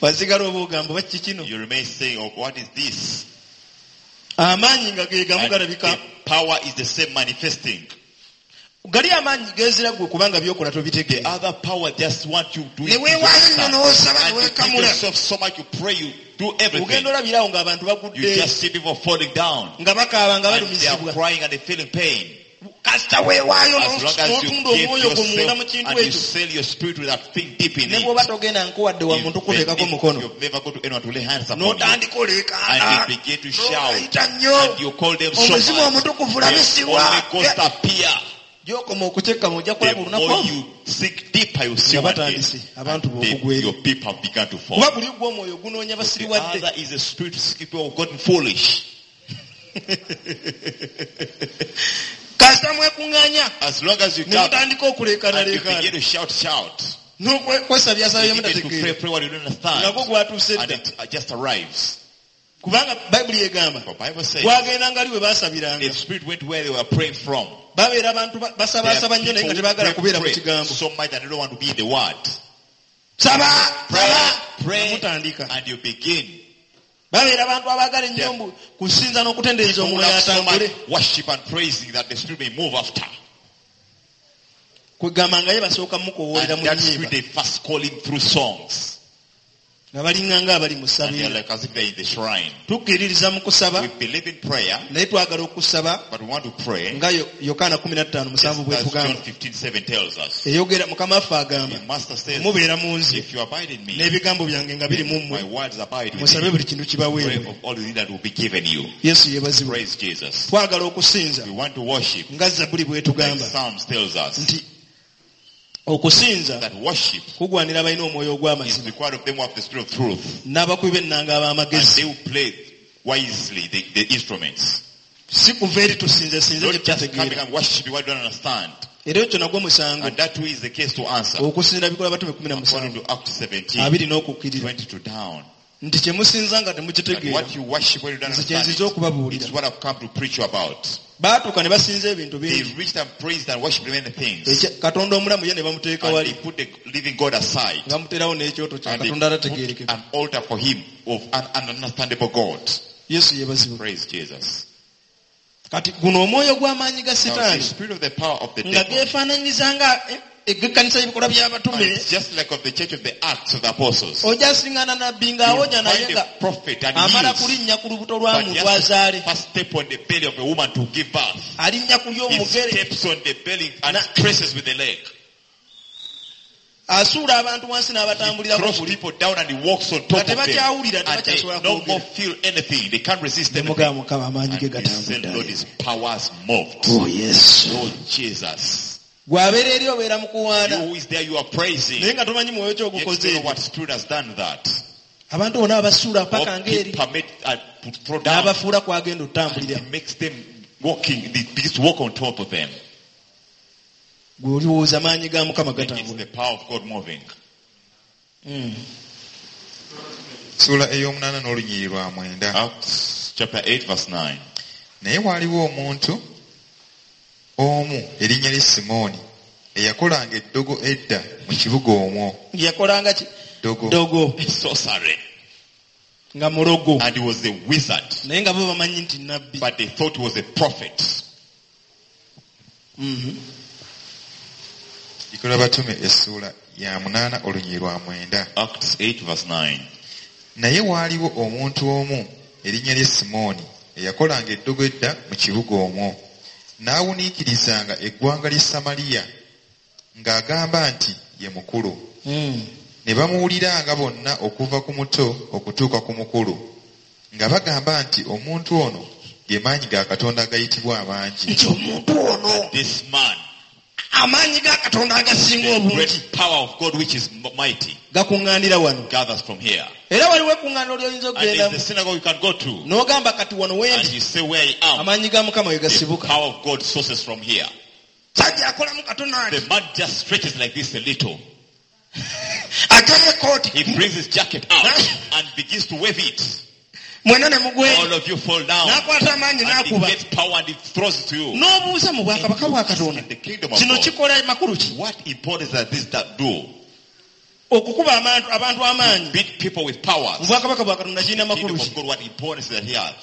wasigala oba ogamba oba kiki kino You remain saying, oh, what is this? amaanyi nga ge gamu And galabika the power is the same manifesting. gali amaanyi gezira gwe kubanga byokola The tobitegeera other power just want you to do Ne it. weewaayo nnyo n'osaba And ne you give weekamula. yourself so much, you pray, you do everything. ogenda olabirawo ng'abantu You bagudde just see people falling down. nga bakaaba nga And they are balumizibwa crying and they're feeling pain. kasita weewaayo As long as you n'otunda give omwoyo gwo munda mu yourself kintu and you ekyo sell your spirit with that thing deep in ne it. bw'oba togenda nkuwadde wa muntu Even kuteekako if mukono You've never go to anyone to lay hands upon you. n'otandika oleekaana And you begin to shout. n'obayita nnyo And you call them so omuzimu much. omutukuvu The labisibwa Holy Ghost appear. gy'okoma okukyekkamu ojja kulaba The olunaku more olwo you seek deeper, you see nga one day. batandise abantu They, b'okugwa eri your people have begun to fall. kuba buli gwe omwoyo gunoonya The basiriwadde other is a spirit to seek people who have gotten foolish. kasita mwekuŋŋaanya As long as you ne gather mutandika and you okuleekaanaleekaana begin to shout, shout. n'okwesabyasabya You begin to pray, mutategeera pray what you don't understand. nga gwo gwatuuse And dda it uh, just arrives. kubanga bayibuli egamba The Bible says gwagendanga ali we baasabiranga the spirit went where they were praying from. babeera abantu ba- There are basabaasaba nnyo naye people nga who tebaagala pray, kubeera mu pray kigambo so much that they don't want to be in the word. saba Pray, saba pray, mutandika and you begin. babeera abantu abaagala ennyo mbu kusinza n'okutendereza People omwoyo have so much atambule worship and praising that the spirit may move after. kwegamba nga ye basooka And mukowoolera mu that nnyimba spirit they first call him through songs. nga balinga nga abali mu And they're ssabiiro like as if they're in the shrine. tukkiririza mu kusaba We believe in prayer, naye twagala okusaba but we want to pray. nga Yo- Yokaana kumi na ttaano Just musanvu as bwetugamba John fifteen seven tells us. eyogera mukama waffe agamba The master says, mubeera mu nze if you abide in me, n'ebigambo byange nga biri mu my mmwe words abide with musabe you. buli kintu Pray kibaweebwe of all the things that will be given you. Yesu yeebazibwe Praise Jesus. twagala okusinza We want to worship. nga Zabbuli Like bwetugamba Psalms tells us nti okusinza that worship kugwanira abalina omwoyo is ogw'amazima required of them who have the spirit of truth. n'abakubi b'ennanga And ab'amagezi they will play wisely the, the instruments. si kuva eri tusinze sinze Not gye just coming tutategeera and worship what you don't understand. era ekyo nagwo musango And that too is the case to answer. okusinza bikola batume kumi na According musanvu to Acts seventeen, abiri n'okukkirira twenty-two down. nti kye musinza nga That temukitegeera what you worship when you don't nze kye understand nzize it, okubabuulira it's what I've come to preach you about. baatuuka ne basinza ebintu They bingi reached and praised and worshipped many things. Ekya- Katonda omulamu ye ne bamuteeka And wali they put the living God aside. nga bamuteerawo n'ekyoto kya And they Katonda put atategeerekeka an altar for him of an ununderstandable God. Yesu yeebazibwe Praise Jesus. Kati guno omwoyo gw'amaanyi ga Now, the sitaani spirit of the power of the nga devil, geefaananyiriza nga eh, eg'ekkanisa y'ebikolwa and by'abatume it's just like of the church of the Acts of the Apostles. ojja siŋŋaana nabbi You ng'awonya naye find nga a prophet and amala heals, kulinnya ku lubuto lwa but he muntu has azaale to first step on the belly of a woman to give birth. alinnya ku He ly'omugere steps on the belly and Na- presses with the leg. asuula abantu wansi n'abatambulirako Throws buli people down and he walks on Nga top of them. tebakyawulira, And they tebakyasobola no kwogera. more feel anything. They can't resist ne anything. mugamba mukama amaanyi ge And he said, gatambudde Lord, his powers moved. oh yesu Lord Jesus. gw'abeera eri obeera mu You kuwaana who is there, you are praising. naye nga tomanyi mwoyo Yet you kyogukoze don't know what spirit has done that. abantu bonna abasuula paka God ng'eri permit uh, to throw down. n'abafuula kwagenda otambulira He makes them walking, he begins to walk on top of them. gwe olowooza maanyi ga mukama Then it's gatambula the power of God moving. Ssuula ey'omunaana n'olunyiriri lwa mwenda. Acts chapter eight verse nine. Naye waaliwo omuntu omu erinnya lye Simooni eyakolanga eddogo edda mu kibuga omwo. Yakolanga ki Ddogo. ddogo Sorcery. nga mulogo And he was a wizard. naye nga bo bamanyi nti nabbi But they thought he was a prophet. Mhm. Bikolwa Batume essuula ya munaana olunyiriri lwa mwenda. Acts eight verse nine. Naye waaliwo omuntu omu erinnya lye Simooni eyakolanga eddogo edda mu kibuga omwo. N'awuniikirizanga eggwanga ly'e Samaliya ng'agamba nti ye mukulu. Mm. Ne bamuwuliranga bonna okuva ku muto okutuuka ku mukulu nga bagamba nti omuntu ono ge maanyi ga Katonda agayitibwa amangi. Nti omuntu ono This man, amaanyi ga Katonda agasinga the obungi great power of God which is mighty, gakuŋŋaanira wano. gathers from here. Era waliwo ekkuŋŋaaniro ly'oyinza And there's okugendamu the synagogue you can go to. n'ogamba kati wano And wendi you say where I am. amaanyi ga Mukama we The gasibuka. power of God sources from here. Sajja akolamu katono ati The man just stretches like this a little. aggyayo ekkooti He brings his jacket out and begins to wave it. mwenna ne mugwera All of you fall down. n'akwata amaanyi And he n'akuba gets power and he throws it to you. n'obuuza mu bwakabaka bwa Katonda In the kingdom of kino God. kikola makulu ki What importance does this that do? okukuba abantu abantu amaanyi Beat people with powers. mu bwakabaka bwa Katonda kirina Kingdom makulu of ki God, what importance that he has?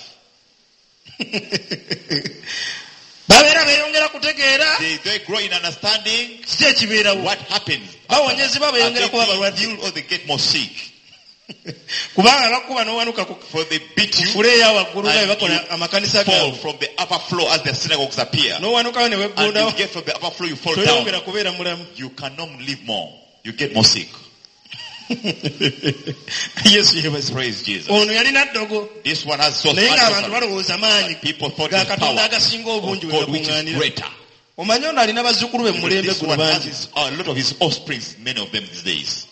babeera beeyongera kutegeera They, they grow in understanding. kiki ekibeerawo What happens? Bawonyezebwa, Are beeyongera they kuba being balwadde. healed or they get more sick? Kubanga bakuba n'owanuka ku For they beat you fule eya waggulu nga bwe and bakola you amakanisa fall gaabwe from the upper floor as the synagogues appear. n'owanukayo ne And weggundawo you get from the upper floor, you fall down. toyongera kubeera mulamu You cannot live more. You get more sick. Yesu yeebazibwe Praise Jesus. ono yalina ddogo This one has source. naye ng'abantu balowooza maanyi People thought ga the Katonda power agasinga obungi of we God which is gakuŋŋaanira greater. omanyi ono alina bazzukulu be mu mulembe This guno one has bangi his, a lot of his offsprings, many of them these days.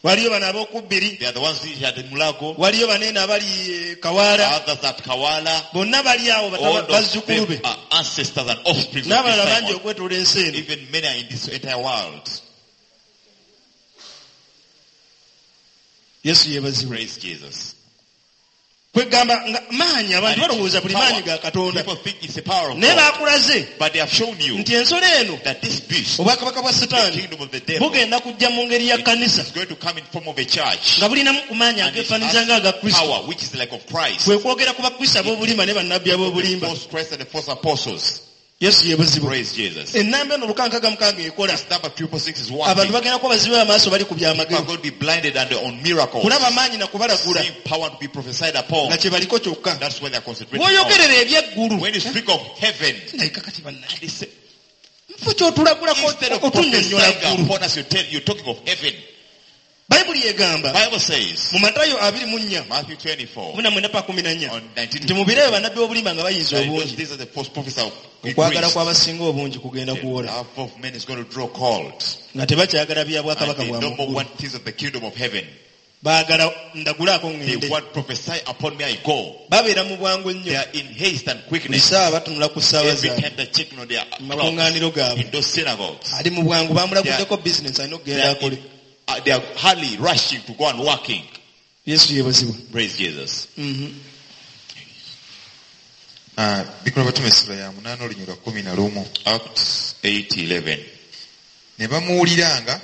waliyo bano ab'okubbiri They are the ones who had in Mulago, waliyo baneeno abali eh, Kawaala others at Kawala. bonna bali awo All bataba- of bazzukulu be them are ancestors and offsprings of n'abalala this bangi Simon. okwetoola ensi eno Even many are in this entire world. Yesu yeebazibwe Praise Jesus. kwegamba nga maanyi abantu And balowooza buli power. maanyi ga Katonda People think it's the power of naye God. baakulaze But they have shown you nti ensolo eno that this beast, obwakabaka bwa the Sitaani kingdom of the devil, bugenda kujja mu ngeri ya kkanisa is going to come in form of a church. nga bulinamu ku maanyi And it ageefaananyiriza nga aga has Kristo power which is like of Christ. kwe kwogera ku bakristo ab'obulimba ne bannabbi The ab'obulimba false Christ and the false apostles. Yesu yeebazibwe Praise Jesus. ennamba eno lukankaga mukaaga ekola This number triple six is abantu working. bagenda kuba bazibe amaaso bali ku People are byamagero going to be blinded and on miracles. kulaba maanyi na kubalagula Seeing power to be prophesied upon. nga kye baliko kyokka That's where they are concentrating on. bw'oyogerera eby'eggulu When you speak of heaven, ndabika kati bannaye they say, nfo ky'otulagulako instead of otunnyonnyola prophesying ggulu upon us, you tell, you're talking of heaven. Bayibuli egamba Bible says, mu Matayo abiri mu nnya Matthew twenty-four, kumi na mwenda pa kumi na nnya on nineteen, nti mu biro ebyo bannabbi b'obulimba nga bayinza that in those obungi days of the false prophets are okwagala increased. kw'abasinga obungi kugenda The kuwola love of men is going to draw cold. nga tebakyagala bya And bwakabaka they bwa no more muggulu want things of the kingdom of heaven. baagala ndagulaako They ŋŋende want prophesy upon me, I go. babeera mu bwangu They ennyo are in haste and buli quickness. ssaawa batunula ku ssaawa Every zaabwe time they're checking on their mu clocks makuŋŋaaniro gaabwe in those synagogues. ali mu bwangu bamulaguddeko bizinesi alina They okugenda are, akole in, uh, they are hardly rushing to go and working. Yesu yeebazibwe Praise Jesus. Mhm. Ah, Bikolwa Batume essula ya munaana olunyiriri lwa kkumi na lumu. Acts eight eleven. Ne bamuwuliranga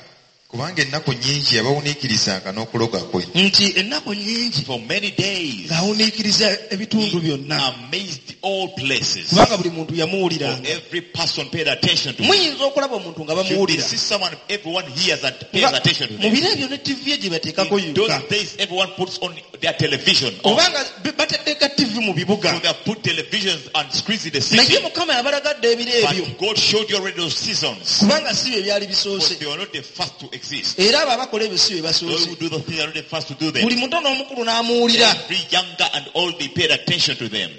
Kubanga ennaku nnyingi yabawuniikirizanga n'okuloga kwe. Nti ennaku nnyingi For many days, ng'awuniikiriza ebitundu byonna. amazed all places. Kubanga buli muntu For yamuwuliranga. every person paid attention to him. Muyinza okulaba omuntu nga You bamuwulira. see someone, everyone hears and pays Nga attention to mu them. biro ebyo ne T V ye gye bateekako In those yokka. days, everyone puts on their television. On. Obanga bateeka T V mu bibuga. So they have put televisions and screens in the Naye city. Mukama yabalagadde ebiro ebyo. But God showed you already those seasons. Kubanga si bye byali Because bisoose. they were not the first to exist. Era abo abakola ebyo si be Those basoose. who do the things are not the first to do them. Buli muto n'omukulu n'amuwulira. Every younger and old, they paid attention to them.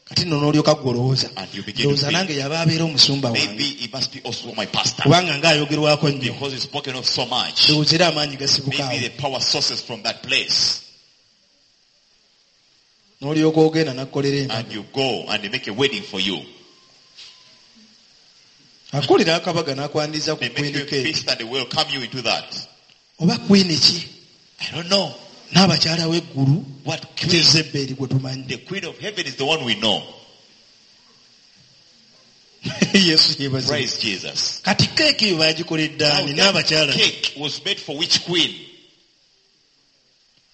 Kati nno n'olyoka ggwe olowooza. And you begin to Ndowooza think, nange yaba abeera omusumba wange. maybe he must be also my pastor. Kubanga ng'ayogerwako nnyo. Because he's spoken of so much. Ndowooza era amaanyi gasibuka Maybe awo. the power sources from that place. N'olyoka ogenda n'akkolera embaga. And you go and they make a wedding for you. Akulira akabaga n'akwaniriza ku They make you queen a cake. feast and they welcome you into that. Oba queen ki? I don't know. N'abakyala w'eggulu What queen? Jezeberi gwe tumanyi. The queen of heaven is the one we know. Yesu yeebazibwe. Praise Jesus. Kati keeki eyo baagikoledde Now, ani that n'abakyala? cake was made for which queen?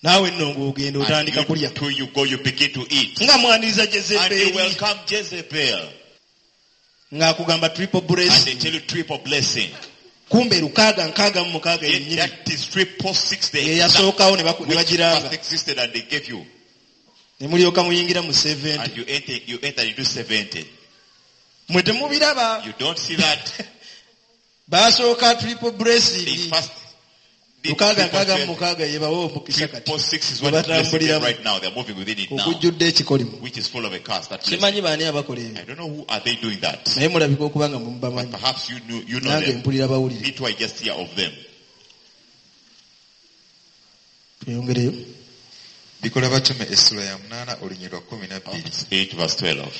Naawe nno ng'ogenda And otandika you, kulya. too, you go, you begin to eat. Nga mwaniriza And you Jezeberi. welcome Jezebel. Ng'akugamba triple And they blessing. tell you triple blessing. Kumbe lukaaga nkaaga mu mukaaga Yet yennyini. that is triple six. The Ye yasookawo ne baku- ne which bagiranga. first existed and they gave you. Ne mulyoka muyingira mu seventy. And you enter, you enter into seventy. Mwe temubiraba. You don't see that. Baasooka triple They blessing. first did Lukaaga triple nkaaga mu seven. mukaaga ye bawa omukisa kati. Triple six is what is blessing them Batambuliramu. right now. They're moving within it now. Okujjudde ekikolimo. Which is full of a curse. That blessing. Simanyi baani abakola ebyo. I don't know who are they doing that. Naye mulabika okuba nga mubamanyi. But perhaps you knew, you know Nange them. mpulira bawulire. Me too, I just hear of them. Tweyongereyo. Bikola batume essula ya munaana olunyiriri lwa kkumi na bbiri. Acts eight verse twelve.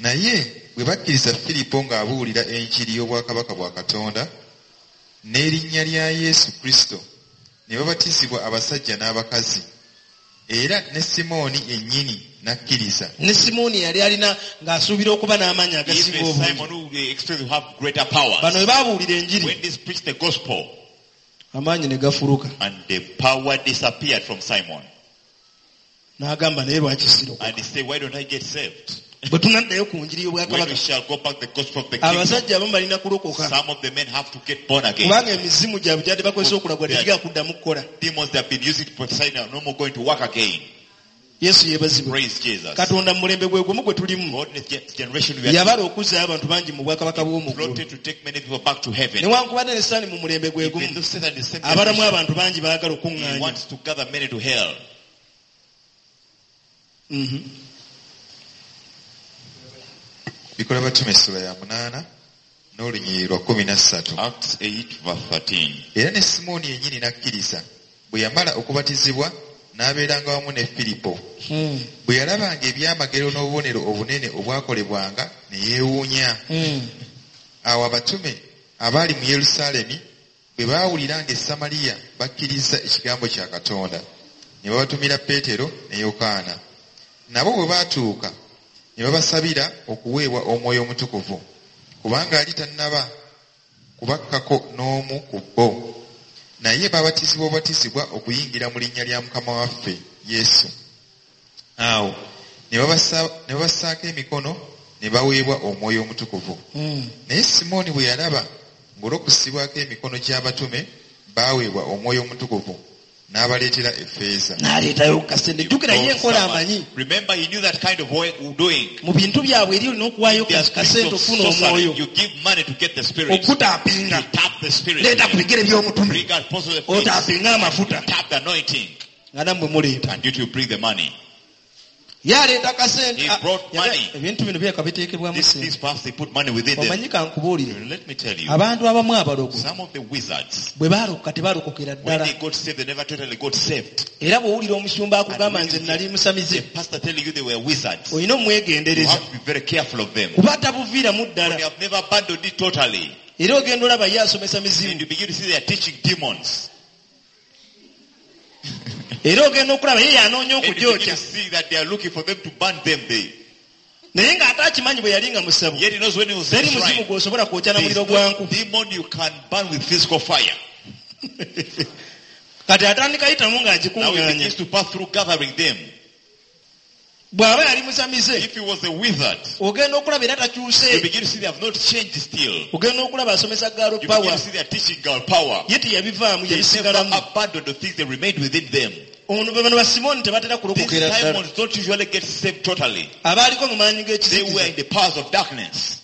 Naye bwe bakkiriza Firipo ng'abuulira enjiri y'obwakabaka bwa Katonda n'erinnya lya Yesu Kristo ne babatizibwa abasajja n'abakazi era ne Simooni yennyini n'akkiriza. Ne Simooni yali alina ng'asuubira okuba n'amaanyi agasinga Even obungi. Simon who they expect to have greater powers. Bano bwe baabuulira enjiri When this preached the gospel amaanyi ne gafuluka. and the power disappeared from Simon. N'agamba naye lwaki sirokoka. And he said, why don't I get saved? Bwe tunaddayo ku njiri When y'obwakabaka we shall go back the gospel of the kingdom, abasajja abamu balina kulokoka. some of the men have to get born again. Kubanga emizimu gyabwe gyadde bakozesa okulagwa tegigenda kuddamu kukola. Demons that have been using to prophesy are no more going to work again. Yesu yeebazibwe. Praise Jesus. Katonda mu mulembe gwe gumu gwe tulimu. God in this generation we are Yabala okuzzaayo abantu bangi mu bwakabaka bw'omu ggulu. plotted to take many people back to heaven. Newankubadde ne Sitaani mu mulembe gwe Even gumu though Satan is the same abalamu generation, abantu bangi baagala he okuŋŋaanya. wants to gather many to hell. Mhm. Bikola batume essula ya munaana n'olunyiriri lwa kkumi na ssatu. Acts eight verse thirteen. Era ne Simooni yennyini n'akkiriza bwe yamala okubatizibwa n'abeeranga wamu ne Firipo. Hmm. Bwe yalabanga ebyamagero n'obubonero obunene obwakolebwanga ne yeewuunya. Hmm. Awo abatume abaali mu Yerusaalemi bwe baawulira ng'e Samaliya bakkiriza ekigambo kya Katonda ne babatumira Peetero ne Yokaana. Nabo bwe baatuuka ne babasabira okuweebwa Omwoyo Omutukuvu kubanga yali tannaba kubakkako n'omu ku bo. Naye babatizibwa obubatizibwa okuyingira mu linnya lya Mukama waffe Yesu. Awo ne babasa- ne babassaako emikono ne baweebwa Omwoyo Omutukuvu. Hmm. Naye Simooni bwe yalaba ng'olw'okussibwako emikono gy'abatume baaweebwa Omwoyo Omutukuvu n'abaleetera effeeza. N'aleetayo kasente. Jjukira ye enkola amanyi. Remember, he knew that kind of way doing. Mu bintu byabwe eri olina okuwaayo There are kasente spirits of okufuna sorcery. omwoyo. You give money to get the spirit. You Okutaapinga. tap the spirit. Leeta ku bigere by'omutume. Bring out post of the face. Otaapinga amafuta. Tap the anointing. Nga nammwe muleeta. And you to bring the money. Ye aleeta kasente. He Ah, brought yaga- money. Ebintu bino byeka biteekebwamu This, ssente. these perhaps they put money within them. Omanyi kankubuulire. Let me tell you, Abantu abamu abalogo some of the wizards, bwe baalokoka tebaalokokera when ddala. they got saved, they never totally got saved. Era bw'owulira omusumba akugamba nze nali musamize The pastor telling you they were wizards. olina You omwegendereza. have to be very careful of them. Kuba tabuviiramu They ddala. have never abandoned it totally. Era ogenda olaba ye asomesa And mizimu. you begin to see they are teaching demons. Era ogenda okulaba ye yanoonya And you begin okugyokya. to see that they are looking for them to burn them. They, Naye ng'ate akimanyi bwe yali nga musabu. Yet he knows when he was in Teri the muzimu shrine. gw'osobola kwokya na There is muliro gwa no nku. demon you can burn with physical fire. Kati atandika yitamu Now he ng'agikuŋŋaanya. begins to pass through gathering them. Bw'aba yali musamize, If he was a wizard, ogenda okulaba era you takyuse. begin to see they have not changed still. Ogenda okulaba asomesa girl You begin power. to see they are teaching girl power. Ye teyabivaamu They never yabisigalamu. abandoned the things that remained within them. Ono be bano ba Simooni tebatera These kulokokera ddala. Simons don't usually get saved totally. Abaaliko mu maanyi They were g'ekizikiza. in the powers of darkness.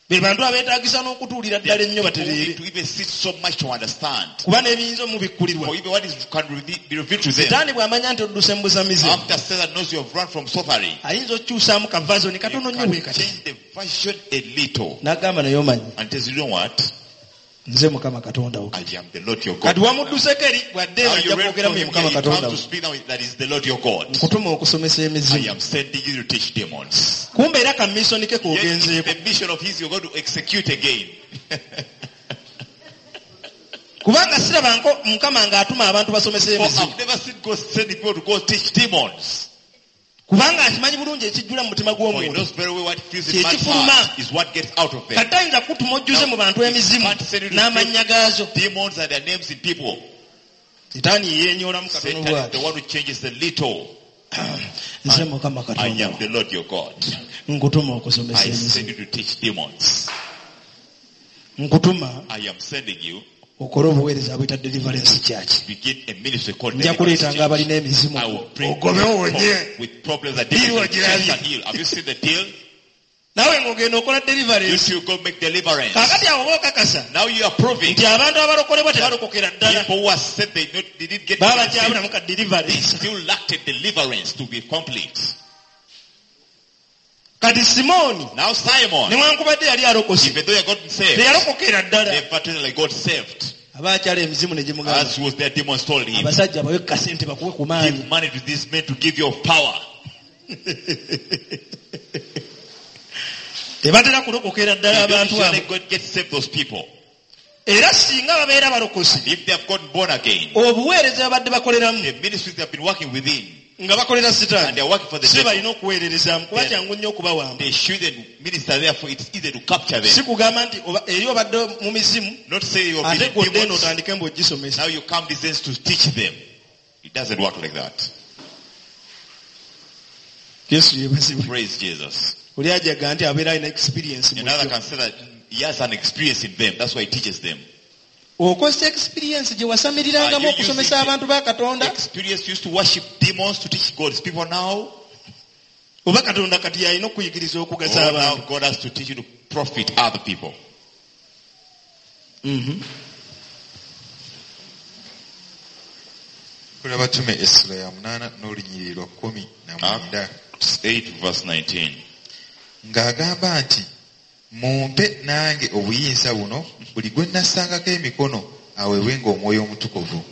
Be bantu abeetaagisa n'okutuulira They are ddala ennyo people who need batereere. to even sit so much to understand. Kuba n'ebiyinza omubikkulirwa. For even what is can be revealed to them. Setaani bw'amanya nti odduse mu busamize, After Satan knows you have run from sorcery, ayinza okukyusaamu ka version you katono nnyo bwe can kati. change the version a little. N'agamba naye omanyi, And tells you, you know what? nze Mukama Katonda wo. I am the Lord your God. Kati wamudduseeko eri bw'adde Now eno you ajja read kwogeramu from ye him Mukama here, he Katonda comes wo. to speak now that is the Lord your God. Nkutuma okusomesa I emizimu. am sending you to teach demons. Kumbe era ka mission ke Yet k'ogenzeeko. it's the mission of his you're going to execute again. Kubanga sirabanko Mukama ng'atuma abantu basomesa For emizimu. I've never seen God sending people to go teach demons. Kubanga akimanyi bulungi ekijjula mu mutima For he gw'omuntu. knows very well what fills in man's Kyekifuluma. heart is what gets out of them. Kati tayinza kutuma ojjuze mu bantu emizimu Can't send you to n'amannya gaazo. Demons and their names in people. Setaani yeenyoolamu katono Satan is bw'ati. the one who changes the little. Nze Mukama I Katonda am wo. the Lord your God. Nkutuma okusomesa I send emizimu. you to teach demons. Nkutuma I am sending you okole obuweereza buyita Deliverance Church. begin a ministry called Nja Deliverance kuleetanga Church. abalina emizimu. I will bring Ogobewo people wonye. with problems that Deal demons ogirabye. can heal. Have you seen the deal? Naawe ng'ogenda okola You deliverance. should go make deliverance. Kaakati awo oba okakasa Now you are proving nti abantu abalokolebwa tebalokokera ddala. people who are said they, not, they didn't get Baba saved, kyabulamu ka they deliverance. still lacked a deliverance to be complete. Kati Simooni Now Simon, newankubadde yali alokose even though he had gotten saved, teyalokokera ddala. never totally got saved. Aba akyala emizimu ne gimugamba As was their demons told him, abasajja bawe kasente bakuwe ku maanyi. give money to these men to give you power. Tebatera kulokokera ddala They don't abantu usually abo. God get saved those people. Era singa babeera balokose If they have gotten born again, obuweereza babadde bakoleramu the ministries they have been working within, nga bakolera and sitaani they are working for the si devil, balina okuweererezaamu kuba Yeah. kyangu nnyo okubawamba. they shouldn't minister. Therefore, it's easy to capture Si them. kugamba nti oba- eri obadde mu mizimu Not say you're ate been gw'odde eno demons. otandike mbu ogisomesa. Now you come these days to teach them. It doesn't work like that. Yesu yeebazibwe. Praise Jesus. Oli ajaga nti abeera alina experience mu Another byo. can say that he has an experience in them. That's why he teaches them. Okozesa experience gye wasamirirangamu Are you okusomesa using abantu ba Katonda Experience used to worship demons to teach God's people now. oba Katonda kati yalina okuyigiriza okugasa Oh, now abantu. God has to teach you to profit other people. Mhm. Kola Batume essula ya munaana n'olunyiriri lwa kkumi na mwenda. Acts eight verse nineteen. Ng'agamba nti mumpe nange obuyinza buno buli gwe nnassangako emikono aweebwenga omwoyo omutukuvu.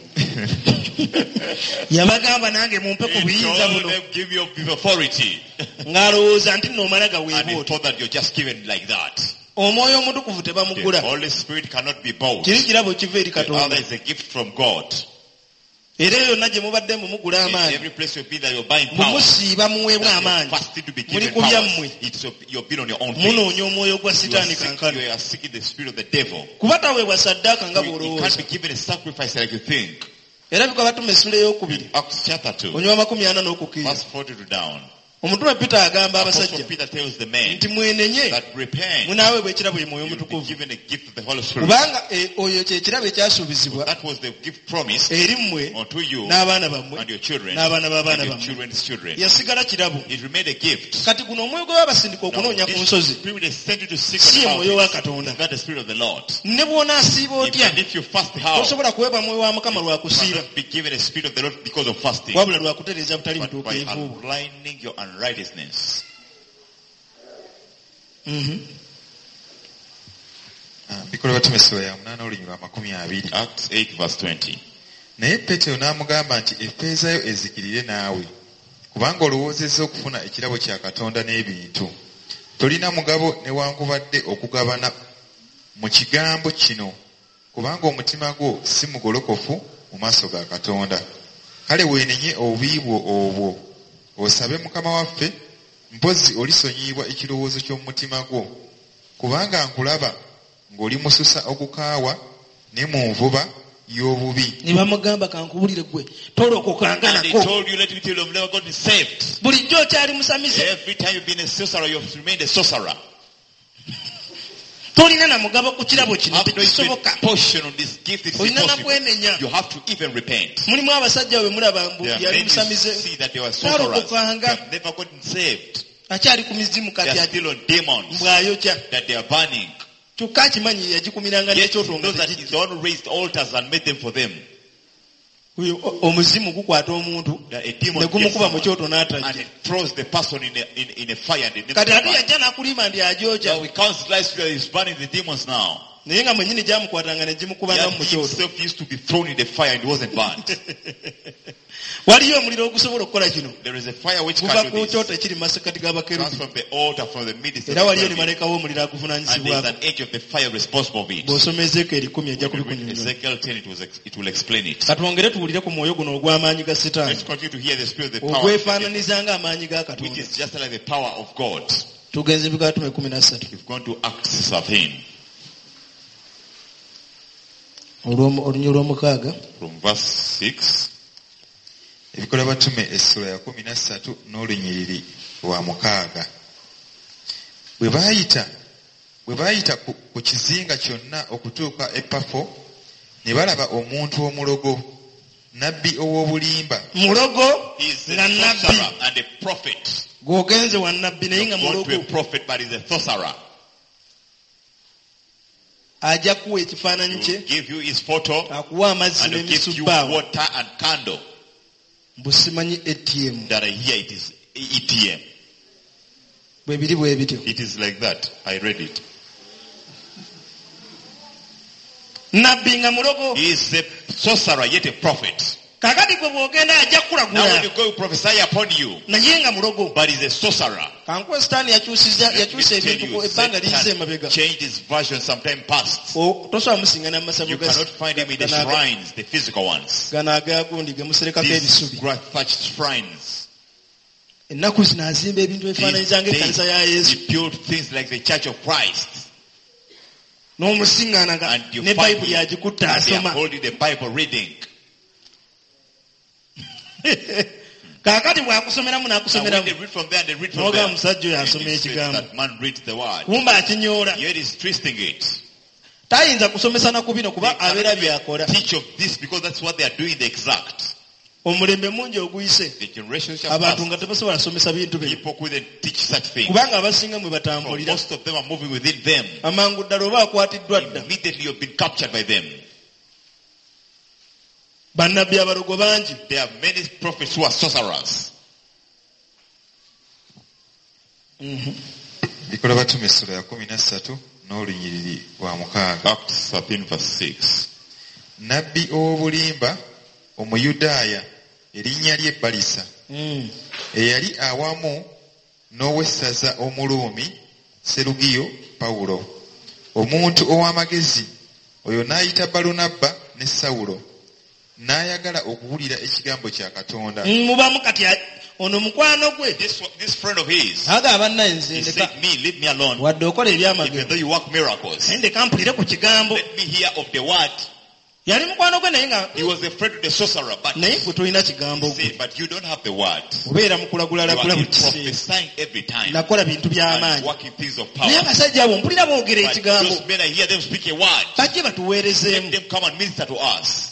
Yabagamba nange mumpe ku He buyinza told buno them, give your give authority. ng'alowooza nti nno omala And gaweebwa he otyo. thought that you're just given like that. Omwoyo omutukuvu The tebamugula. Holy Spirit cannot be bought. Kiri kirabo kiva eri The other Katonda. is a gift from God. Era yonna gye mubadde mumugula In amaanyi every place you've been that you're buying power. mumusiiba muweebwa That you're amaanyi. fasting to be Muli given ku power. byammwe. It's your, you've been on your own thing. Munoonya omwoyo gwa You are, sitaani seek, kankano. you are seeking the spirit of the devil. Kuba taweebwa saddaaka nga You, you bw'olowooza. can't be given a sacrifice like you think. Era bikwa Batume essula ey'okubiri Acts chapter two, onywa makumi ana n'okukkiriza. verse forty to down. Omutume Peter agamba Apostle abasajja Peter tells the men nti mwenenye that repent, munaaweebwa ekirabo ye mwoyo you'll be omutukuvu. given a gift of the Holy Spirit. Kubanga eh, oyo kye kirabo ekyasuubizibwa That was the gift promised eri mmwe unto you n'abaana bammwe and your children n'abaana b'abaana and your bammwe. children's children. Yasigala kirabo. It remained a gift. Kati guno omwoyo gwe babasindika Now, okunoonya ku this nsozi spirit is sent you to seek si ye on the mwoyo wa mountains. Katonda. It's not the spirit of the Lord. Ne bw'onaasiiba otya Even if you fast how, tosobola kuweebwa mwoyo wa Mukama lwa you kusiiba cannot be given a spirit of the Lord because of fasting, wabula lwa kutereeza butali but by butuukirivu bwo. aligning your unrighteousness. Mhm. Ah, Bikola Batume essula ya munaana olunyiriri lwa makumi abiri. Acts eight verse twenty. Naye Peetero n'amugamba nti effeeza yo ezikirire naawe kubanga olowoozezza okufuna ekirabo kya Katonda n'ebintu. Tolina mugabo newankubadde okugabana mu kigambo kino kubanga omutima gwo si mugolokofu mu maaso ga Katonda. Kale weenenye obubi bwo obwo osabe Mukama waffe Mpozzi olisonyiyibwa ekirowoozo ky'omu mutima gwo, kubanga nkulaba ng'oli mususa ogukaawa ne mu nvuba y'obubi. Ne bamugamba, kankubulire gwe, tolokokanga And they nako. told you, let me tell you, you've never gotten saved. Bulijjo okyali musamize. Every time you've been a sorcerer, you've remained a sorcerer. Tolina na mugabo ku kirabo kino. Have no even Tekisoboka. portion on this gift. It's Olina na impossible. kwenenya. You have to even repent. Mulimu abasajja bwe mulaba mbu There are yali many you musamize, see that they were sorcerers. They talokokanga. have never gotten saved. Akyali ku mizimu They kati are still on demons mbwayokya. That they are burning. Kyokka akimanyi yagikumiranga Yet he n'ekyoto nga knows that he's tegijja. the one who raised altars and made them for them. Oyo, o- omuzimu gukwata omuntu That a demon ne gets gumukuba mu someone kyoto and n'atajja. it throws the person in a, in, in a fire and they never Kati ate survive. yajja n'akulima nti agyokya. Now we count lies, he's burning the demons now. Naye nga mwennyini gyamukwatanga ne gimukubanga Yet mu he kyoto. himself used to be thrown in the fire and wasn't burnt. Waliyo omuliro ogusobola okukola kino. There is a fire which Guva can ku do this. kyoto ekiri mu masekkati Comes g'abakerubi. from the altar, from the midst of Era the waliyo ne cherubim. malayika w'omuliro And there's aguvunaanyizibwako. an angel of the fire responsible of it. Bw'osoma Ezeekyeri kumi ajja When you read kubikunyonnyola. Ezekiel ten, it, was, ex- it will explain it. Katwongere tuwulire ku mwoyo guno ogw'amaanyi ga Sitaani Let's continue to hear the spirit of the power of the devil, ogwefaananiza ng'amaanyi ga which Katonda. is just like the power of God. Tugenze Bikatume kumi na ssatu. We've gone to Acts thirteen Olw'omu- olunya olw'omukaaga. From verse six. Ebikola batume essula ya kumi na ssatu n'olunyiriri lwa mukaaga. Bwe baayita bwe baayita ku, ku kizinga kyonna okutuuka e Pafo, ne balaba omuntu omulogo, nabbi ow'obulimba. Mulogo He is a nga nabbi. Sorcerer and a prophet. Gw'ogenze wa nabbi naye nga You've gone to a mulogo. Prophet, but he's a sorcerer. Ajja kuwa He ekifaananyi kye, will give you his photo akuwa amazzi and he'll give you n'emisubbaawa water and candle. mbu simanyi A T M. That I hear it is A T M. Bwe biri bwe bityo. It is like that. I read it. Nabbi nga mulogo. He is a sorcerer, yet a prophet. Kakati gwe bw'ogenda ajja Now when kukulagula you go, he prophesy upon you, naye nga mulogo. But he's a sorcerer. Kankuwe Sitaani yakyusiza Let me yakyusa tell ebintu you, ku ebbanga liyise Satan emabega. Changed his version sometime past. O- tosobola musiŋŋana mu masabo You ga- cannot find him in the gano aga- shrines, the physical ones. gano agagundi ge muserekako These ebisubi. grass thatched shrines. Ennaku zino azimba ebintu These ebifaananyiza ng'ekkanisa ya days, Yesu. he built things like the Church of Christ. N'omusiŋŋaana nga And you ne find Bayibuli him, agikutte and they are asoma. Holding the Bible reading. Kaakati bw'akusomeramu And when n'akusomeramu they read from there, they read from n'ogamba there. musajja oyo And asoma he says ekigambo. that man reads the word. Kumba akinyoola. Yet he's twisting it. Tayinza kusomesa na ku bino kuba They cannot abeera even byakola. teach of this because that's what they are doing, the exact. Omulembe mungi oguyise The generations have abantu passed. nga tebasobola kusomesa bintu bino People couldn't teach such things. kubanga abasinga mwe For batambulira. most of them are moving within them. Amangu ddala oba akwatiddwa dda. Immediately you've been captured by them. Bannabbi abalogo bangi. There are many prophets who are sorcerers. Bikola batume essula ya kumi na ssatu n'olunyiriri lwa mukaaga. Acts thirteen verse six. Nabbi ow'obulimba Omuyudaaya erinnya lye Balisa, Mm. eyali awamu n'owessaza Omuluumi Serugiyo Pawulo, omuntu ow'amagezi oyo n'ayita Balunabba ne Sawulo n'ayagala okuwulira ekigambo kya Katonda. Mubamu kati a- ono mukwano gwe. This, this friend of his, Agamba bannaye nze he ndeka said, me, leave me alone. wadde okola ebyamagero Even though you work miracles, naye ndeka mpulire ku kigambo. Let me hear of the word. Yali mukwano gwe naye nga He was a friend of the sorcerer, but naye gwe tolina kigambo he gwe. said, but you don't have the word. Obeera mu You kulagula are buli kiseera. prophesying every time Nakola bintu and by'amaanyi working things of naye power. abasajja abo mpulira boogera But ekigambo. those men, I hear them speak a word. Bajje batuweerezeemu. Let them come and minister to us.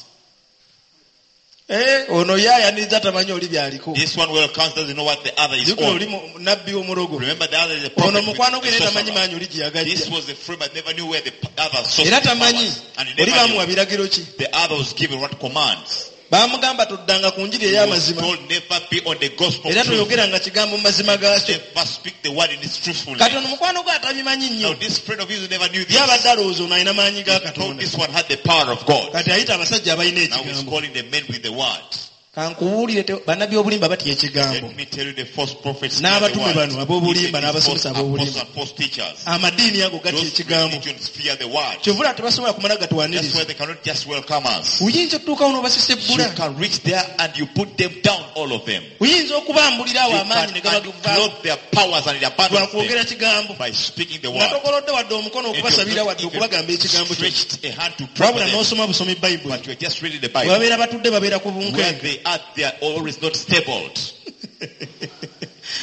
Eh, ono ye ayaniriza tamanyi oli byaliko. This one well comes doesn't know what the other is Jjukira on. oli mu- nabbi omulogo. Remember, the other is a prophet Ono with mukwano gwe a naye tamanyi sorcerer. maanyi oli gye This yagajja. was a friend but never knew where the other source Era of power tamanyi was. And he oli never bamuwa knew. biragiro ki. The other was given what commands. Baamugamba toddanga ku njiri He was ey'amazima told never be on the gospel era truth. toyogeranga kigambo mu mazima gaakyo. Never speak the word in its truthfulness. Kati ono mukwano gwe atabimanyi Now nnyo this friend of his who never knew this. ye abadde alowooza ono alina maanyi ga He thought Katonda. this one had the power of God. Kati ayita abasajja abalina Now he's ekigambo. calling the men with the word. Kankubuulire te- bannabbi obulimba batya ekigambo. Let me tell you the false prophets fear the N'abatume word. bano ab'obulimba Even these false n'abasomesa ab'obulimba. apostles and false teachers. Amadiini ago gatya Those ekigambo. religions fear the word. Kyovula tebasobola kumala That's why gatwaniriza. they cannot just welcome us. Oyinza otutuukawo n'obasisebbula. You can reach there and you put them down, all of them. Oyinza okubambulira awo You amaanyi ne can gabagavaako unclothe their powers and it abandons lwakwogera them kigambo. by speaking the Nga word. togolodde wadde omukono And okubasabira you've wadde not okubagamba even ekigambo kyo. stretched a hand to pray for Wabula them, n'osoma busomi Bayibuli. but you're just reading the Bwe Bible. babeera batudde babeera ku Where bunkenke. they are, they are always not stable.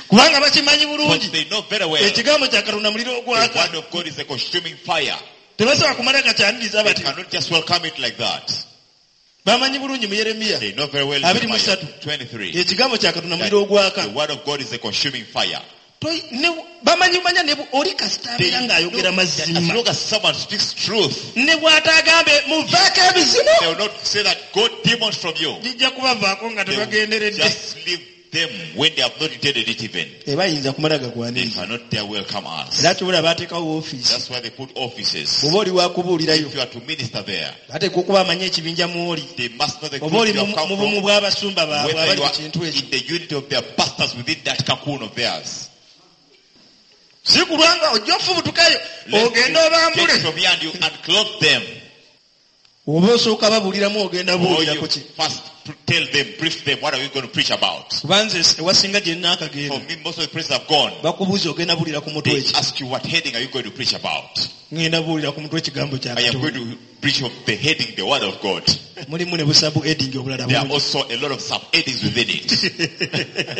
Kubanga bakimanyi But bulungi. they know very well Ekigambo kya Katonda muliro the ogwaka. word of God is a consuming fire. Tebasobola kumala gakyaniriza They bati. cannot just welcome it like that. Bamanyi bulungi mu Yeremiya. They know very well Abiri mu Jeremiah ssatu. twenty-three. Ekigambo kya Katonda That muliro ogwaka. the word of God is a consuming fire. Toi- ne- bamanyi manya ne bu- oli kasita They abeera know ng'ayogera that as mazima. long as someone speaks truth, Ne bw'ataagambe muvaako ebizimu. they will not say that God demons from you. Gijja kubavaako nga They will tebagenderedde. just leave them when they have not intended it even. Tebayinza kumala They gakwaniriza. cannot dare welcome us. Era kyobula baateekawo woofiisi. That's why they put offices. Bw'oba oli wakubuulirayo If you are to minister there, bateekwa okuba amanyi ekibinja mw'oli. they must know the Oba group oli you have mu come mu bumu from, bw'abasumba baabwe whether abali you mu are kintu ekyo. in the unit of their pastors within that cocoon of theirs. Si kulwanga ojja ofubutukayo Let ogende you obambule. get from here and you unclothe them. Oba osooka babuuliramu ogenda Or buulirako you ki. first tell them, brief them, what are we going to preach about? Kuba nze ewasinga gye nnaakagenda For me, most of the places I've gone, bakubuuza ogenda buulira ku mutwe they ki. ask you what heading are you going to preach about? Ngenda buulira ku mutwe ekigambo kya I am going Katonda. to preach of the heading, the word of God. Mulimu ne busabu heading obulala There are bungi. also a lot of sub-headings within it.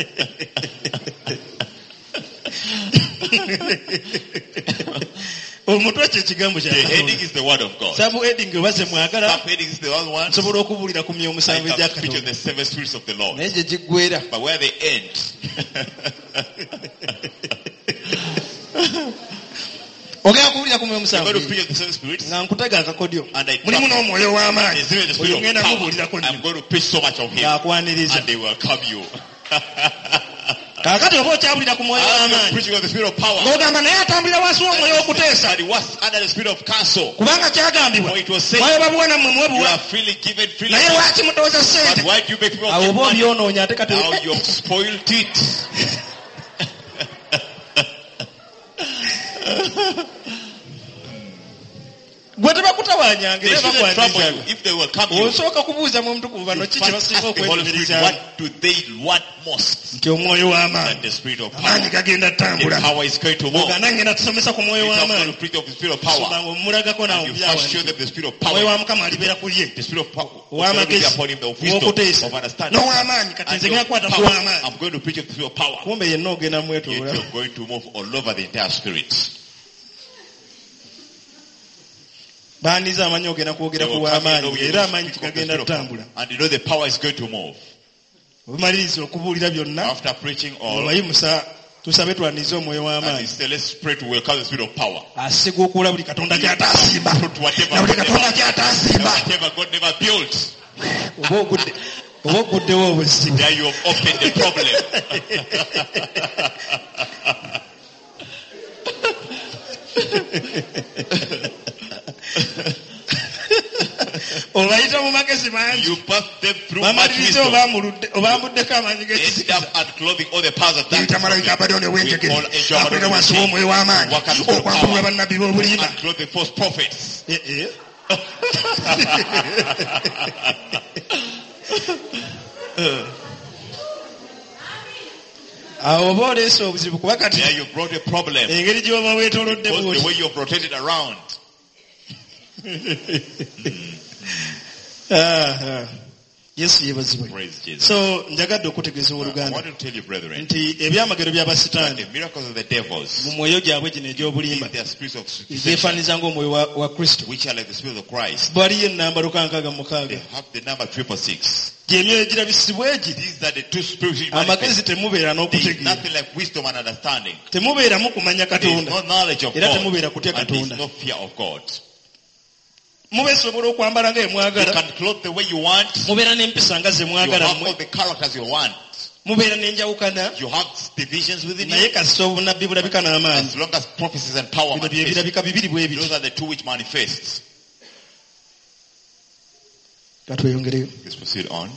Omutwe kye kigambo kya The heading Katonda. is the word of God. Sabu heading oba ze mwagala Sub-heading is the other one. nsobola okubuulira ku myoyo I musanvu can egya preach on Katonda. the seven spirits of the Lord. Naye gye giggweera. But where they end, Ogenda kubuulira ku mwoyo you're musanvu. going to preach on the seven spirits. Nga nkutega akakodyo. And I Mulimu n'omwoyo w'amaanyi. There's even the spirit Oyo of ngenda power. kubuulirako I'm nnyo. going to preach so much of him. Ng'akwaniriza. And they welcome you. Kaakati oba okyabulira ku mwoyo As you're w'amaanyi. preaching on the spirit of power. Ng'ogamba naye atambulira wansi w'omwoyo w'okuteesa. And he was under the spirit of counsel. Kubanga kyagambibwa. For it was said, Mwayo babuwa nammwe you mwebuwa. are freely given, freely Naye given. lwaki mutooza But ssente? why do you make people Awo give oba money? obyonoonya ate kati Now you have spoiled it. Gwe tebakutawaanyanga They era shouldn't trouble you bakwaniriza. if they welcome you. Osooka kubuuza mu mutukuvu bano You ki kye first basinga ask the Holy Spirit, okwenyumirizaamu. what do they want most? Nti omwoyo w'amaanyi. And the spirit of Amaanyi power. gagenda The ttambula. power is going to move. Oganda ngenda tusomesa ku mwoyo You are going w'amaanyi. to preach of the spirit of power. Soma ng'omulagako naawe And you first show mu them the spirit of Omwoyo power. wa Mukama alibeera ku ye. The spirit of power will be Ow'amagezi, upon him, the of wisdom, ow'okuteesa, of understanding. n'ow'amaanyi. Kati And nze ngenda of kukwata ku power. w'amaanyi. I'm going to preach of the spirit of power. Kumbe yenna ogenda Yet mwetooloola. you're going to move all over the entire spirit. Baandiza amanyi ogenda They kwogera ku will come and know w'amaanyi you era will amaanyi speak of the tigagenda spirit of tutambula. power. And you know the power is going to move. Obumaliriza okubuulira byonna After preaching all, obayimusa tusabe twanirize omwoyo and w'amaanyi. you say, let's pray to welcome the spirit of power. Asiga okuula buli Katonda gy'ataasimba. Put whatever, Na buli Katonda whatever, gy'ataasimba. whatever God never built. Oba ogudde oba oguddewo obuzibu. There you have opened the problem. Obayita mu magezi mangi. You pass them through much Bamalirize wisdom. obamuludde- obambuddeko amaanyi End g'ekizikiza. up unclothing all the powers of Tuyita darkness. malayika Abaddoni ow'enjegere We call angel akolera Abaddon wansi w'omwoyo w'amaanyi Work and power. okwambulula bannabbi b'obulimba. Unclothe the false prophets. Eh, eh. Awo oba oleese obuzibu kuba kati There you brought a problem. engeri gy'oba weetoolodde Because the bw'oti. way you have rotated around. Ah, ah. Yesu yeebazibwe. Praise Jesus. So njagadde okutegeeza I owooluganda want to tell you, brethren, nti ebyamagero by'abasitaani the miracles of the devils, mu mwoyo gyabwe gino egy'obulimba in their spirits of deception, zeefaananiza ng'omwoyo wa, wa Kristo. which are like the spirit of Christ, Waliyo ennamba lukankaaga mu mukaaga. they have the number triple six. Gy'emyoyo egirabisibwa egi These are the two spirits which amagezi manifest. temubeera There is n'okutegeera. nothing like wisdom and understanding. Temubeeramu kumanya There is Katonda. no knowledge of Era God. temubeera kutya And there is Katonda. no fear of God. Mubeesobola okwambala nga You bwe mwagala. can clothe the way you want. Mubeera n'empisa nga ze You mwagala have mmwe. all the characters you want. Mubeera n'enjawukana. You have divisions within Naye you. kasita obunnabbi bulabika n'amaanyi. As long as prophecies and power Bino bye manifest. birabika bibiri bwe biti. Those are the two which manifest. Katweyongereyo. Let's proceed on.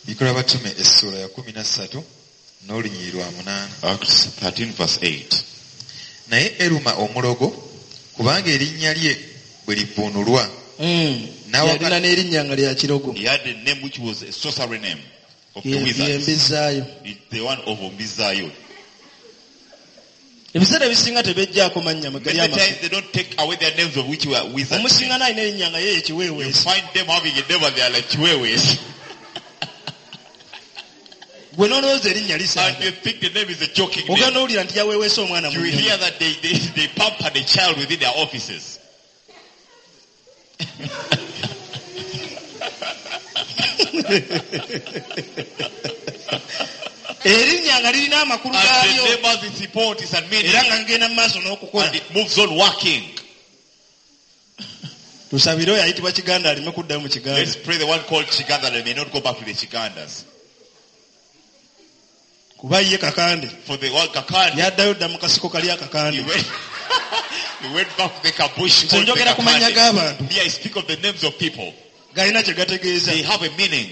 Bikolwa Batume essuula ya kumi na ssatu n'olunyiriri lwa munaana. Acts thirteen verse eight. Naye Eruma omulogo kubanga erinnya lye bwe livvuunulwa. Mm. Yalina n'erinnya nga lya kirogo. He had a name which was a sorcery name of the wizards. Ye Mbizaayo. The one of Mbizayo. Ebiseera ebisinga tebejjaako mannya mwe gali Many amakulu. times they don't take away their names of which were wizards. Omusinga n'alina erinnya nga ye You ekiweeweesi. find them having a name and they are like chihuahuas. Gwe n'olowooza erinnya And lisaaga. you think the name is a joking Ogenda name. owulira nti yaweeweesa omwana mu You nnyonyi. hear that they, they, they pamper the child within their offices. Erinnya nga lirina amakulu And the gaalyo name has its importance and meaning. era nga ngenda mu maaso n'okukola. And it moves on working. Tusabire oyo ayitibwa Kiganda aleme kuddayo mu Kiganda. Let's pray the one called Chiganda that they may not go back to the Chigandas. Kuba ye Kakande For the one Kakande, yaddayo dda mu kasiko kali he akakande. went, he went back to the Kabush Nze called the njogera ku mannya Kakande. g'abantu Me, I speak of the names of people. galina kye gategeeza. They have a meaning.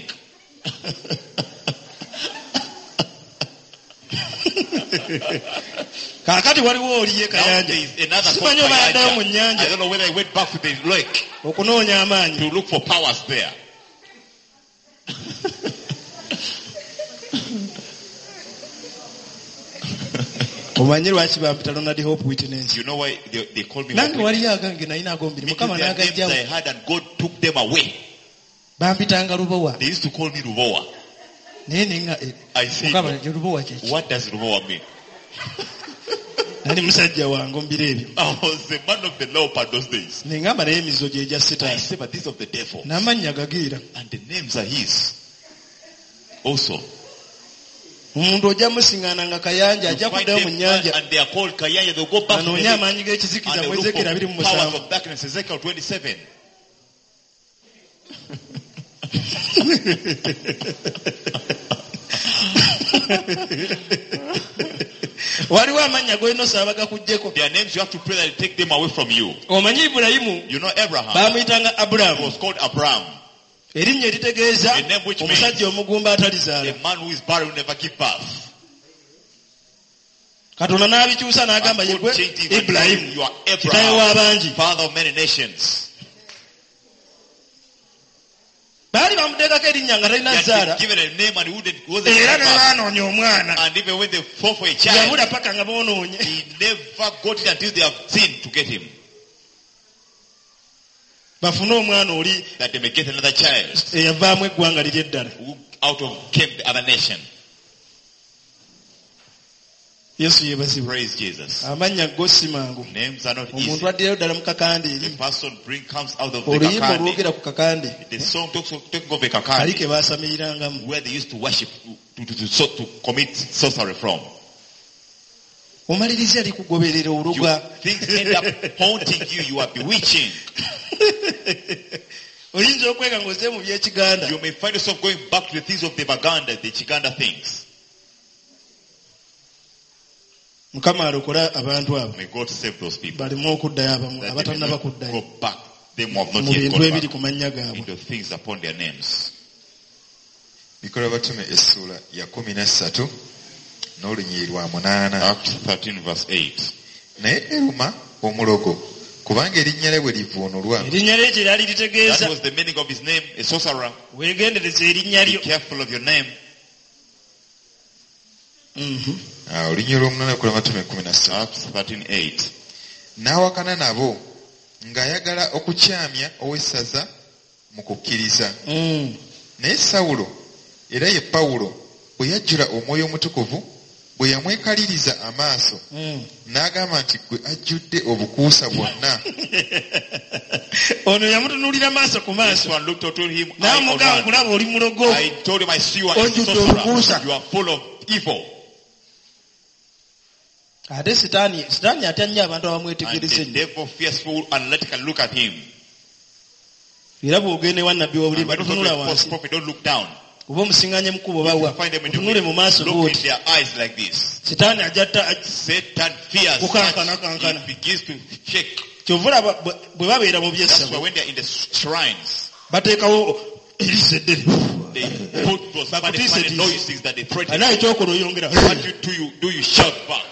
Kaakati waliwo oli ye Now Kayanja. there is another called Simanyi oba yaddayo mu Kayanja. nnyanja I don't know whether he went back to the lake okunoonya amaanyi. to look for powers there. Omanyi lwaki bampita Ronald Hope Witness? You know why they, they called me Nange Hope waliyo agange nalina agombiri Witness? Mukama Their names n'agajjawo. I had and God took them away. Bampitanga Lubowa. They used to call me Lubowa. Naye nenga eh, I said, Mukama Lubowa kye ki? What does Lubowa mean? Nali musajja wange mu biro ebyo. I was the man of the leopard those days. Ne ngamba naye emizizo gye gya I Sitaani. said, but this of the devil. N'amannya gagiira. And the names are his. Also. Omuntu ojja musiŋŋaana nga Kayanja You ajja find kuddayo mu them nnyanja and they are called Kayanja. They'll go back to the anoonye lake amaanyi and g'ekizikiza they mu look Ezekiel abiri mu for powers musanvu. of darkness. Ezekiel twenty-seven. Waliwo amannya g'olina osaba gakuggyeko. Their names you have to pray that they take them away from you. Omanyi Ibulayimu You know Abraham baamuyitanga Abulaamu. was called Abraham. Erinnya eritegeeza A name which omusajja omugumba atalizaala. A man who is barren will never give birth. Katonda n'abikyusa n'agamba And ye God gwe changed him and Ibulayimu told him, you are kitaawe Abraham, w'abangi. father of many nations. Baali bamuteekako erinnya nga He talina had zaala been given a name and he wouldn't wasn't era give ne birth. baanoonya omwana And even when they fought for a child, yabula paka nga boonoonye. he never got it until they have sinned to get him. Bafune omwana oli That they may get another child eyavaamu eggwanga liri eddala. who out of came the other nation. Yesu yeebazibwe. Praise Jesus. Amannya go si mangu. Names are not Omuntu easy. addirayo ddala mu kakande The eri. person bring comes out of the Oluyimba kakande. olwogera ku kakande The song talks of talking of a kali kakande ke baasamirangamu. where they used to worship to, to, to, to, to commit sorcery from. Omaliriza likugoberera You, oluga. things end up haunting you. You are bewitching. Oyinza okwega ng'ozze mu by'ekiganda. You may find yourself going back to the things of the Baganda, the Chiganda things. Mukama alokole abantu abo May God save those people. baleme okuddayo abamu That they may abatannaba not kuddayo go back. Them who have not mu yet bintu gone ebiri back ku mannya gaabwe. into things upon their names. Bikolwa Batume essuula ya kumi na ssatu n'olunyiriri lwa munaana. Acts thirteen verse eight. Naye Eruma omulogo kubanga erinnya lye bwe livvuunulwa Erinnya lye kye lyali That litegeeza. was the meaning of his name, a sorcerer. Weegendereze erinnya Be lyo. careful of your name. Mhm. Ah, olunyiriri lw'omunaana Bikolwa Batume kumi na ssatu. Acts thirteen eight. N'awakana nabo ng'ayagala okukyamya ow'essaza mu kukkiriza. Mm. Naye Sawulo era ye Pawulo bwe yajjula Omwoyo Omutukuvu bwe yamwekaliriza amaaso Mm. n'agamba nti ggwe ajjudde obukuusa bwonna Ono yamutunuulira maaso ku This maaso one looked unto him eye on n'amugamba one. nkulaba oli mulogo. I told him I see you are a Ojjudde sorcerer. obukuusa. You are full of evil. Ate Sitaani Sitaani atya nnyo abantu And abamwetegereza the ennyo. devil fearful and let can look at him. Era bw'ogenda ewa nnabbi And w'obulimba when you totunula talk to a false wansi. prophet, don't look down. Oba omusiŋŋaanye mu kkubo bawa Find them in the otunule mu maaso look in bw'oti. their eyes like this. Sitaani ajja ta- Satan fears Kukankana, such. kankana. He begins to shake. Kyova olaba bwe- bwe babeera mu That's why byessabo when they're in the shrines, bateekawo eriiso eddene. They put those funny, funny noises that they threaten. Naye kyokola oyongera. What you do, you do, you shout back.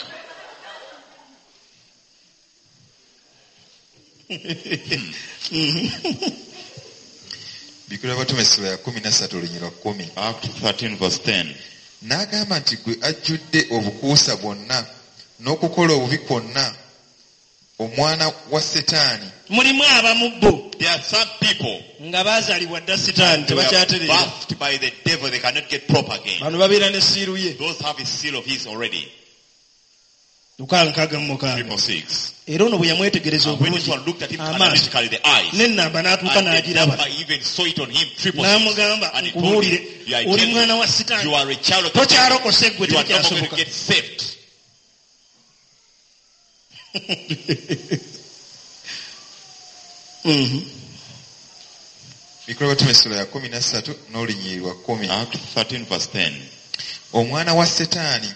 Bikolwa Abatume essula ya kkumi na ssatu olunyiriri lwa kkumi. Acts thirteen verse ten. N'agamba nti gwe ajjudde obukuusa bwonna n'okukola obubi kwonna omwana wa Setaani. Mulimu abamu bo. There are some people nga baazaalibwa dda Setaani they were tebakyatereera. birthed by the devil, they cannot get proper again. Bano babeera ne siiru ye. Those have a seal of his already. Luka nkaaga mu mukaaga. Triple six. Era ono bwe yamwetegereza And when this obulungi one looked at him amaaso analytically, the eyes, n'ennamba n'atuuka and the n'agiraba. number even saw it on him, triple six. N'amugamba And he told nkubuulire him, "You are oli telling mwana wa you Sitaani are a child of the devil. tokyalokose ggwe You are not going to tekyasoboka. get saved." Mhm. Bikolwa Abatume essula ya kkumi na ssatu n'olunyiriri lwa kkumi. Acts thirteen verse ten. Omwana wa Setaani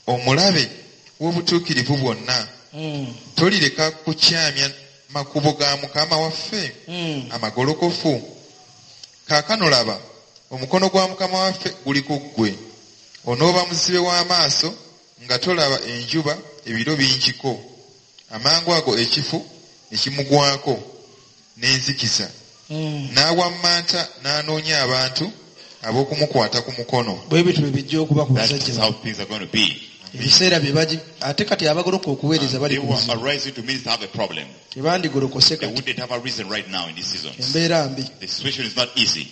omulabe w'obutuukirivu bwonna Mm. tolireka kukyamya makubo ga Mukama waffe Mm. amagolokofu. Kaakano laba omukono gwa Mukama waffe guli ku ggwe, onooba muzibe w'amaaso nga tolaba enjuba ebiro bingiko. Amangu ago ekifu ne kimugwako n'enzikiza, Mm. n'awammanta n'anoonya abantu ab'okumukwata ku mukono. Bwe bityo bwe bijja okuba ku That basajja is bano. how things are going to be. Ebiseera bye bagi ate kati abagoloka okuweereza bali They ku who buzibu. are rising to minister have a problem. Tebandigolokose They kati. wouldn't have a reason right now in this season. Embeera mbi. The situation is not easy.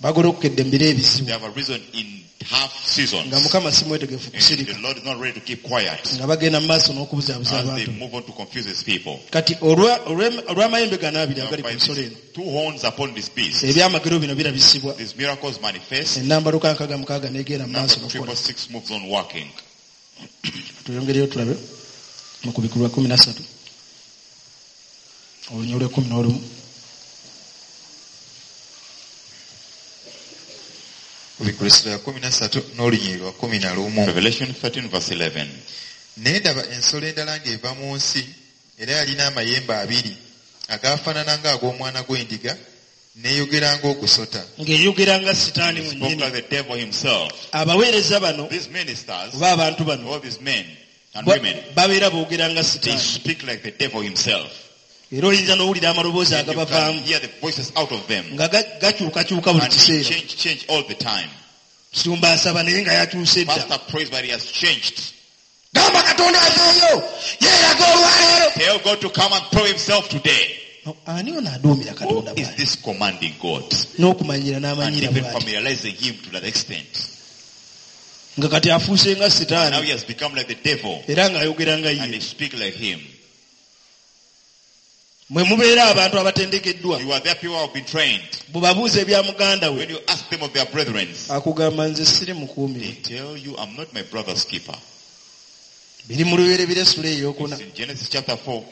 Bagolokedde mu biro ebizibu. They have a reason in half seasons. Nga Mukama si mwetegefu And kusirika. the Lord is not ready to keep quiet Nga bagenda mu maaso n'okubuzaabuza as they abantu. move on to confuse his people. Kati olwa- olw'em- olw'amayembe gano abiri Now, agali ku by nsolo these eno. two horns upon this beast, Ebyamagero bino birabisibwa. these miracles manifest. Ennamba lukaaga mukaaga n'egenda mu maaso Number n'okukola. triple six moves on working. Tuyongereyo tulabe mu kubikulwa kkumi na ssatu olunyiriri lw'ekkumi n'olumu. Kubikulwa essula ya kkumi na ssatu n'olunyiriri lwa kkumi na lumu. Revelation thirteen verse eleven. Ne ndaba ensolo endala ng'eva mu nsi era yalina amayembe abiri agaafaanana ng'ag'omwana gw'endiga n'eyogera ng'ogusota. Ng'eyogera nga Sitaani He spoke mwennyini. like the devil himself. Abaweereza bano These ministers, oba abantu bano all these men and ba- women, babeera boogera nga they Sitaani. speak like the devil himself. Era oyinza n'owulira amaloboozi And you can agabavaamu hear the voices out of them. nga ga- gakyukakyuka buli And they kiseera. change, change all the time. Sumba asaba naye nga yakyuse dda. Pastor prays, but he has changed. Gamba Katonda aveeyo yeeraga olwaleero. Tell God to come and prove himself today. No, ani ono aduumira Who Katonda is bw'ati? this commanding God? N'okumanyira And n'amanyira even bw'ati. familiarizing him to that extent. Nga kati afuuse nga Now Sitaani he has become like the devil. era ng'ayogera nga And ye. they speak like him. Mwe mubeera abantu abatendekeddwa. You are there, people who have been trained. Bw'obabuuza ebya muganda we When you ask them of their brethren, akugamba nze siri mukuumi they we. tell you, I'm not my brother's keeper. Biri mu lubereberye essula ey'okuna. It's in Genesis chapter four.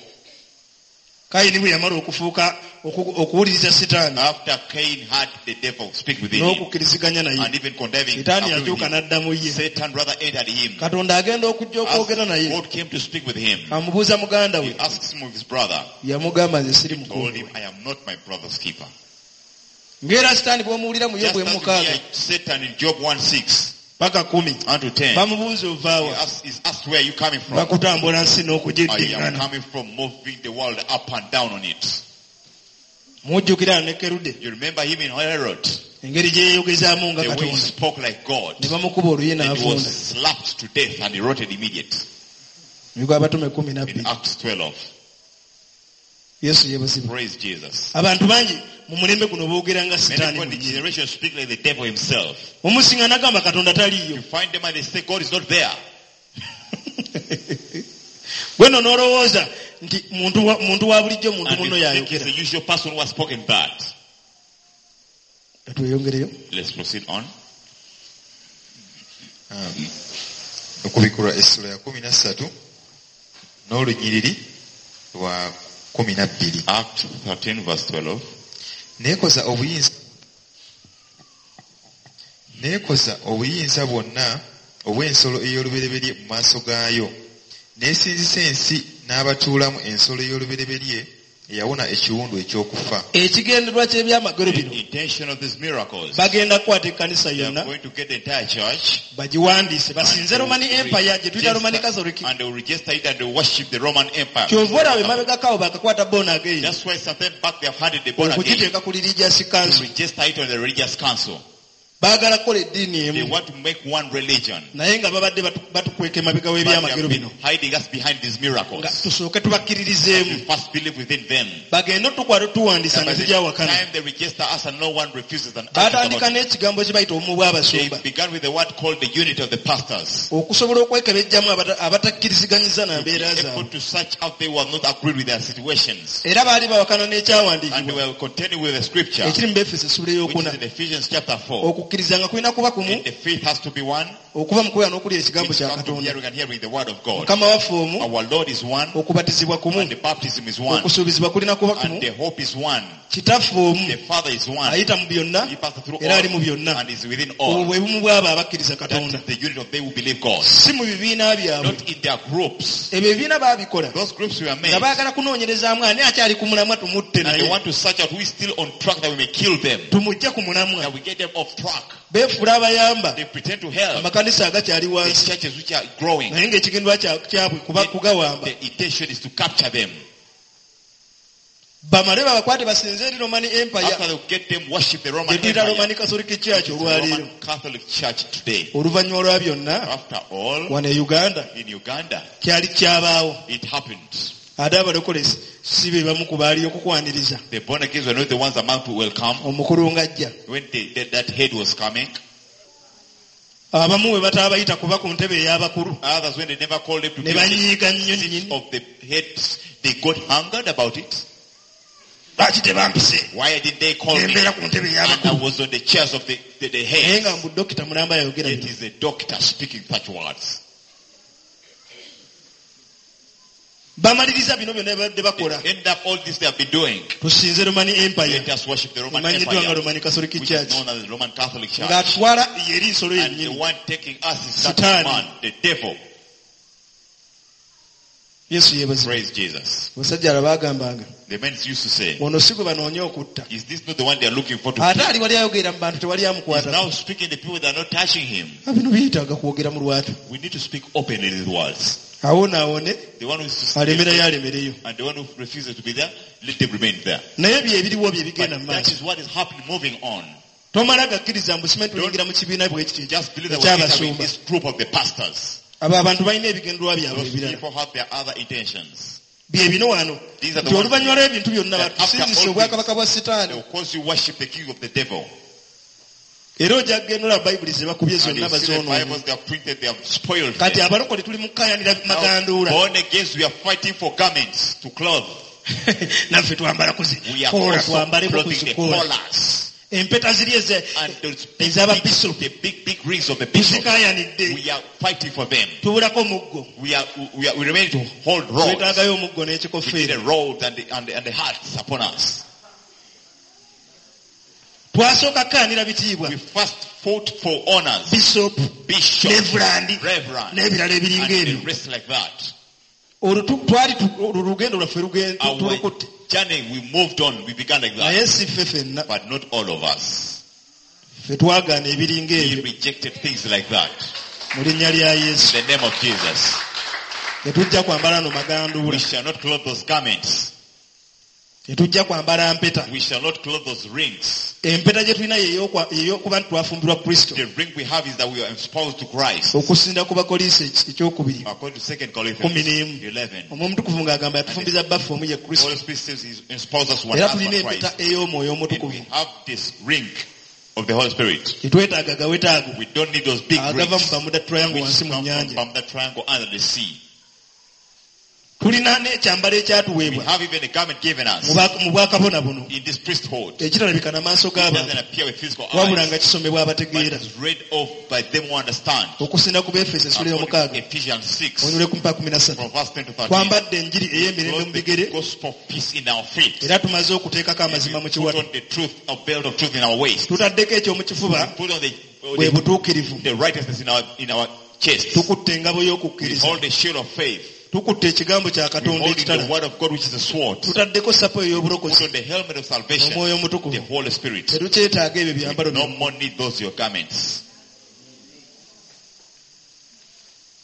Kayini bwe yamala okufuuka oku- okuwuliriza Sitaani After Cain had the devil speak within him n'okukkiriziganya naye, and even condemning, Sitaani agreeing with yakyuka him, n'addamu ye. Satan rather entered him. Katonda agenda okujja okwogera As naye God came to speak with him, amubuuza muganda he we asks him of his brother. yamugamba nze siri Told mukuumi him, we. I am not my brother's keeper. Ng'era Sitaani bw'omuwulira mu Just Yobu as you emukaaga hear Satan in Job one six paka kumi and to ten, bamubuuza he ovaawa asks, he's asked, where are you coming from? bakutambula nsi I am n'okugiddiŋŋana. coming from moving the world up and down on it. Mujjukira ne Kerude You remember him in Herod, engeri gye yeeyogezaamu nga the way he Katonda spoke like God. ne bamukuba oluyi And he n'avunda. was slapped to death and he rotted immediately. Emigwa Abatume kumi na In bbiri. Acts twelve. Yesu yeebazibwe. Praise Jesus. Abantu bangi mu mulembe guno boogera nga Many Sitaani people in the mwennyini. generation speak like the devil himself. Omusinga n'agamba Katonda taliiyo. You find them and they say God is not there. Gwe nno n'olowooza nti muntu wa, muntu wa bulijjo muntu And munno you think he's y'ayogera. the usual person who has spoken that. Tweyongereyo. Let's proceed on. Okubikulwa essula ya kkumi na ssatu n'olunyiriri lwa kkumi na bbiri. Acts thirteen verse twelve. Neekoza obuyinza Neekoza obuyinza bwonna obw'ensolo ey'olubereberye mu maaso gaayo. Neesinzisa ensi n'abatuulamu ensolo ey'olubereberye Eyawona ekiwundu eky'okufa. Ekigendererwa ky'ebyamagero The bino intention of these miracles, bagenda kukwata ekkanisa they are yonna going to get the entire church bagiwandiise and basinze they will Roman Empire gye tuyita Roman register- Catholic. and they will register it and they will worship the Roman Empire. Kyova olaba emabegako awo baakakwata born again That's why sometime back they have handed the born again okugiteeka ku religious to council. register it on the religious council. Baagala kukola eddiini They emu want to make one religion. naye nga babadde batu- batukweka emabega But they w'ebyamagero have been bino hiding us behind these nga miracles. tusooke tubakkiririzeemu We first believe within them. bagende otukwata otuwandiisa That nga by the tujawakana. time they register us and no one refuses and argues Baatandika about it. n'ekigambo kye bayita obumu They bw'abasumba began with the word called the unity of the pastors. okusobola okwekebejjamu abata- abatakkiriziganyizza na To be mbeera able zaabwe. to search out they were not agreed with their situations. Era baali bawakana And they n'ekyawandiikibwa were contending with the scripture, ekiri mu Befeso essula which ey'okuna is in Ephesians chapter four. okukkiriza nga kulina kuba kumu And the faith has to be one, okuva mu kubeera n'okulya ekigambo which kya comes from Katonda. hearing and hearing the word of God. Mukama waffe omu Our Lord is one, okubatizibwa kumu and the baptism is one, okusuubizibwa kulina kuba kumu and the hope is one, kitaffe omu the Father is one. ayita mu byonna He passes through era all ali mu byonna. and is within Obwo all. bwe bumu bw'abo abakkiriza That Katonda is the unit of they who believe God. si mu bibiina byabwe. Not in their groups. Ebyo ebibiina baabikola Those groups were made. nga baagala kunoonyerezaamu ani akyali ku mulamwa tumutte And they naye want to search out who is still on track that we may kill them. tumujje ku mulamwa. That we get them off track. Beefuula abayamba They pretend to help amakanisa agakyali the wansi churches which are growing. naye ng'ekigendwa kya- kyabwe kuba kugawamba The intention is to capture them. bamale babakwate basinze eri Roman Empire After they get them, worship the Roman gye tuyita Empire. Roman Catholic Church The olwaleero. Roman Catholic Church today. Oluvannyuma lwa byonna After all, wano e Uganda in Uganda, kyali kyabaawo it happened. ate abalokole si be bamu ku baali okukwaniriza The born agains were not the ones among to welcome. omukulu ng'ajja. When the, the, that head was coming, Abamu bwe bataabayita kuba ku ntebe ey'abakulu others when they never called them to ne be on the banyiiga nnyo seat nnyini. of the heads, they got hangered about it. Lwaki tebampise Why didn't they call me? nembeera ku ntebe And I ey'abakulu was on the chairs of the, the, the naye head. nga mbu dokita mulamba yayogera It bino. is a doctor speaking such words. Bamaliriza bino byonna babadde bakola. They end up all this they have been doing. Tusinze Roman Empire Let us worship the Roman emanyiddwa nga Empire, Roman Catholic which is Church known as the Roman Catholic Church. ng'atwala yeri nsolo And the yennyini one taking us is that Sitaani. man, the devil. Yesu yeebazibwe. Praise Jesus. Abasajja ala baagambanga The men used to say, ono si gwe banoonya okutta is this not the one they are looking for to ate kill? ali wali ayogerera mu bantu tewali He's amukwata. now speaking to people that are not touching him. Bino byetaaga kwogera mu lwatu. We need to speak openly these words. Awo naawone The one who is to alemerayo alemereyo and the one who refuses to be there, let them remain there. naye bye ebiriwo bye But bigenda mu that maaso. is what is happening, moving on. Tomala gakkiriza mbu simanyi tuliyingira mu kibiina bwe kiti Just believe that we're entering eky'abasumba. this group of the pastors. Abo abantu balina ebigendererwa byabwe Those ebirala. people have their other intentions. Bye bino wano These are the nti ones oluvannyuma lw'ebintu byonna that after batusinzisa all obwakabaka bwa They sitaani will cause you worship the king of the devil. era ojja kugenda olaba bayibuli ze bakubye And zonna you see the bazoonoonye. Bibles they have printed, they have spoiled Kati them. abalokole tuli mu kukayanira Now, maganduula. born again, we are fighting for garments to clothe. Naffe twambala We are kuzikoola also twambaleko clothing the kuzikoola. collars. Empeta ziri eze- And those big, ez'ababisopu big, the big, big rings of the bishop. tuzikaayanidde. We are fighting for them. Tubulako muggo. We are, we are, we remain to hold rods. Twetaagayo omuggo We need n'ekikofiira. the road and the, and the, and the hearts upon us. Twasooka kukaanira bitiibwa. We first fought for honors. Bisopu, Bishop, Reverend, Reverend, n'ebirala ebiringa and the ebyo. rest like that. Olwo tu- twali tu- olwo lugendo lwaffe lugen- Our tulukutte. journey, we moved on. We began like that. Naye si ffe ffenna. But not all of us. Ffe twagaana ebiringa We ebyo rejected things like that. mu linnya lya Yesu. In the name of Jesus. Tetujja kwambala no We maganduula. shall not clothe those garments. Tetujja kwambala mpeta. We shall not clothe those rings. Empeta gye tulina ye ey'okuba nti twafumbirwa Kristo. The ring we have is that we are espoused to Christ. Okusinda ku Bakolinso ekyokubiri According to Second kumi Corinthians n'emu. eleven. Omwoyo Omutukuvu ng'agamba yatufumbiza bbaffe omu ye Kristo. Holy Spirit says he espouses us one Era husband, tulina empeta Christ. ey'omwoyo And we Omutukuvu. have this ring of the Holy Spirit. Tetwetaaga gawetaago We don't need those big agava mu rings Bermuda Triangle which wansi mu come from nnyanja. Bermuda Triangle under the sea. Tulina n'ekyambalo We ekyatuweebwa have even a garment given us mu bwa- mu bwakabona buno in this priesthood. ekitalabika na maaso It doesn't g'abantu appear with physical wabula eyes, nga kisomebwa but abategeera. it's read off by them who understand. Okusinda ku Befeso essula According to ey'omukaaga Ephesians six, onyule ku mpa kumi na ssatu. from verse ten to thirteen. Twambadde enjiri ey'emirembe mu Clothe the bigere gospel of peace in our feet. era tumaze okuteekako amazima mu We put kiwato. on the truth, a belt of truth in our waist. Tutaddeko eky'omu kifuba Put on the, bwe the, butuukirivu. the righteousness in our, in our chest. Tukutte engabo We y'okukkiriza hold the shield of faith. Tukutte ekigambo kya We're Katonda holding the ekitala. word of God, which is a sword. Put Tutaddeko sapo ey'obulokozi on the helmet of salvation, omwoyo the omutukuvu. Holy Spirit. Tetukyetaaga ebyo We byambalo no byammwe. more need those your garments.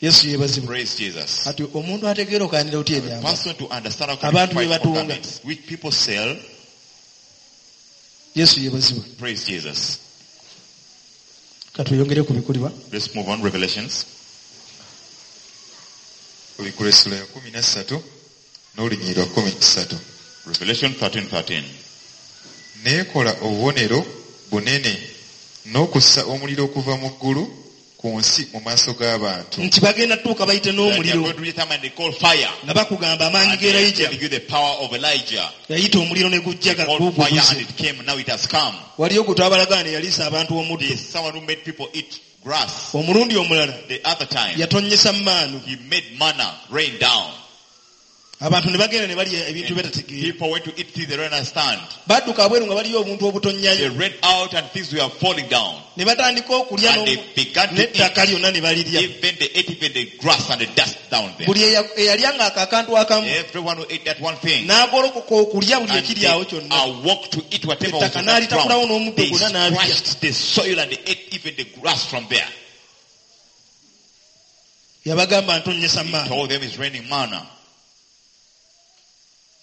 Yesu yeebazibwe. Praise Jesus. Kati omuntu ategeera okaanira otya A ebyambalo? person to understand how can Abantu you bye fight for batunga. garments, which people sell. Yesu yeebazibwe. Praise Jesus. Katweyongere ku bikulibwa. Let's move on. Revelations. Kubikkulwa essula ya kumi na ssatu n'olunyiriri lwa kumi na ssatu. Revelation thirteen thirteen. Neekola obubonero bunene n'okussa omuliro okuva mu ggulu ku nsi mu maaso g'abantu. Nti bagenda tuuka bayite That they are n'omuliro going to reach time and they call fire. nga bakugamba amaanyi And ga they are Elijah. telling you the power of Elijah. Yayita omuliro ne gujja They called fire guguguze. and it came. Now it has come. Waliyo gwe twabalagaana eyaliisa abantu omuddo. There is someone who made people eat grass. Omulundi omulala The other time, yatonnyesa maanu. he made manna rain down. Abantu ne bagenda ne balya ebintu And betategeera. people went to eat things they don't understand. Badduka abweru nga baliyo obuntu They obutonnyayo. ran out and things were falling down. Ne batandika okulya And they n'omu- began to n'ettaka eat. lyonna ne balirya. Even they ate even the grass and the dust down there. Buli eya- eyalyanga ako akantu akamu Everyone who ate that one thing. n'agolokoka okulya buli And ekiri they awo kyonna. awoke to eat whatever was Ettaka on that n'alitakulawo ground. n'omuddo They gwonna n'abirya. scratched the soil and they ate even the grass from there. Yabagamba ntonnyesa He maanyi. told them it's raining manna.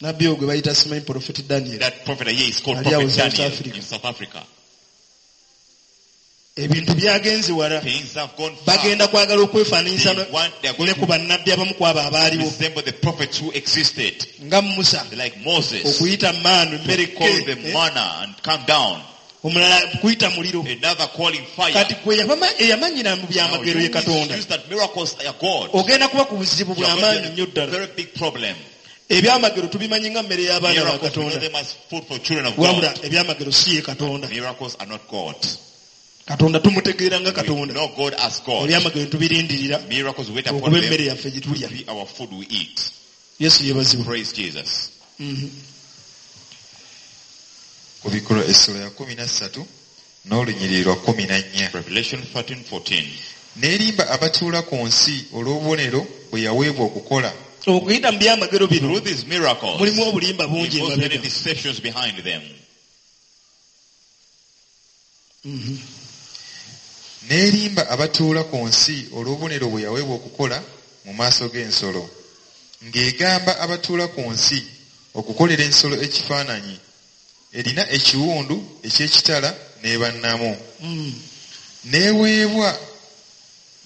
Nabbi ogwo gwe bayita simanyi Prophet Daniel. That prophet here is called Ali awo Prophet South Daniel Africa. in South Africa. Ebintu byagenze wala. Things have gone far. Bagenda kwagala okwefaananyisa They want, they are ne going ku to bannabbi abamu ku abo abaaliwo resemble the prophets who existed. nga Musa Like Moses, okuyita maanu emmere to call the ke manna and come down. omulala kuyita muliro. Another calling fire. Kati gwe yabama- eyamanyira mu Now, byamagero you ye Katonda use that miracles are God. ogenda kuba ku buzibu You are bw'amaanyi going nnyo to be ddala. a very big problem. Ebyamagero tubimanyi nga mmere y'abaana ba Miracles, we know Katonda. them as food for children of Wabula God. ebyamagero si ye Katonda. Miracles are not God. Katonda tumutegeera nga We Katonda. know God as God. Ebyamagero tubirindirira Miracles we wait upon okuba emmere them yaffe gye tulya. to be our food we eat. Yesu yeebazibwe. Praise Jesus. Mhm. Kubikkulwa essula ya kumi na ssatu n'olunyiriri lwa kumi na nnya. Revelation thirteen fourteen. N'erimba abatuula ku nsi olw'obubonero bwe yaweebwa okukola. Okuyita mu byamagero bino Through these miracles, mulimu obulimba bungi involves many emabega. deceptions behind them. Mhm. N'erimba abatuula ku nsi olw'obubonero bwe yaweebwa okukola mu maaso g'ensolo. Ng'egamba abatuula ku nsi okukolera ensolo ekifaananyi erina ekiwundu eky'ekitala n'ebannamu. Mm. N'eweebwa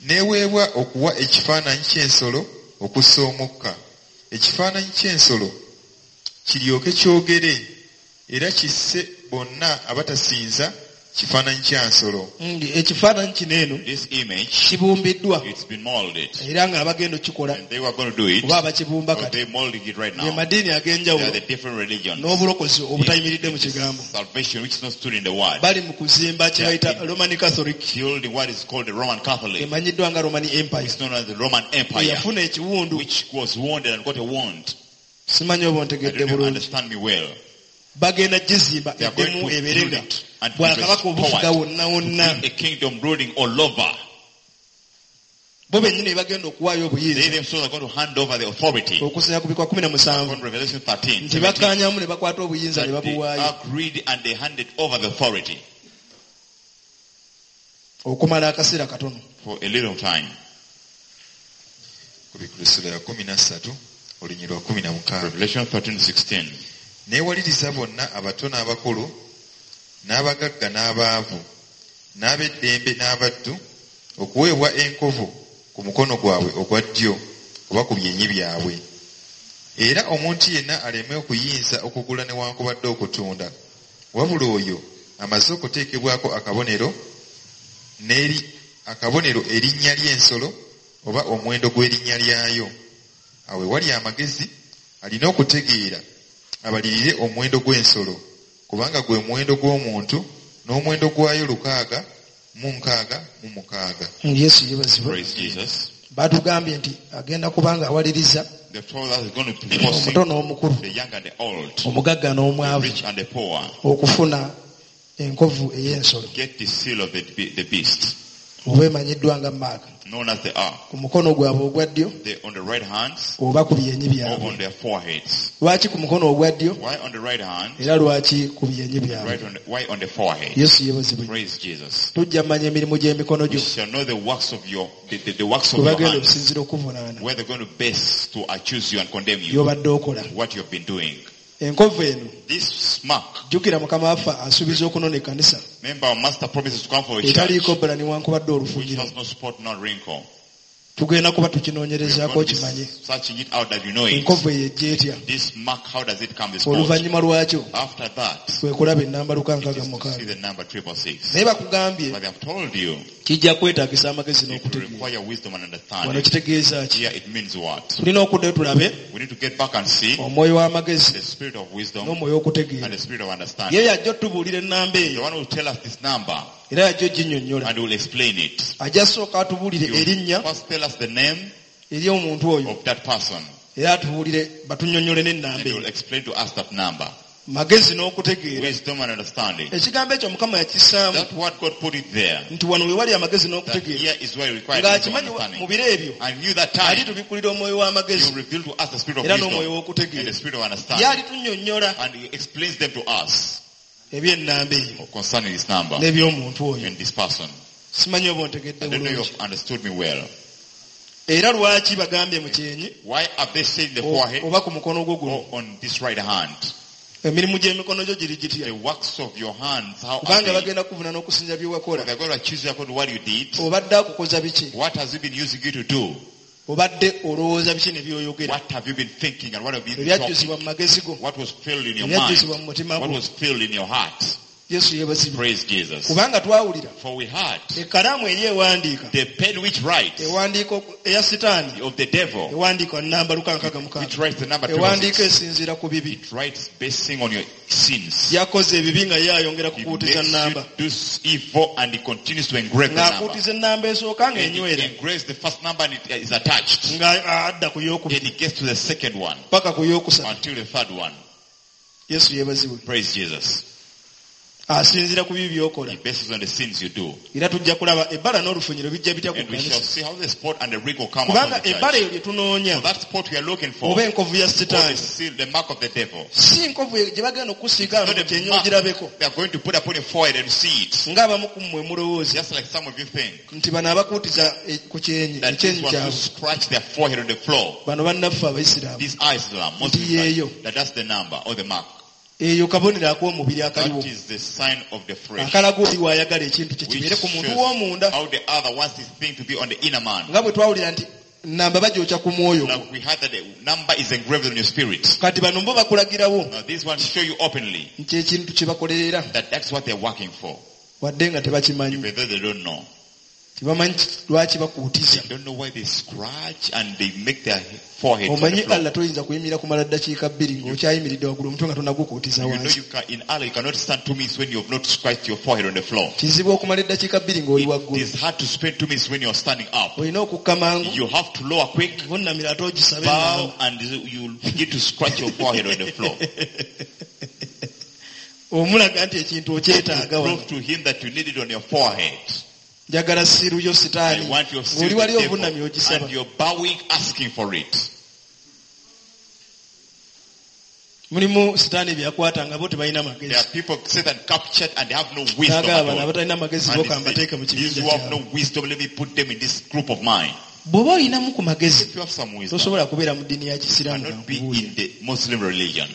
n'eweebwa okuwa ekifaananyi ky'ensolo okussa omukka. Ekifaananyi ky'ensolo kiryoke kyogere era kisse bonna abatasinza kifaananyi kya nsolo. Mm, ekifaananyi kino eno This image, kibumbiddwa it's been molded. era ng'abagenda okukikola And they were going to do it, oba abakibumba or kati they're molding it right ge now. madiini They ag'enjawulo are the different religions. n'obulokozi obutayimiridde mu kigambo. Salvation, which is not stood in the word. Bali mu kuzimba kye bayita Roman Catholic Building what is called the Roman Catholic. emanyiddwa nga Roman Empire It's known as the Roman Empire, eyafuna ekiwundu. which was wounded and got a wound. Simanyi oba I ontegedde don't know if you bulungi. understand me well. Bagenda gizimba They are going eddemu to ebeere build nga it and be bwakabaka obufuga restored. wonna wonna. A kingdom ruling all over. Bo bennyini bagenda okuwaayo They obuyinza themselves are going to hand over the authority. okusinziira ku bikwa kumi na musanvu From Revelation thirteen, nti bakkaanyamu ne bakwata obuyinza ne that they babuwaayo agreed and they handed over the authority okumala akaseera katono. for a little time. Kubikkulwa essula ya kumi na ssatu olunyiriri lwa kumi na mukaaga. Revelation thirteen sixteen. N'ewaliriza bonna abato n'abakulu n'abagagga n'abaavu n'ab'eddembe n'abaddu okuweebwa enkovu ku mukono gwabwe ogwa ddyo oba ku byenyi byabwe. Era omuntu yenna aleme okuyinza okugula newankubadde okutunda wabula oyo amaze okuteekebwako akabonero n'eri akabonero erinnya ly'ensolo oba omuwendo gw'erinnya lyayo. Awo ewali amagezi alina okutegeera abalirire omuwendo gw'ensolo kubanga gwe muwendo gw'omuntu n'omuwendo gwayo lukaaga mu nkaaga mu mukaaga. Yesu yeebazibwe. Praise Jesus. Batugambye nti agenda kubanga awaliriza The told us is going to be forcing omuto n'omukulu the young and the old, omugagga the n'omwavu rich and the poor, okufuna enkovu ey'ensolo get the seal of the, the beast. Oba emanyiddwa nga mark known as the R. ku mukono gwabwe ogwa ddyo They on the right hands oba ku byenyi or byabwe on their foreheads. Lwaki ku mukono ogwa ddyo Why on the right hand? era lwaki ku byenyi byabwe Right on the, why on the forehead? Yesu yeebazibwe Praise Jesus. Tujja mmanya emirimu gy'emikono You gyo shall know the works of your the, the, the works of kwe your bagenda hands, okusinziira okuvunaana where they're going to base to accuse you and condemn you by'obadde okola what you've been doing. Enkovu eno This mark, jjukira mukama waffe asuubiza okunona ekkanisa remember our master promises to come for a church etaliiko bbala newankubadde which olufunyiro has no spot nor wrinkle. Tugenda kuba We are tukinoonyerezaako going to be okimanye searching it out that you know it. Enkovu eyo ejja etya This mark, how does it come? This spot. Oluvannyuma lwakyo After that, kwe kulaba ennamba luka it nkaaga is mu to see mukaaga the number triple six. Naye bakugambye But they have told you kijja kwetaagisa amagezi it will n'okutegeera require wisdom and Wano understanding. kitegeeza ki Here it means what? Tulina okuddayo tulabe We need to get back and see omwoyo w'amagezi the spirit of wisdom n'omwoyo and w'okutegeera the spirit of understanding. Ye yajja otubuulira ennamba The eyo one who will tell us this number era yajja oginnyonnyola and will explain it. Ajja sooka atubuulire He will erinnya first tell us the name eri omuntu oyo of that person era atubuulire batunnyonnyole and n'ennamba he will eyo explain to us that number. Magezi n'okutegeera Wisdom and understanding. Ekigambo ekyo mukama yakissaamu That word God put it there. Nti wano we wali amagezi That n'okutegeera here is where you require wisdom and ng'akimanyi mu understanding. biro ebyo And knew that ali time tubikulira omwoyo he w'amagezi will reveal to us the spirit of era wisdom n'omwoyo and w'okutegeera the spirit of Ye understanding. alitunnyonnyola And he explains them to us eby'ennamba eyo concerning this number n'eby'omuntu oyo and this person. Simanyi oba ontegedde I don't know bulungi if you've understood me well. Era lwaki bagambye mu kyenyi Why have they said in the o- forehead oba ku mukono gwo guno or on this right hand? Emirimu gy'emikono gyo giri gitya The works of your hands, how are Kubanga they? bagenda kuvuna n'okusinza bye wakola They're going to accuse you according to what you did. Obadde akukoza biki What has he been using you to do? Obadde olowooza biki ne by'oyogera What have you been thinking and what have you been talking? Ebyajjuzibwa mu magezi go What was filled in your ebyajjuzibwa mind? mu mutima What gwo was filled in your heart? Yesu yeebazibwe Praise Jesus. Kubanga twawulira For we had ekkalaamu eri ewandiika the pen which writes ewandiika oku- eya sitaani of the devil, ewandiika namba luka nkaaga which mukaaga writes the number ewandiika triple six. esinziira ku bibi It writes basing on your sins. Yakoze ebibi nga ye ayongera It kukuutiza makes namba you do evil and it continues to engrave the number. Ng'akuutiza ennamba esooka And it ng'enywera engraves the first number and it is attached. nga adda ku yookubiri Then it gets to the second one paka ku yookusatu until the third one. Yesu yeebazibwe Praise Jesus. Asinziira ku bibi by'okola It bases on the sins you do. Era tujja kulaba ebbala n'olufunyiro bijja bitya ku And we shall kkanisa see how the spot and the wrinkle come upon Kubanga the ebbala church. eyo lye tunoonya So that spot we are looking for, oba enkovu ya or the sitaani seal, the mark of the devil. si nkovu gye bagenda okusiiga wano Not ku a kyenyi mark ogirabeko they are going to put upon your forehead and see it. Ng'abamu ku mmwe mulowooza Just like some of you think nti bano abakuutiza e- ku kyenyi that these ekyenyi ones who kyabwe scratch their forehead on the floor, bano bannaffe abayisiraamu these are Islam, Muslims, Nti yeeyo. that that's the number or the mark. Eyo kabonero ak'omubiri akaliwo That is the sign of the flesh. Akalaga oli waayagala ekintu kye Which kibeere ku muntu shows w'omunda how the other wants this thing to be on the inner man. Nga bwe twawulira nti namba bagyokya ku mwoyo Like we had that the number is engraved on your spirit. Kati bano bo bakulagirawo Now these ones show you openly nti ekintu kye bakolerera that that's what they're working for. wadde nga tebakimanyi Even though they don't know. Tebamanyi lwaki bakuutiza They don't know why they scratch and they make their forehead on the Omanyi floor. Allah toyinza kuyimirira kumala ddakiika bbiri ng'okyayimiridde waggulu omutwe nga tonagukuutiza You know wansi you can, in Allah you cannot stand two minutes when you have not scratched your forehead on the floor. Kizibu okumala eddakiika bbiri ng'oli It waggulu is hard to spend two minutes when you're standing up. Olina okukka mangu You have to lower quick, vunnamira ate ogisabe bow, and you begin to scratch your forehead on the floor. Omulaga nti ekintu okyetaaga wano Prove to him that you need it on your forehead. Njagala siiru yo I sitaani want your seal ng'oli wali the devil, ovunnamye ogisaba and you're bowing, asking for it. Mulimu sitaani bye yakwata nga bo tebalina There magezi are people Satan captured and they have no wisdom N'agamba at bano all. abatalina magezi And bo he said, kambateeke mu These kibinja who have no kyabwe wisdom, let me put them in this group of mine. Bw'oba olinamu ku magezi If you have some wisdom, tosobola kubeera mu ddiini ya kisiraamu cannot be kankubuulire in the Muslim religion.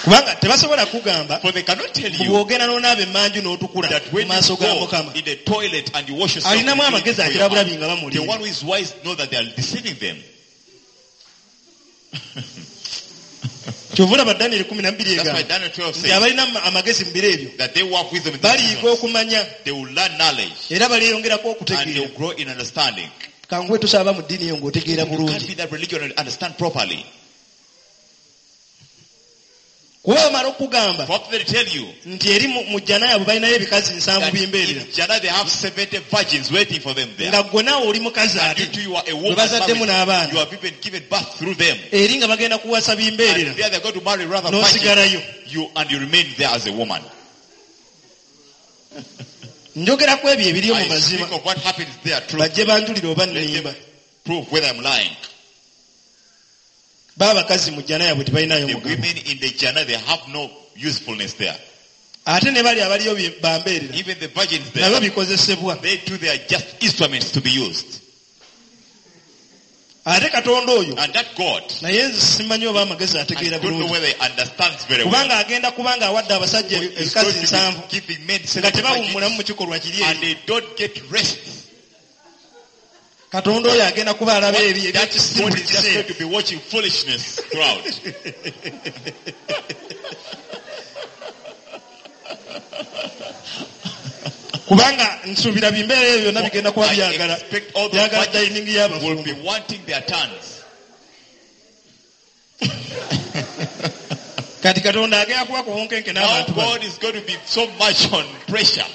Kubanga tebasobola kugamba For they cannot tell you bw'ogenda n'onaaba emmanju n'otukula that mu when maaso you ga go mukama in the toilet and you wash yourself, alinamu you do it amagezi for your akirabulabi heart. nga The bamulimba one who is wise know that they are deceiving them. Kyova olaba Danyeri kumi na bbiri That's why egamba Daniel twelve nti says abalina ama- amagezi mu biro ebyo that they who have wisdom in the baliyiga seasons, okumanya they will learn knowledge era balyeyongerako and they okutegeera will grow in understanding. Kanguwe tosaba mu ddiini eyo ng'otegeera You can't bulungi be that religion and understand properly. Kuba bamala okugamba For they tell you nti eri mu mu jjana yaabwe balinayo ebikazi nsanvu that bimbeerera in Jannah they have seventy virgins waiting for them there. Nga gwe naawe oli mukazi And ate you too, you are a gwe woman bazaddemu married. n'abaana You have even given birth through them. eri nga bagenda kuwasa bimbeerera And there they're going to marry rather virgins. n'osigalayo You and you remain there as a woman. Njogera ku ebyo ebiriyo mu I mazima. speak of what happens there. Truth. Bajje banjulire oba Let them nnimba. prove whether I'm lying. Ba abakazi mu jjana yaabwe tebalinayo The mugabo. women in the Jannah, they have no usefulness there. Ate ne bali abaliyo bye- bambeerera. Even the virgins Nabo there, bikozesebwa. they too, they are just instruments to be used. Ate Katonda oyo And that God, naye nze simanyi oba amagezi I ategeera don't know bulungi. whether he understands very well. Kubanga agenda kubanga awadde abasajja He's ebikazi going to nsanvu be giving men nga seven tebawummulamu virgins, mu kikolwa kiri and eri. they don't get rest. Katonda oyo agenda kuba alaba ebyo That ebyekisiru God buli is just kiseera. going to be watching foolishness throughout. Kubanga nsuubira bimbeera ebyo byonna bigenda kuba I byagala expect all the byagala virgins dining will y'abafumbo. be wanting their turns. Kati Katonda agenda kuba ku bunkenke Now n'abantu bano. God is going to be so much on pressure.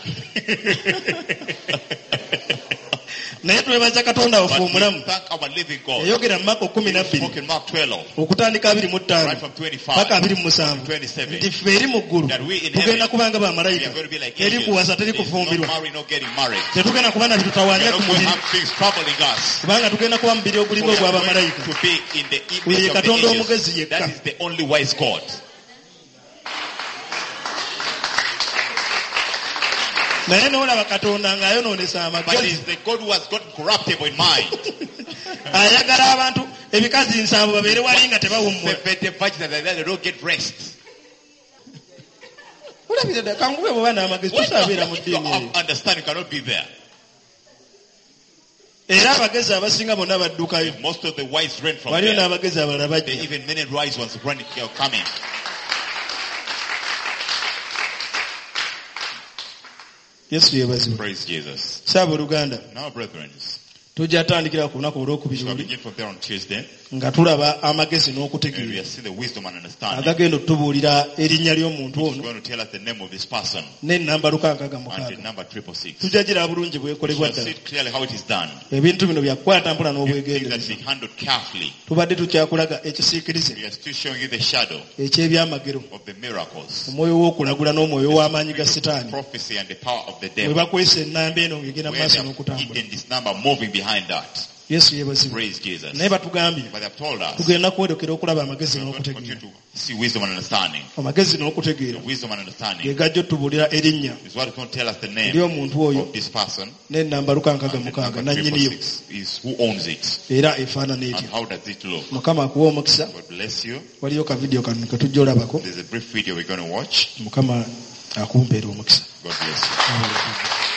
Naye twebaza Katonda waffe But we omulamu. thank our living God. Yayogera mu Mako kkumi na He bbiri spoke in Mark twelve, okutandika abiri mu ttaano right from twenty-five paka abiri mu musanvu twenty-seven. nti ffe eri mu ggulu That we in tugenda heaven, kubanga we bamalayika are going to be like teri angels. kuwasa teri There's no kufumbirwa marry, no getting married. tetugenda kuba na We bitutawaanya are ku not going to mubiri have things troubling us. kubanga tugenda kuba mubiri We ogulinga are ogwa going bamalayika to be in the Oyo image ye of the Katonda angels. omugezi yekka. That is the only wise God. Naye n'olaba Katonda ng'ayonoonesa But amagezi. it's the God who has gotten corruptible in mind. Ayagala abantu ebikazi nsanvu babeere wali nga tebawummula. Seventy virgins that are there, they don't get rest. Olabira ddala kangube bw'oba n'amagezi What tosaabeera mu if you ddiini eyo. have understanding, you cannot be there. Era abagezi abasinga bonna baddukayo. Most of the wise ran from Waliyo there. n'abagezi abalala There bajja. even many wise ones running, uh, coming. Yesu yeebazibwe. Praise Jesus. Ssaab'oluganda, Now, brethren, tujja tandikira ku lunaku olwokubiri shall luli begin from there on Tuesday. nga tulaba amagezi And we n'okutegeera have seen the wisdom and understanding. agagenda otubuulira erinnya ly'omuntu It's ono going to tell us the name of this person n'ennamba lukaaga and the mukaaga. number triple six. Tujja giraba bulungi We bwekolebwa shall ddala. see it clearly how it is done. Ebintu bino byakukwata mpola Things that n'obwegendereza. be handled carefully. Tubadde tukyakulaga ekisiikirize We are still showing you the shadow eky'ebyamagero of the miracles, omwoyo w'okulagula n'omwoyo w'amaanyi ga Sitaani prophecy and the power of the bwe devil. bakwesa ennamba eno ng'egenda mu Where maaso they have n'okutambula. hidden this number moving behind that. Yesu yeebazibwe. Praise Jesus. Naye batugambye But they have told us tugenda kwolekera okulaba amagezi we are going to n'okutegeera. continue to see wisdom and understanding. Amagezi n'okutegeera The wisdom and ge understanding gajja otubuulira erinnya is what is going to tell us the name ery'omuntu oyo of this person n'ennamba lukaaga and the mukaaga number triple nannyiniyo six is who owns it era efaanana and etya. how does it look. Mukama akuwa omukisa. God bless you. Waliyo ka vidiyo kano ke tujja olabako. There's a brief video we're going to watch. Mukama akumpeera omukisa. God bless you.